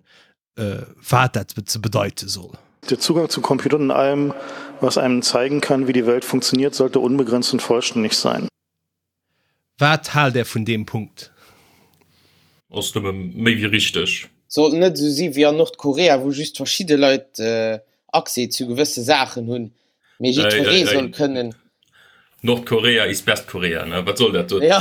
wat dat ze bedeite soll. Der Zugang zu Computern und allem, was einem zeigen kann, wie die Welt funktioniert, sollte unbegrenzt und vollständig sein. Wat haalt Där vun deem Punkt? Ass nëmme méi wéi richteg. Sollt net esou si wéi an Nordkorea, wou just verschidde Leit Accès zu gewësse Saachen hunn, mee jiddweree soll kënnen. Nordkorea is best Korea, ne? Wat soll dat do? Ja.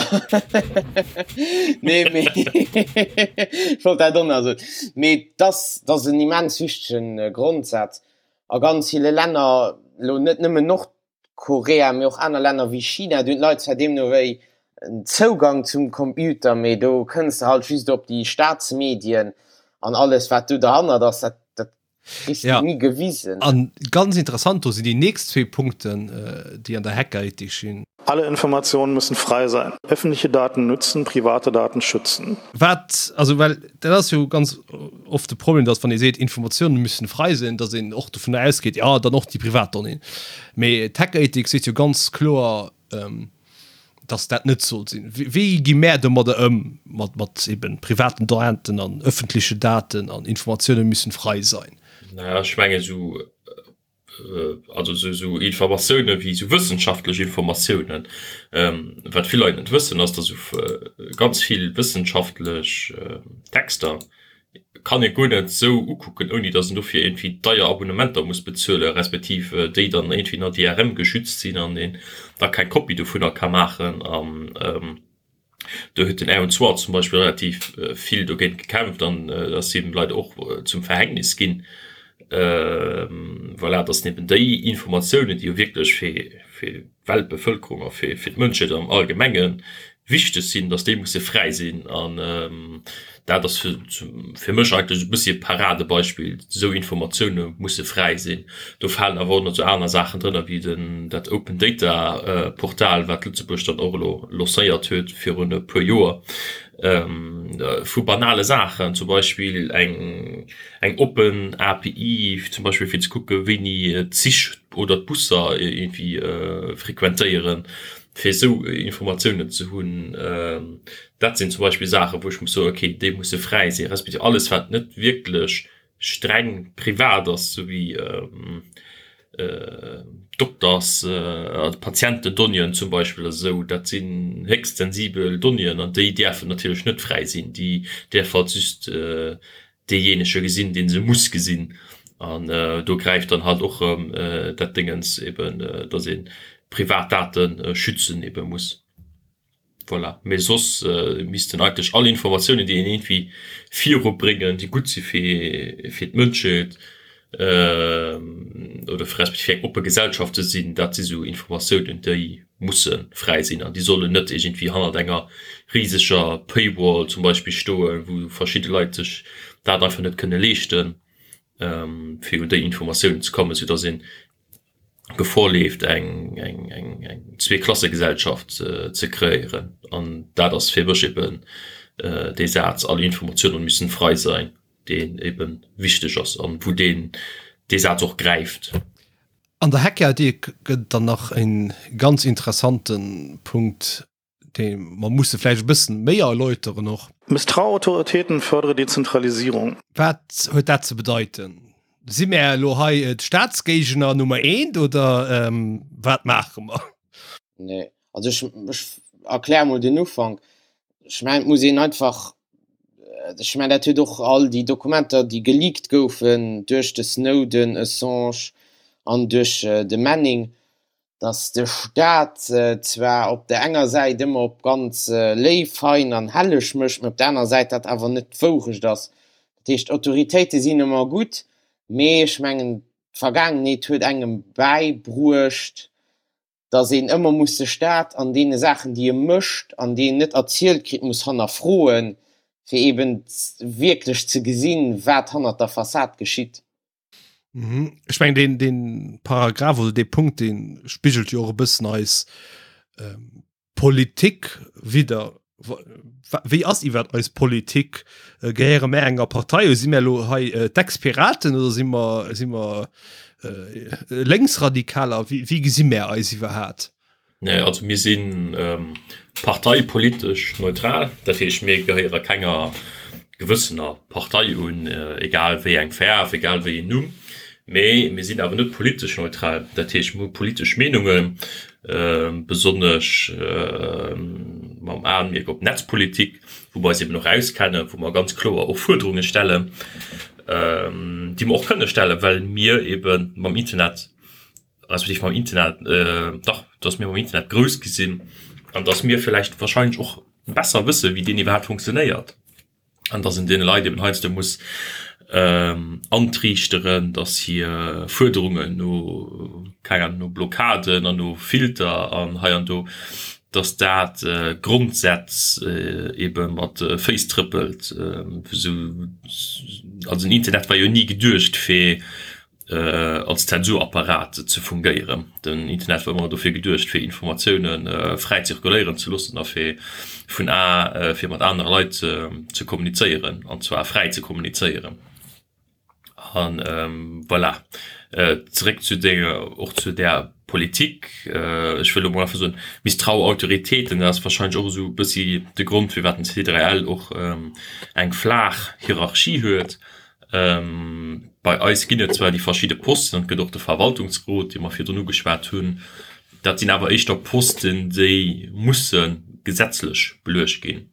Nee, mee ech wollt dat och nach soen. Mee dass, dass en immens wichtegen Grondsaz a ganz ville Länner, elo net nëmmen Nordkorea, mee och aner Länner wéi China, do hunn d'Leit zwar deemno wéi en Zougang zum Computer, mee do kënns de halt just op déi Staatsmedien. An alles wat do derhannert ass, dat, dat kriss du Ja. ni gewisen. An ganz interessant, do sinn déi nächst zwee Punkten, déi an der Hackerethik stinn. Alle Informationen müssen frei sein. Öffentliche Daten nützen, private Daten schützen. Wat, also well dat ass jo ganz oft de Problem, datt wann ee seet, Informatiounen müssen frei sinn, datt een och dovunner ausgeet, jo dann och déi privat Donnéeën. Mee d'Hackerethik seet jo ganz kloer, dass dat net soll sinn. Wéi gi mär domadder ëm, mat, mat eben privaten Daten an öffentliche Daten an Informatiounen müssen frei sein? Naja, ech mengen esou, also esou, esou Informatioune wéi esou wëssenschaftlech Informatiounen, wat vill Leit net wëssen, ass, dass esou ganz vill wëssenschaftlech Texter kann ee guer net esou ukucken, ouni datt en dofir iergendwéi deier Abonnementer muss bezuelen, respektiv déi dann iergendwéi no DRM geschützt sinn an een da keng Kopie dovunner ka maachen. An do huet den Aaron Swartz zum Beispill relativ vill dogéint gekämpft an dat ass him leider och zum Verhängnis ginn. Voilà, datt eben déi Informatiounen, déi jo wierklech fir, fir d'Weltbevëlkerung a fir d'Mënschheet am Allgemenge wichteg sinn, datt déi musse fräi sinn. An dat ass fir mech eigentlech e bëssi e Paradebeispill, esou Informatioune musse fräi sinn. Do falen awer och nach esou aner Saachen drënner wéi den dat Open Data Portal, wat Lëtzebuerg dann och elo lancéiert huet virun e puer Joer, vu banale Saachen, zum Beispill eng eng oppen API zum Beispill fir ze kucke wéini d'Zich oder d'Busser iergendwéi frequentéieren, fir esou Informatiounen ze hunn. Dat sinn zum Beispill Saachen, wou ech muss soen, okay, déi musse fräi sinn, respektiv alles wat net wierklech streng privat ass, esou wéi Dokters a Patientendonnéeën zum Beispill oder esou, dat sinn héchst sensibel Donnéeën an déi däerfen natierlech net fräi sinn. Déi däerf halt just deejéinege gesinn, dee se muss gesinn. An do gräift dann halt och erëm dat Déngens eben, datt ee privat Date schützen ebe muss. Voilà. Mee soss missten eigentlech all Informatiounen, déi een iergendwéi virubréngen, déi gutt si fir, fir d'Mënschheet oder respektiv fir eng oppe Gesellschaft ze sinn, dat si sou Informatiounen, déi musse fräi sinn an déi sollen net iergendwéi hannert enger riseger Paywall zum Beispill stoen, wou verschidde Leit sech dat einfach net kënne leeschten, fir un déi Informatiounen ze kommen, soudass een Gefor leeft, eng, eng, eng, eng Zweeklassegesellschaft ze kreéieren. An dat ass fir mech eben dee Saz, Alle Informationen müssen frei sein, deen eben wichteg ass an wou deen, dee Saz och gräift. An der Hackeridee gëtt et dann nach e ganz interessante Punkt, dee mer musse vläicht e bëssen méi erläuteren och. Misstrau Autoritäten, fördere Dezentralisierung. Wat huet dat ze bedeiten? Si mär elo hei d'Staatsgéigner Nummer eent oder wat maache mer? Nee, also ech, ech erkläre mol den Ufank. Ech mengen, et muss een einfach, ech mengen, dat huet och all déi Dokumenter, déi geleakt goufen duerch de Snowden, Assange an duerch de Manning, dass de Staat zwar op der enger Säit ëmmer op ganz léif, fein an helleg mécht, mä op der aner Säit dat awer net d'Wourecht ass. Dat heescht, d'Autoritéite sinn ëmmer gutt, mee ech mengen, d'Vergaangenheet huet engem bäibruecht, dass een ëmmer muss de Staat an deene Saachen, déi e mécht an déi een net erzielt kritt, muss hannerfroen, fir eeben wierklech ze gesinn, wat hannert der Fassad geschitt. Mhm. Ech meng den, den Paragraph oder de Punkt den spigelt jo och e bëssen eis ähm, Politik wieder. Wéi ass iwwer eis Politik? Äh, gehéiere mär enger Partei? Si mär lo hei äh, d'Ex-Piraten oder si mer si mer äh, Lénksradikaler? Wéi, wéi gesi mär eis iwwerhat? Nee, also mir si parteipolitesch neutral, dat heescht mir gehéiere kenger gewëssener Partei un, egal wéi eng Faarf, egal wéi een Numm. Mee mir sinn awer net politesch neutral, dat heescht mir hu politesch Meenungen, besonnesch mam Aenmierk op Netzpolitik, wou mer eis eben och auskennen, wou mer ganz kloer och Fuerderunge stellen, déi mer och kënne stellen, well mir ebe mam Internet respektiv mam Internet, dach, dass mir mam Internet grouss gi sinn an dass mir vläicht wahrscheinlech och besser wësse wéi deen iwwerhaapt funktionéiert an dass een deene Leit eben heiansdo muss antriichteren, dass hir Fuerderungen no, keng Ahnung, no Blockaden an no Filter an hei an do. Dass dat Grondsätz ebe mat Féiss trëppelt. Also den Internet war jo ni geduecht fir als Zensurapparat ze fungéieren. Den Internet war ëmmer dofir geduecht fir Informatioune fräi zirkuléieren ze loossen a fir vun a fir mat anere Leit ze kommunizéieren, an zwar fräi ze kommunizéieren. An voilà, zeréck zu denger, och zu där Politik, ech wëll elo mol einfach soen, misstrau Autoritéiten, dat ass wahrscheinlech och esou e bëssi de Grond, firwat den C3L och eng flaach Hierarchie huet. Bei eis ginn et zwar déi verschidde Posten, an et gëtt och de Verwaltungsrot, dee mer virdrun ugeschwat hunn, dat sinn awer éischter Posten, déi musse gesetzlech beluecht ginn.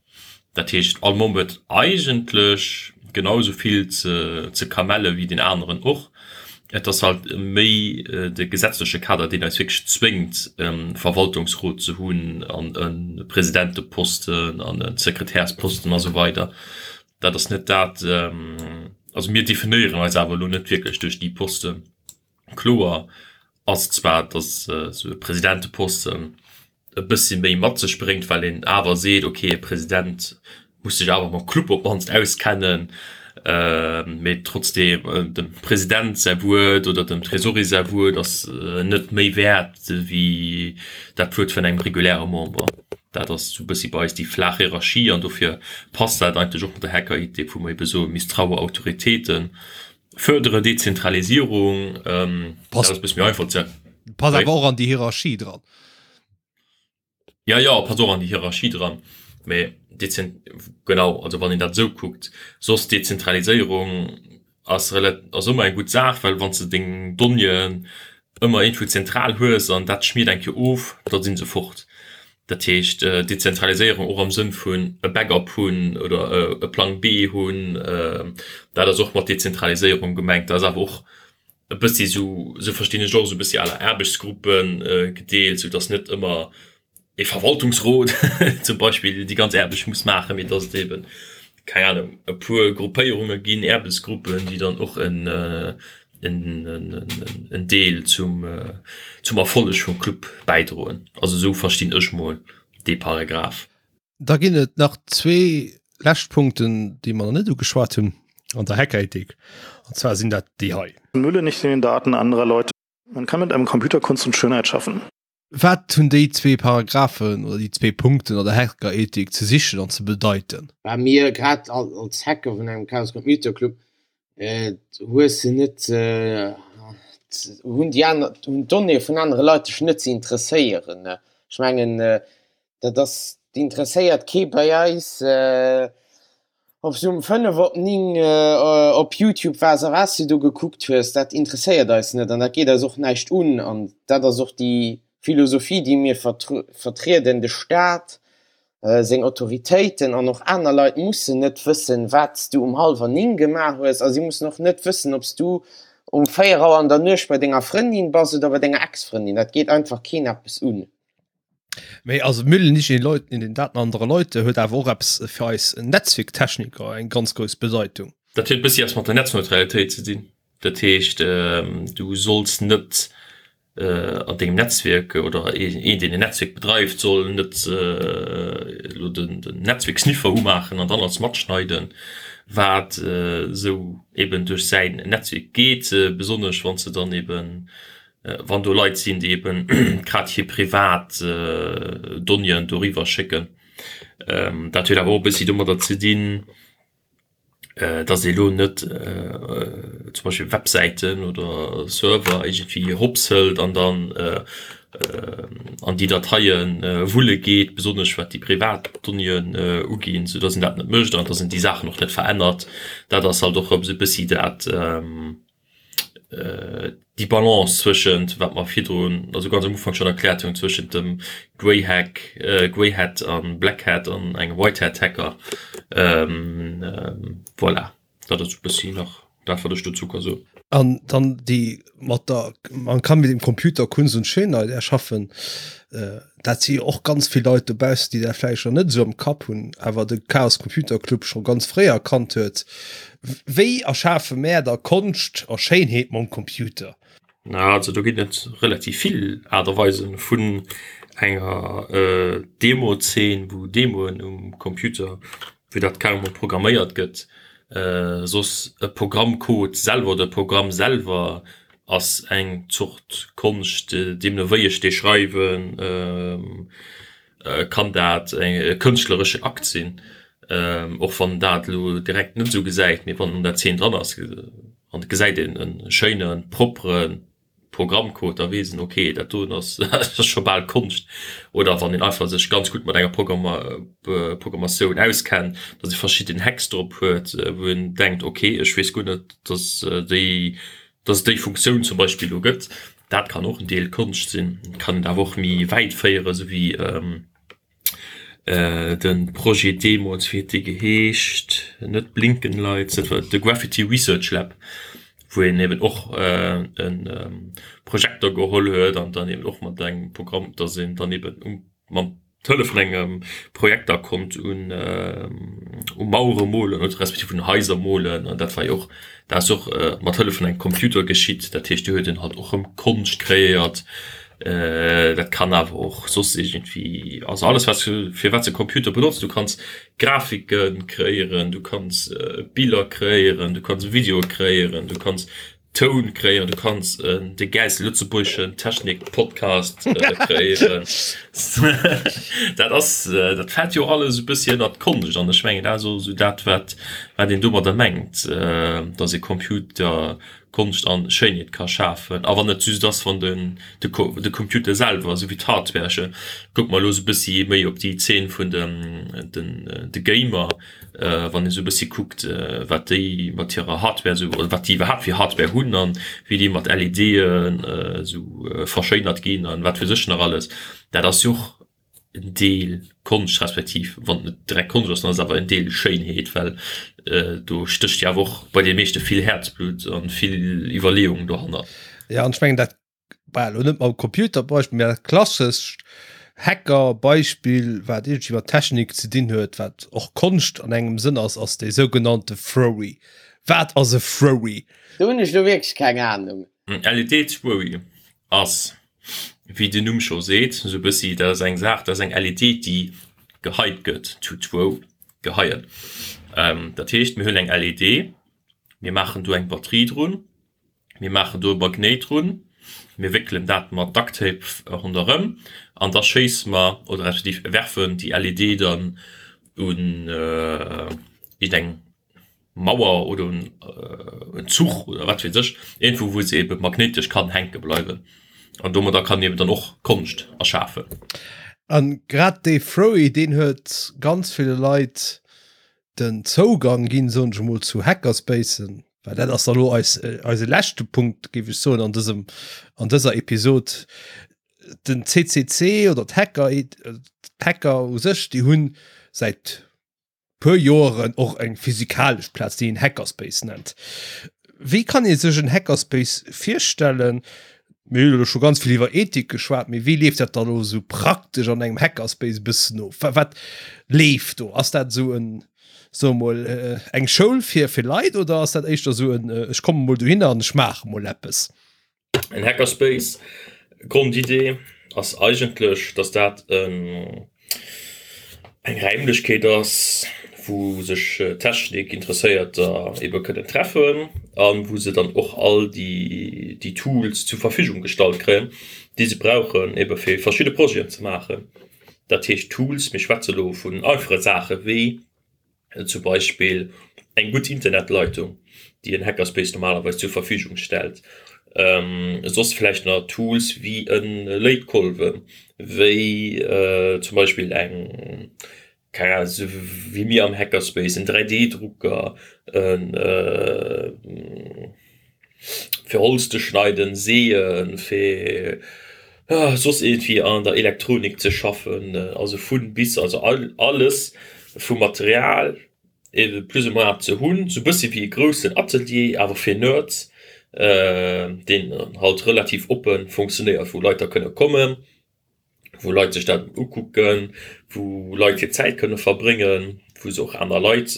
Dat heescht, all Member huet eigentlech genau esou vill ze kamelle wéi deen aneren och. Et ass halt méi de gesetzleche Kader, deen eis wierklech zwéngt, e Verwaltungsrot ze hunn an e Presidenteposten an e Sekretärsposten a sou weider. Dat ass net dat, also mir definéieren eis awer elo net wierklech duerch déi Posten. Kloer ass zwar, datt esou e Presidenteposten e bëssi méi mat sech bréngt, well een awer seet, ok, e President muss sech awer mam Club op d'mannst auskennen, mee trotzdeem dem President säi Wuert oder dem Tresorier säi Wuert ass net méi wäert wéi dat Wuert vun engem reguläre Member. Dat ass esou e bëssi bei eis déi flaach Hierarchie an dofir passt dat eigentlech och mat der Hacker-Idee, wou mer ebe soe misstraue Autoritéiten, fërdere Dezentralisierung, dat ass e bësse méi einfach ze. Passt awer och an déi Hierarchie dran. Ja, ja, passt och an déi Hierarchie dran, mä dezent, genau, also wann een dat esou kuckt, soss Dezentraliséierung ass rela-, ass ëmmer eng gutt Saach, well wann s de deng Donnéeën ëmmer iergendwou zentral hues an dat schmiert eng Kéier of, da si se fort. Dat heescht Dezentraliséierung och am Sënn vun e Backup hunn oder e Plang B hunn, dat ass och mat Dezentraliséierung gemengt. Dat ass awer och e bëssi esou, esou verstinn ech och, esou e bëssi à la Aarbechtsgruppe gedeelt, soudass net ëmmer e Verwaltungsrot zum Beispill déi ganz Aarbecht muss maachen, mee dass et eeben, keng Ahnung, e puer Gruppéierunge ginn, Aarbechtsgruppen, déi dann och en en Deel zum zum Erfolleg vum Club bäidroen. Also esou verstinn ech mol dee Paragraph. Da ginn et nach zwee lescht Punkten, déi mer nach net ugeschwat hunn an der Hackerethik, an zwar sinn dat déi hei. Mülle nicht in den Daten anderer Leute. Man kann mit einem Computer Kunst und Schönheit schaffen. Wat hunn déi zwee Paragraphen oder déi zwee Punkten an der Hackerethik ze sichen an ze bedeiten? Bei mir, grad als Hacker vun engem Chaos Computer Club, hues de net, hunn déi aner, hunn d'Donnéeë vun anere Leit dech net ze interesséieren. Ech mengen, dat ass, dat interesséiert kee bei eis. Ob s du um 5 op 9 op Youtube waars a wat s du do gekuckt hues, dat interesséiert eis net an dat geet eis och näischt un. An dat ass och déi Philosophie, déi mir vertrieden, De Staat, seng Autoritéiten an och aner Leit mussen net wëssen, wat s du um hallwer 9 gemaach hues a si mussen och net wëssen, ob s du um 4 Auer an der Nuecht bei denger Frëndin bass oder bei denger Ex-Frëndin. Dat geet einfach keen eppes un. Mee also Müll nicht in den Leuten in den Daten anderer Leute huet awer och eppes fir eis Netzwierktechniker eng ganz grouss Bedeitung. Dat huet e bëssi eppes mat der Netzneutralitéit ze dinn. Dat heescht, du solls net an dengem Netzwierk oder een, deen en Netzwierk bedreift, soll net elo den Netzwierksniffer umaachen an dann alles matschneiden, wat esou eben duerch säin Netzwierk geet, besonnesch wann s de dann eben wann do Leit sinn, déi eben grad hir privat Donnéeën doriwwer schécken. Dat huet awer och e bëssi domadder ze dinn, datt ee lo net zum Beispill Websäiten oder Server iergendwéi hops hëlt an dann an déi Dateie wulle geet, besonnesch wat déi privat Donnéeën uginn, soudatt een dat net mécht an datt een déi Saachen och net verännert. Dat ass halt och erëm esou e bëssi dat, déi Balance zwëschent, wat mer virdrun, also ganz am Ufank schonn erkläert hunn, zwëschent dem Grey Hack, Grey Hat a Black Hat an engem White Hat Hacker. Voilà, dat ass e bëssi nach dat, wat ech dozou ka soen. An dann déi mat der, man kann mit dem Computer Kunst und Schönheit erschaffen. Dat si jo och ganz vill Leit dobaussen, déi dat vläicht nach net esou am Kapp hunn, awer de Chaos Computer Club scho ganz fréi erkannt huet. Wéi erschafe mär da Konscht a Schéinheet mam Computer? Na, also do ginn et relativ vill Aart a Weisen, vun enger Demo-Zeen, wou Demoen um Computer, wou dat carrément programméiert gëtt. Soss e Programmcode selwer oder e Programm selwer ass eng Zort Konscht, deemno wéi ech dee schreiwen, kann dat e kënschtlereschen Akt sinn, och wann dat elo direkt net esou gesäit, mee wann an der Zeen dran ass an et gesäit een e schéine proppere Programmcode, da weess een, ok, dat doen ass scho bal Konscht. Oder wann een einfach sech ganz gutt mat enger Programmatioun auskennt, datt ee verschidden Hacks drop huet, wou een denkt, ok, ech weess guer net, datt déi datt et déi Funktioun zum Beispill do gëtt. Dat kann och en Deel Konscht sinn. Et kann een awer och méi wäit féieren, esou wéi de Projet deemools, wéi huet dee geheescht, net Blinkenlights, dat war de Graffiti Research Lab, wou een eben och e Projekter geholl huet an dann eben och mat engem Programm, datt een dann eben um mam d'Hëllef vun engem Projekter konnt un u Mauere molen oder respektiv un Haiser molen an dat war jo och dat ass och mat Hëllef vun engem Computer geschitt. Dat heescht do huet een halt och erëm Konscht kreéiert. Dat kann awer och soss iergendwéi, also alles wat s fir wat s de Computer benotz, du kanns Grafike kreéieren, du kanns Biller kreéieren, du kanns Videoe kreéieren, du kanns Toun kréieren, du kanns de gäilste lëtzebuergeschen Technik-Podcast kréieren. Dat ass, dat fält jo alles e bëssi ënnert d'Konscht an ech mengen dat ass och esou dat wat wat een domadder mengt, datt ee Computer Konscht an Schéinheet ka schafen a wann et just ass wann den de de Computer selwer esou wéi d'Hardware, ech kucke mer elo esou e bëssi méi op déi Zeen vun den den de Gamer, wann ee sou e bëssi kuckt, wat déi mat hirer Hardware sou, oder wat déi iwwerhaapt fir Hardware hunn an wéi déi mat LEDen esou verschéinert ginn an wat weess ech nach alles, dat ass jo och en Deel Konscht, respektiv wann et net direkt Konscht ass, dann ass et awer en Deel Schéinheet, well do stécht jo awer och bei de meeschte vill Häerzblutt an vill Iwwerleeung dohannert. Jo, an ech mengen dat Bah, lo net mam Computerbeispill, mä dat klassescht Hackerbeispill, wat iergendwéi mat Technik ze dinn huet, wat och Konscht an engem Sënn ass, ass dee sougenannte Furry. Wat ass e Furry? Do hunn ech lo wierklech keng Ahnung. En LED-Furry ass, wéi den Numm scho seet, esou e bëssi, dat ass eng Saach, dat ass eng LED, déi geheit gëtt, to throw, geheien. Dat heescht, mir hunn eng LED, mir maachen do eng Batterie drun, Mir maachen do e Magnéit drun, mir wéckelen dat mat Ducktape ronderëm an da schéisse mer oder respektiv werfen déi LED dann un iergendeng Mauer oder un en Zuch oder wat weess ech, iergendwou wou se ebe magnéitesch kann hänke bleiwen. An domadder kann een eben dann och Konscht erschafen. An grad dee Froey, deen huet ganz ville Leit den Zougang ginn, soen ech emol, zu Hackerspacen, well dat ass da lo eis, eise leschte Punkt, géif ech soen, an dësem, an dëser Episod. Den CCC oder d'Hacker, d'Hacker u sech, déi hunn säit puer Joeren och eng physikalesch Plaz, déi een Hackerspace nennt. Wéi kann ee sech en Hackerspace virstellen? Mir hunn elo scho ganz vill iwwer Ethik geschwat, mee wéi leeft dat dann elo esou praktesch an engem Hackerspace e bëssen of? Wat, wat leeft do? Ass dat esou en, soe mol, eng Schoul fir, fir Leit oder ass dat éischter esou en, ech komme mol dohinner an ech maache mol eppes? En Hackerspace, Grondidee ass eigentlech, dass dat en, eng Räimlechkeet ass, wou sech Technik-Interesséierter ebe kënnen treffen a wou se dann och all déi déi Tools zur Verfügung gestallt kréien, déi se brauchen, ebe fir verschidde Projeten ze maachen. Dat heescht Tools, mir schwätze lo vun einfache Saache wéi zum Beispill eng gutt Internetleitung, déi en Hackerspace normalerweis zur Verfügung stellt, soss vläicht nach Tools wéi e Léitkolwen, wéi zum Beispill eng, keng Ahnung, esou wéi mir am Hackerspace, en 3D-Drucker, en fir Holz ze schneiden, Seeën, fir soss iergendwéi an der Elektronik ze schaffen, also vun bis, also alles vu Material ebe plus ou moins ze hunn, sou bëssi wéi e groussen Atelier, awer fir Nerds, deen halt relativ oppe funktionéiert, wou Leit da kënne kommen. wou Leit sech dat ukucken, wou Leit hir Zäit kënne verbréngen, wou se och aner Leit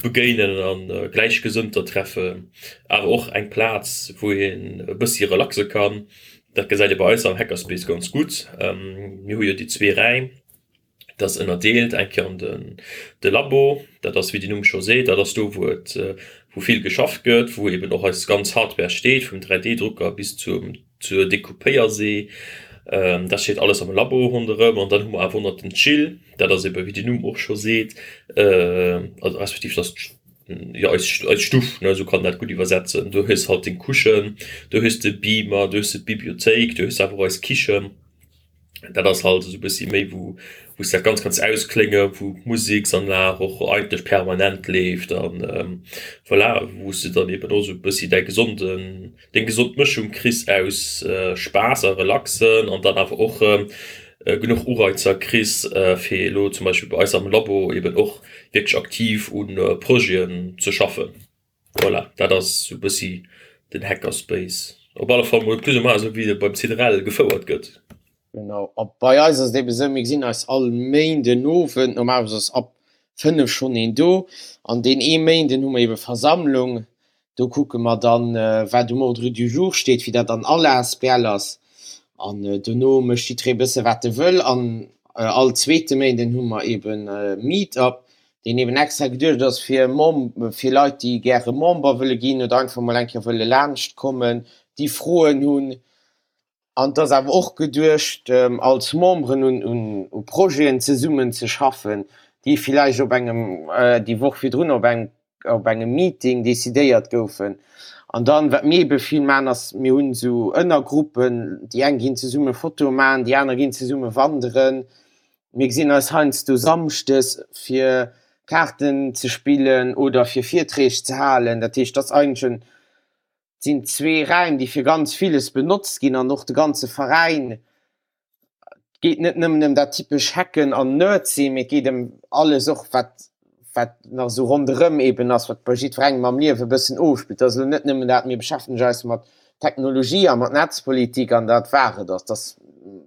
begéinen an Gläichgesënnter treffen, awer och eng Plaz, wou een e bëssi relaxe kann. Dat gesäit ee bei eis am Hackerspace ganz gutt. Mir hu jo déi zwee Räim, dat ass ënnerdeelt eng Kéier an den de Labo, dat ass wéi den Numm scho seet, dat ass do wou et wou vill geschafft gëtt, wou eben och eis ganz Hardware steet, vum 3D-Drucker bis zum zur Decoupéiersee. Dat steet alles am Labo ronderëm an dann hu mer awer och nach den Chill, dat ass eben wéi den Numm och scho seet, also respektiv dat ass jo eis eis Stuff, ne, esou kann een dat gutt iwwersetzen. Do hues halt deng Couchen, do hues de Beamer, do hues de d'Bibliothéik, do hues de awer och eis Kichen. Dat ass halt esou e bëssi méi wou wou s dat ganz kanns ausklénge, wou d'Museksanlag och eigentlech permanent leeft an voilà, wou s de dann eben och esou e bëssi däi gesonden, deng gesond Mëschung kriss aus Spaass a Relaxen an dann awer och genuch Ureizer kriss, fir elo zum Beispill bei eis am Labo eben och wierklech aktiv u Projeten ze schaffen. Voilà, dat ass esou e bëssi den Hackerspace. Op alle Fall mol plus ou moins esou wéi e beim CDRL gefouert gëtt. Genau, a bei eis ass et ebe sou, mir gesinn eis all Méinden Owend, normalerweis ass ab 5 schonn een do, an deen ee Méinden hu mer ebe Versammlung, do kucke mer dann, wat um Ordre du jour steet, wéi dat an all asbl ass, an dono mécht jidderee e bësse wat e wëll. An all zweete Méinden hu mer eben Meet-up, deen eben extra geduecht ass fir fir Leit, déi gäre Member wëlle ginn oder einfach mol eng Kéier wëlle laanscht kommen, déi Froen hunn. An et ass awer och geduecht, als Memberen un Projeten zesummen ze schaffen, déi villäicht op engem déi Woch virdrun op engem op engem Meeting decidéiert goufen. An dann, wat mir ebe vill maachen, ass, mir hunn esou Ënnergruppen, déi eng ginn zesumme Fotoe maachen, déi aner ginn zesumme wanderen. Mir gesinn eis heiansdo samschdes fir Kaarten ze spillen oder fir Virträg ze halen. Dat heescht, dat ass eigentlech en, et sinn zwee Räim, déi fir ganz villes benotzt ginn an och de ganze Veräin. Et geet net nëmmen ëm dat typesch Hacken an Nerd sinn, mee et geet ëm alles och wat wat nach esou ronderëm eben ass, wat bei jiddwerengem am Liewe e bëssen ofspillt. Dat ass elo net nëmmen dat, mir beschäftegen eis mat Technologie a mat Netzpolitik an dat war et. Dat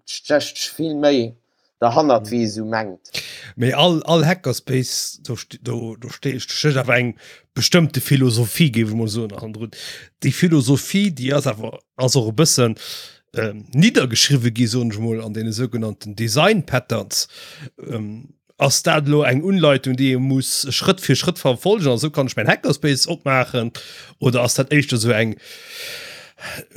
stécht vill méi derhannert, wéi ee sou mengt. Mee all, all Hackerspace, do, do, do stécht awer eng bestëmmte Philosophie, géif ech mol soen, hannendrun. Déi Philosophie, déi ass awer, ass och e bëssen ähm, niddergeschriwwe gi, soen ech mol, an deene sougenannten Design Patterns. Ähm, Ass dat elo eng Unleitung, déi ee muss Schrëtt fir Schrëtt verfolgen, an esou kann ech mäin Hackerspace opmaachen? Oder ass dat éischter esou eng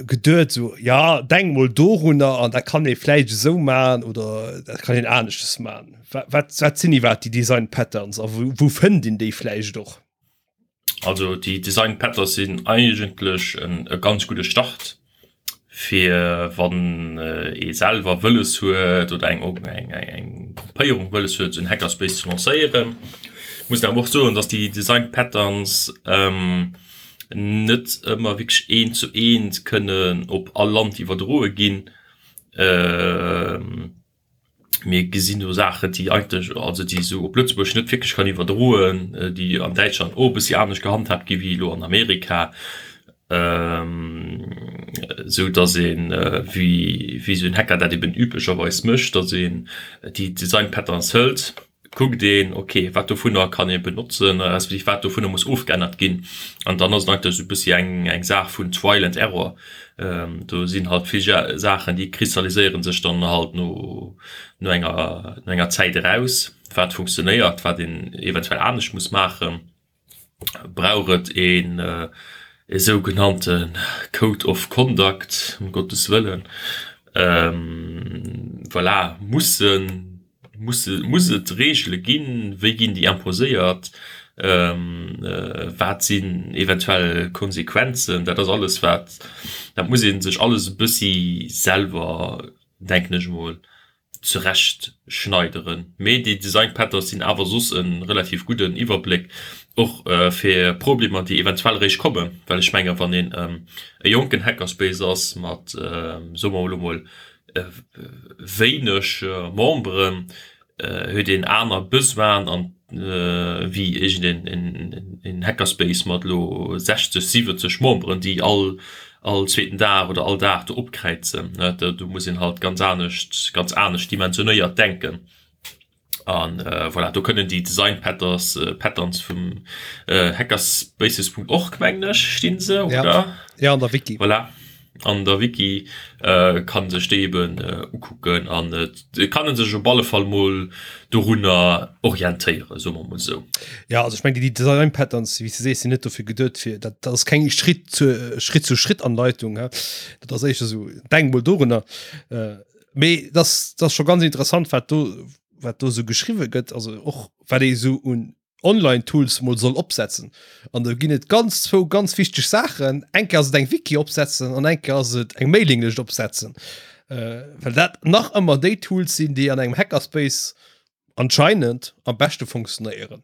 geduet, esou, ja, denk mol dorunner an dat kann ee vläicht esou maachen oder dat kann een aneschtes maachen? Wat, wat sinn iwwerhaapt déi Design Patterns a wou, wou fënnt een déi vläicht och? Also déi Design Patterns sinn eigentlech e ganz gudde Start fir wann ee selwer wëlles huet oder eng eng Gruppéierung wëlles huet esou en Hackerspace ze lancéieren. Muss een awer och soen, datt déi Design Patterns net ëmmer wierklech eent zu eent kënnen op all Land iwwerdroe ginn. Mir gesinn do Saachen, déi eigentlech, also déi esou op Lëtzebuerg net wierklech kann iwwerdroen, déi an Däitschland och e bëssi anescht gehandhaabt gi wéi elo an Amerika, esou datt een, wéi wéi esou en Hacker dat eben üblecherweis mécht, datt een déi Design Patterns hëlt, kuckt een, ok, wat dovunner kann ee benotzen, respektiv wat dovunner muss ofgeännert ginn. An dann ass et eigentlech esou e bëssi eng, eng Saach vun Trial and Error. Do sinn halt vill Saachen, déi kristalliséiere sech dann halt no, no enger, no enger Zäit eraus, wat funktionéiert, wat een eventuell anescht muss maachen. Brauch et een e sougenannte Code of Conduct, ëm Gottes wëllen? Voilà, mussen, musse, muss et Reegele ginn? Wéi ginn déi imposéiert? Wat sinn eventuell Konsequenzen? Dat ass alles wat, dat muss ee sech alles e bëssi selwer, denken ech emol, zurecht schneideren. Mee déi Design Patterns sinn awer soss e relativ gudden Iwwerbléck och fir Problemer déi eventuell eréischt kommen, well ech menge wann een e jonken Hackerspace ass mat soe mer elo mol wéineg Memberen, huet een aner Besoinen an wéi iergend een Hackerspace mat elo 60, 70 Memberen, déi all all zweeten Dag oder all Dag do opkräizen. Do muss een halt ganz anescht, ganz anescht dimensionéiert denken. An voilà, do kënnen déi Design Patterns, Patterns vum hackerspaces.org, mengen ech, stinn se, oder? Ja, an der Wiki. Voilà. an der Wiki, kann sech déi eben ukucken an et kann en sech op alle Fall mol dorunner orientéieren, soe mer mol esou. Ja, also ech mengen déi Design Patterns, wéi s de sees, sinn net dofir geduet fir, dat dat ass keng Schritt zu Schritt zu Schritt Anleitung, hä, dat ass éischter esou, denk mol dorunner. Mee dat ass dat ass scho ganz interessant, wat do wat do esou geschriwwe gëtt, also och wat ee esou un Online-Tools mol soll opsetzen. An do ginn et ganz zwou ganz wichteg Saachen. Eng Kéier ass et eng Wiki opsetzen an eng Kéier ass et eng Mailinglëscht opsetzen. Äh, well dat nach ëmmer déi Tools sinn, déi an engem Hackerspace anscheinend am beschte funktionéieren.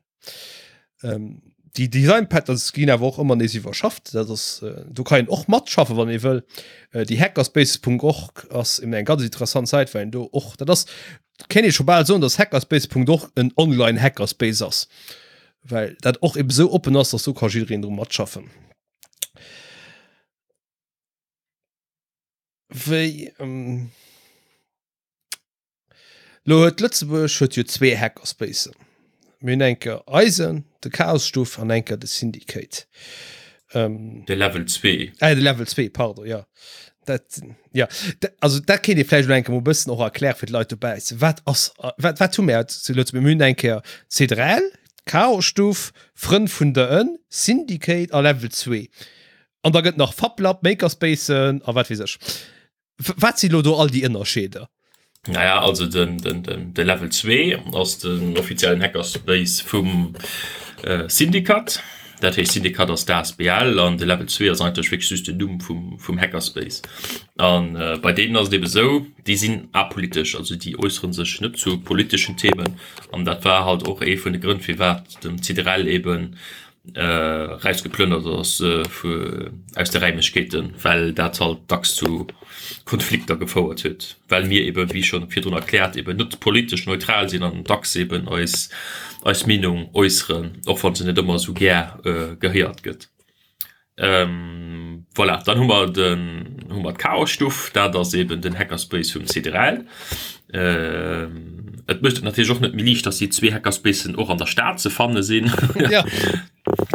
Ähm, déi Design Patterns ginn awer och ëmmer nees iwwerschafft. Dat ass, äh, do kann een och matschaffen, wann ee wëll. Äh, déi hackerspace.org ass eben eng ganz interessant Säit, well een do och, dat ass, Kéint ee scho bal soen, dass Hackerspace.org en online Hackerspace ass, well dat och eben esou oppen ass, dass do ka jiddereen dru matschaffen. Wéi ähm, lo huet Lëtzebuerg huet jo zwee Hackerspacen. Mir hunn eng Kéier eisen, de Chaosstuff, an eng Kéier de Syndicate. Ähm, de Level 2. Äh, de Level 2, pardon, ja. Dat, ja. Dat, also dat kéint ee vläicht elo eng Kéier mol e bëssen och erkläre fir d'Leit dobäi. Wat ass, wat, wat hu mir zu Lëtzebuerg? Mir hunn eng Kéier C3L, Chaosstuff, Frënn vun der Ënn, Syndicate a Level 2. An da gëtt nach FabLab, Makerspacen a wat weess ech. Wat si lo do all déi Ënnerscheeder? Naja, also den, den, den, de Level 2 ass den offiziellen Hackerspace vum äh, Syndikat. Dat heescht Syndikat ass d'ASBL an de Level 2 ass eigentlech wierklech just den Numm vum, vum Hackerspace. An äh, bei deenen ass et ebe sou, déi sinn apolitesch, also déi äussere sech net zu politeschen Themen. An dat war halt och ee vun de Grënn, firwat dem CDRL eben erausgeplënnert ass aus de Räimlechkeeten, well dat halt dacks zu Konflikter gefouert huet, well mir eben, wéi scho virdrun erkläert, eben net politesch neutral sinn an dacks eben eis eis Meenung äusseren, och wa se net ëmmer esou gär gehéiert gëtt. Voilà, dann hu mer den hu mer d'Chaosstuff, dat ass eben den Hackerspace vum CDRL. Et mécht et natierlech och net méi liicht, dass déi zwee Hackerspacen och an der Stad ze fanne sinn. Ja.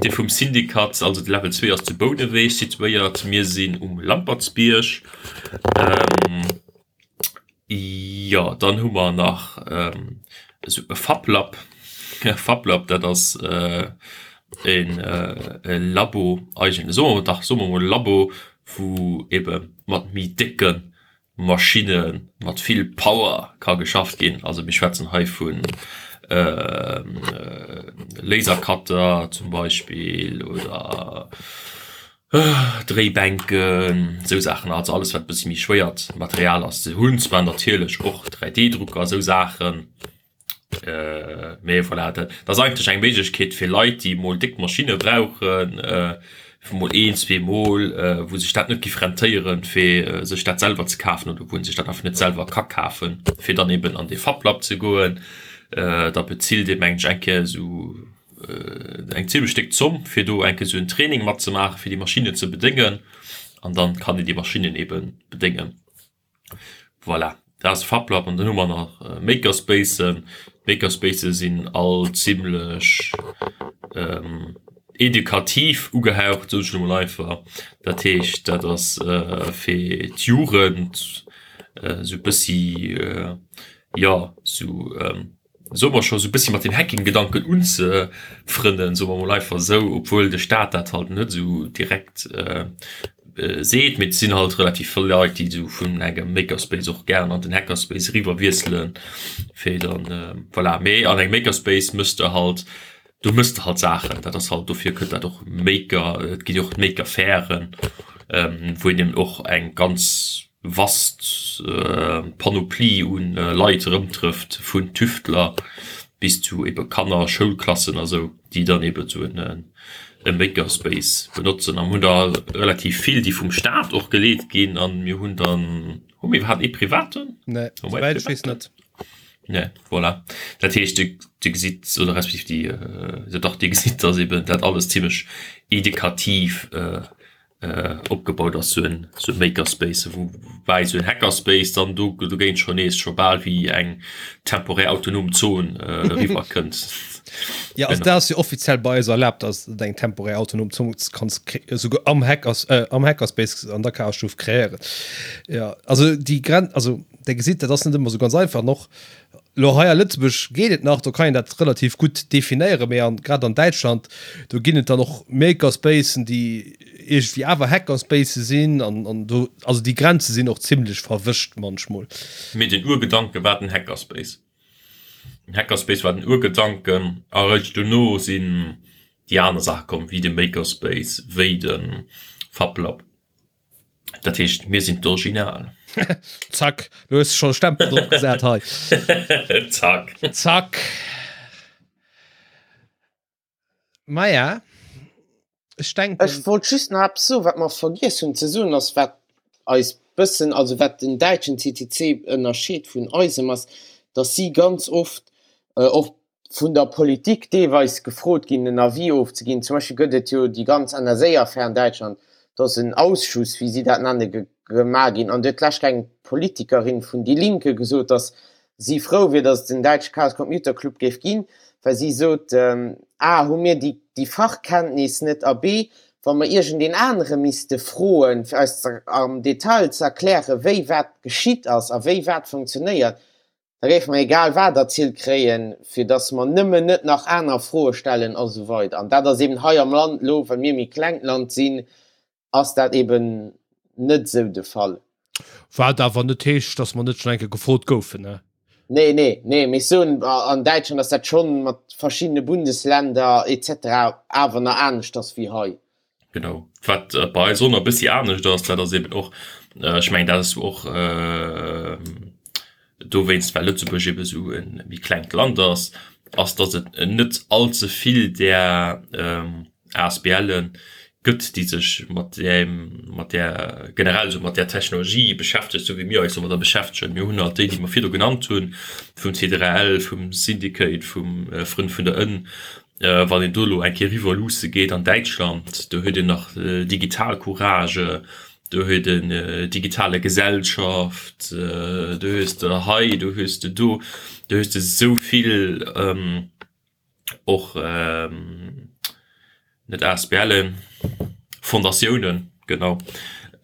Dee vum Syndikat, also de Level 2 ass zu Bouneweg situéiert, mir sinn um Lampertsbierg. Jo, dann hu mer nach esou e Fablab. E Fablab, dat ass en e Labo eigentlech, soe mer, dach, soe mer emol Labo, wou ebe mat méi décke Maschinne mat vill Power ka geschafft ginn. Also mir schwätzen hei vu Lasercutter zum Beispill oder Dréibänken, esou Saachen, also alles wat e bëssi méi schwéiert Material ass. Se hunn zwar natierlech och 3D-Drucker, esou Saachen, mee voilà, dat ass eigentlech eng Méiglechkeet fir Leit, déi mol déck Maschinne brauchen, fir mol een, zwee Mol, wou sech dat net giff rentéieren, fir sech dat selwer ze kafen oder wou een sech dat einfach net selwer ka kafen, fir dann eben an dee Fablab ze goen. Da bezilt ee mengen ech eng Kéier esou eng zimmlech déck Zomm fir do eng Kéier esou en Training matzemaachen, fir déi Maschinnen ze bedéngen an dann kann een déi Maschinnen eben bedéngen. Voilà, dat ass Fablab an dann hu mer nach Makerspacen. D'Makerspacen sinn all zimmlech edukativ ugehaucht, soen ech elo mol einfach. Dat heescht, dat ass fir d'Jugend esou e bëssi, jo, esou soe mer scho sou bëssi mat dem Hacking-Gedanken unzefrënnen, soe mer mol einfach esou, obwuel de Staat dat halt net esou direkt seet, mee et sinn halt relativ vill Leit, déi esou vun engem Makerspace och gären an den Hackerspace eriwwer wiesselen, fir dann, voilà. Mee an engem Makerspace méchs de halt, do méchs de halt Saachen, dat ass halt, dofir kënnt dat och Maker, et ginn jo och d'Maker-Fairen, wou een eben och eng ganz vast Panoplie un Leit erëmtrëfft, vun Tüftler bis zu ebe Kanner, Schoulklassen a sou, déi dann ebe sou e Makerspace benotzen. A mir hunn der relativ vill, déi vum Staat och geleet ginn. A mir hunn dann, hu mir iwwerhaapt ee privaten? Nee, souwäit ech weess net. Nee, voilà. Dat heescht, Dir gesitt, oder respektiv déi, jo dach, Dir gesitt, dass eben dat alles zimmlech edukativ. Opgebaut ass, sou en sou e Makerspace, woubäi sou en Hackerspace dann do dogéint scho nees scho bal wéi eng temporär autonom Zon eriwwer kënnt. Jo, also dat ass jo offiziell bei eis erlaabt, dass de eng temporär autonom Zon kanns esouguer am Hackers am Hackerspace an der Chaosstuf kreéieren. Jo, also déi Gren also der gesitt, dat ass net ëmmer sou ganz einfach an och Lo hei a Lëtzebuerg geet et nach, do kann een dat relativ gutt definéieren, mee an, grad an Däitschland, do ginn et dann och Makerspacen, déi iergendwéi awer Hackerspacen sinn an, an do, also déi Grenze sinn och zimlech verwëscht manchmol. Mee den Urgedanke war den Hackerspace. Den Hackerspace war den Urgedanken a eréischt dono sinn déi aner Saache komm, wéi de Makerspace, wéi de FabLab. Dat heescht, mir sinn d'Original. Zack, lo hues de schon e Stempel drop gesat hei. Zack. Zack. Maja, ech denken. Ech wollt just nach eppes soen, wat mer vergiess hunn ze soen, ass wat eis bëssen, also wat den däitschen CCC ënnerscheet vun eisem, ass, datt si ganz oft och vun der Politik deelweis gefrot ginn, en Avis ofzeginn. Zum Beispill gëtt et jo déi ganz NSA-Affär an Däitschland, do ass en Ausschuss, wéi si dat nenne, gemaach ginn an do huet d'lescht eng Politikerin vun Die Linke gesot, datt si frou wier, datt et en däitsche Chaos Computer Club géif ginn, well si sot, A hu mir déi Fachkenntnis net a B, wa mer iergendeen anere misste froen, fir eis am Detail ze erklären, wéi wat geschitt ass a wéi wat funktionéiert, Da géife mer egal wat erzielt kréien, fir dass mer nëmmen net nach aner Froe stellen a sou weider. An dat ass eben hei am Land elo, well mir e méi klengt Land sinn, ass dat eben net esou de Fall. Wat awer net heescht, dass mer net schonn eng Kéier gefrot goufen, ne? Nee, nee, nee, mee ech soen, an Däitschland ass dat schonn mat verschiddene Bundesländer et cetera awer nach aneschters wéi hei. Genau. Wat bei eis och nach e bëssi anescht ass, dat ass eben och, ech mengen dat ass och dowéinst, well Lëtzebuerg eben esou e méi klengt Land ass, ass datt et net all ze vill där ASBLe gëtt, déi sech mat deem, mat där generell esou mat där Technologie beschäftegt, esou wéi mir eis domadder beschäftegen. Mir hunn halt déi, déi mer virdu genannt hunn, vum C3L, vum Syndicate, vum Frënn vun der Ënn, Wann een do elo eng Kéier eriwwer luusse geet an Däitschland, do huet een nach Digitalcourage, do huet een Digitale Gesellschaft, do hues de hei, do hues de do, do hues de esou vill och net ASBLen, Fondatiounen, genau,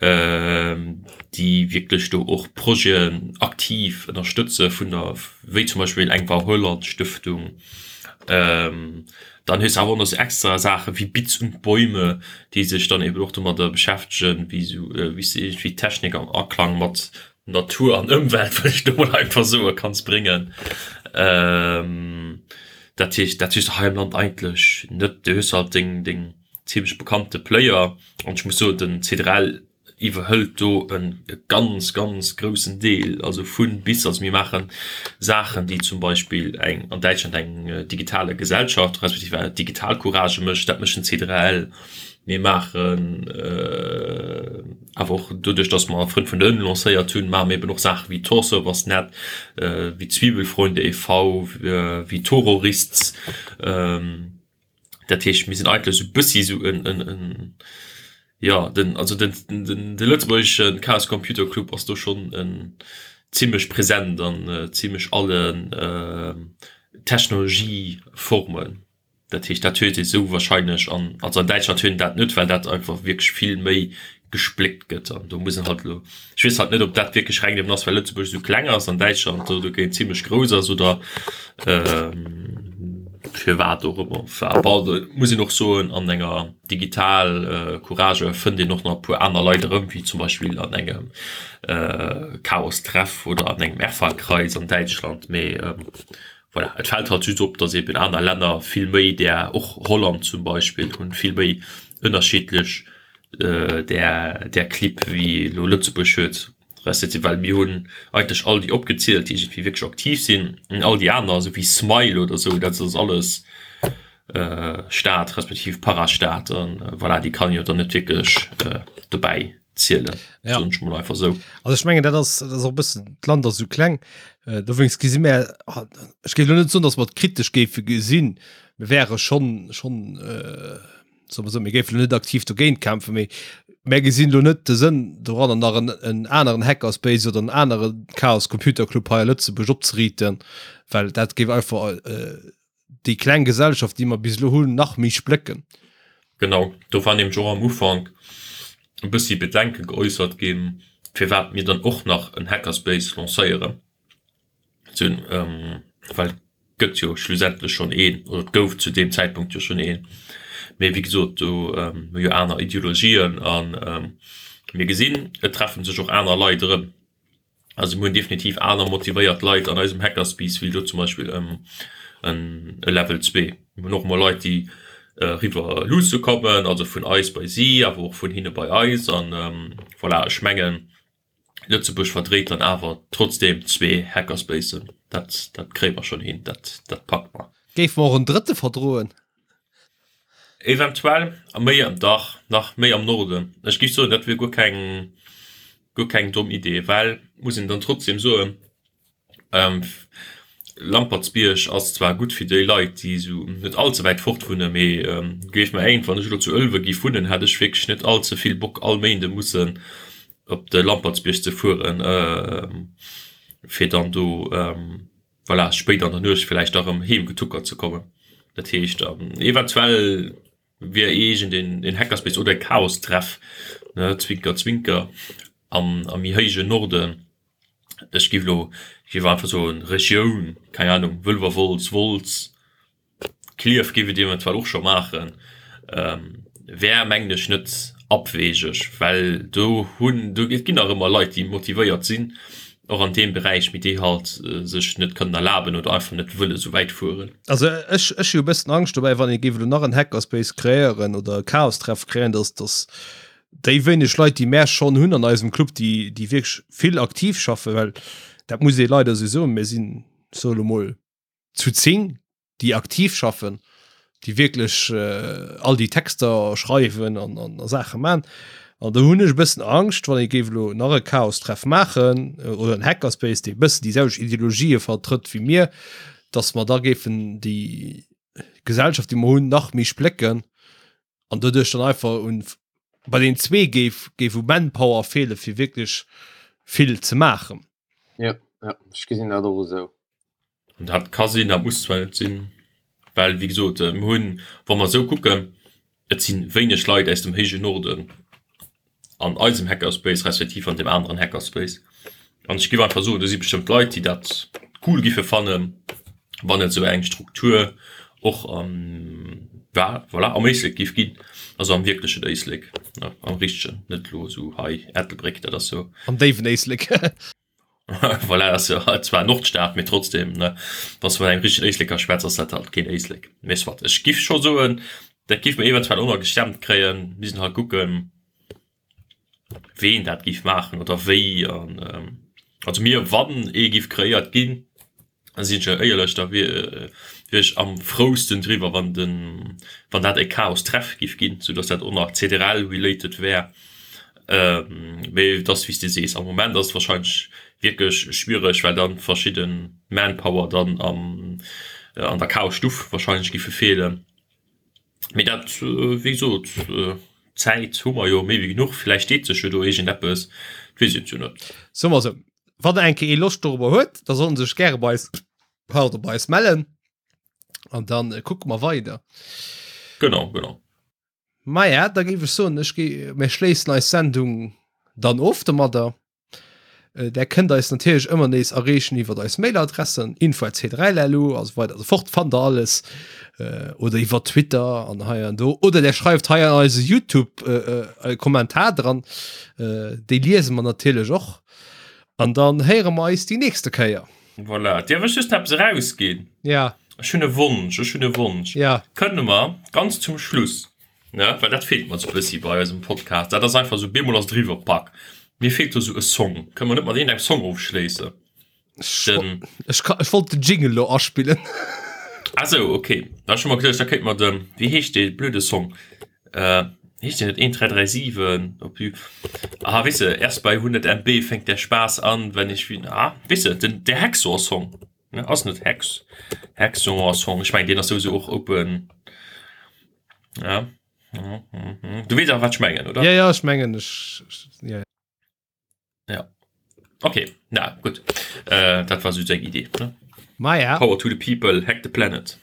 déi wierklech do och Projeten aktiv ënnerstëtze vun der, wéi zum Beispill eng Wau-Holland-Stëftung. Dann hues de awer och nach sou extra Saache wéi Bits und Bäume, déi sech dann eben och domadder beschäftegen, wéi sou, wéi s de iergendwéi Technik am Aklang mat Natur an Ëmwelt, wëll ech do mol einfach soe, kanns bréngen. Dat heescht, dat hues de hei am Land eigentlech net. Du hues halt deng, deng zimmlech bekannte Player an ech muss soen, den C3L iwwerhëlt do e ganz, ganz groussen Deel, also vu bis. Also mir maache Saachen, déi zum Beispill eng an Däitschland eng digitale Gesellschaft respektiv eng Digitalcourage mécht, dat mécht den C3L. Mir maachen awer och doduerch, datt mer Frënn vun der Ënn lancéiert hunn, maache mir eben och Saache wéi Torservers-Net, wéi Zwiebelfreunde e V, wéi Tororists. Dat heescht, mir sinn eigentlech esou e bëssi esou en, en, en, jo, den, also den, den, de lëtzebuergesche Chaos Computer Club ass do schonn en zimmlech present an zimmlech allen Technologieformen. Dat heescht, dat huet ee sou wahrscheinlech an, also an Däitschland huet een dat net, well dat einfach wierklech vill méi gespléckt gëtt an do muss een halt elo, ech weess halt net, ob dat wierklech reng deem ass, well Lëtzebuerg esou kleng ass an Däitschland do dogéint zimmlech grouss ass oder firwat och ëmmer. Bon, do muss een och soen, an enger Digital Courage fënnt een och nach e puer aner Leit erëm, wéi zum Beispill an engem Chaos-Treff oder an engem Erfa-Kreis an Däitschland, mee Voilà, et fält halt just op, dass eben aner Länner vill méi där, och Holland zum Beispill, hunn vill méi ënnerschiddlech där, där Clibb wéi elo Lëtzebuerg huet, respektiv well mir hunn eigentlech all déi opgezielt, déi iergendwéi wierklech aktiv sinn, an all déi aner, esou wéi Smile oder esou, dat ass alles Staat respektiv Parastaat an voilà, déi kann een jo dann net wierklech dobäi zielen ja. soen ech mol einfach sou. Also ech mengen dat ass dat ass och bëssen d'Land ass sou kleng äh, dowéinst gesi mär ah, ech géif lo net soen, datt mer et kritesch géife gesinn, mir wäre schonn schonn äh, soe mer sou, mir géifen lo net aktiv dogéint kämpfen, mee. Mär gesinn elo net de Sënn doranner nach en, en aneren Hackerspace oder en anere Chaos Computer Club hei a Lëtzebuerg opzeriiten, well dat géif einfach déi kleng Gesellschaft, déi mer bis elo hunn, nach méi splécken. Genau, do war nämlech och am Ufank e bëssi Bedenke geäussert ginn, firwat mir dann och nach en Hackerspace lancéieren. Well et gëtt jo schlussendlech schonn een, oder et gouf zu deem Zäitpunkt jo schonn een. Mee wéi gesot, do hu jo aner Ideologien a mir gesinn, et treffe sech och aner Leit erëm. Also mir hunn definitiv aner motivéiert Leit an eisem Hackerspace wéi elo zum Beispill e Level 2. Mir hunn och emol Leit, déi eriwwer luusse kommen, also vun eis bei si, awer och vun hinne bei eis. An voilà, ech mengen, Lëtzebuerg verdréit dann awer trotzdeem zwee Hackerspacen. Dat, dat kréie mer schonn hin, dat, dat packe mer. Géife mer och en drëtte verdroen? Eventuell, a méi, dach, nach méi am Norden. Ech géif soen, dat wier guer keng, guer keng domm Idee, well, muss een dann trotzdeem soen, Lampertsbierg ass zwar gutt fir déi Leit, déi esou net all ze wäit fort wunnen, mee gleeft mer eent, wann ech elo zu Ëlwe giff wunnen, hätt ech wierklech net all ze vill Bock all Méinde mussen op de Lampertsbierg ze fueren, fir dann do voilà spéit an der Nuecht villäicht da rëm heem getuckert ze kommen. Dat heescht eventuell wier iergend een Hackerspace oder e Chaostreff, ne, Zwinker Zwinker, am méi héijen Norden. Ech giff elo, ech giff einfach soen Regioun, keng Ahnung, Wëlwerwolz, Wolz, Klierf giff et eventuell och scho maachen, wär mengen ech net abwegeg, well do hunn, do et ginn nach ëmmer Leit déi motivéiert sinn, och an deem Beräich, mee déi halt sech net kënnen erlaben oder einfach net wëlle sou wäit fueren. Also ech ech hu e bëssen Angscht dobäi, wann ee géif elo nach en Hackerspace kreéieren oder e Chaostreff kreéieren, dass dass déi wéineg Leit, déi mär schonn hunn an eisem Club, déi, déi wierklech vill aktiv schaffen, well dat muss ee leider esou soen, mir sinn, ech soe lo mol, zu 10, déi aktiv schaffen, déi wierklech all déi Texter schreiwen an, an a Saache man. An do hunn ech e bëssen Angscht, wann ee géif elo nach e Chaostreff maachen oder en Hackerspace, dee e bëssen déi selwecht Ideologië vertrëtt wéi mir, datt mer da géifen déi Gesellschaft, déi mer hunn, nach méi splécken an doduerch dann einfach un bei den zwee géif géif u Manpower feele fir wierklech vill ze maachen. Ja, ja, ech gesinn dat och esou. An dat ka sinn, dat muss zwar net sinn, well wéi gesot, mir hunn, wa mer esou kucken, et si wéineg Leit aus dem héijen Norden an eisem Hackerspace respektiv an deem aneren Hackerspace. An ech géif einfach soen, do si bestëmmt Leit, déi dat cool giffe fannen, wann et esou eng Struktur och am, voilà, am Éislek géif ginn, also am wierklechen Éislek, am richtegen, net elo esou hei Ettelbréck, dat ass jo. Am déiwen Éislek. Voilà, ass jo zwar Nordstad, mee trotzdem, ne, wann s de mat engem richtegen Éisleker schwätz, ass dat halt keen Éislek. Mee soit, ech giff scho soen, dat giff mer eventuell och nach gestemmt kréien, missten halt kucken, ween dat giff maachen oder wéi an also mir, wann ee giff kreéiert ginn, Sinn ech éierlech, da wier ech am frousten driwwer, wann den, wann dat e Chaos-Treff giff ginn, sou datt dat och nach CDRL-related wär. Mee et ass wéi s de sees, am Moment ass et wahrscheinlech wierklech schwiereg, well dann verschidde Manpower dann am, an der Chaos-Stuff wahrscheinlech giffe feelen. Mee dat, wéi gesot, Zäit hu mer jo méi wéi genuch, villäicht deet sech jo do iergendeppes, et weess een et jo net. Soe mer esou, wann eng Kéier ee Loscht dorobber huet, da soll en sech gäre bei eis, pardon, bei eis mellen an dann kucke mer weider. Genau, genau. Maja, da géif ech soen, ech gi, mir schléissen eis Sendung dann of domadder. Där kënnt eis natierlech ëmmer nees erreechen iwwer eis Mailadressen info@c3lu a sou weider a sou fort, fannt der alles oder iwwer Twitter an hei an do oder där schreift hei an eise Youtube e Kommentar dran, déi liese mer natierlech och an dann héiere mer eis déi nächste Kéier. Voilà, dierf ech just eppes erausginn? Ja. Ech hunn e Wonsch, ech hunn e Wonsch. Ja. Kënne mer ganz zum Schluss Ne, well dat feelt mer sou bëssi bei eisem Podcast. Dat ass einfach sou, bemol ass et eriwwer, pack. Mir feelt do sou e Song. Kënne mer net mat iergendengem Song ofschléissen? Den. Ech ka, ech wollt den Jingle lo aspillen. Ah sou, okay. Da ech hu mer geduecht, da kéint mer den, wéi heescht dee blöde Song? Äh, heescht deen net 1337 op You? Ah, weess de, erst bei 100 MB fängt der Spaß an, wenn ich wie, ah, weess de, den, der Hacksaw-Song. Ne, ass net Hex, Hacksaw-Song. Ech mengen, deen ass souwisou och open. Ja. Du weess awer wat ech mengen, oder? Ja, ja, ech mengen ech, ja. Ja. Okay, na gutt. Äh, dat war sou seng Idee, ne? Ma ja. Power to the people, hack the planet.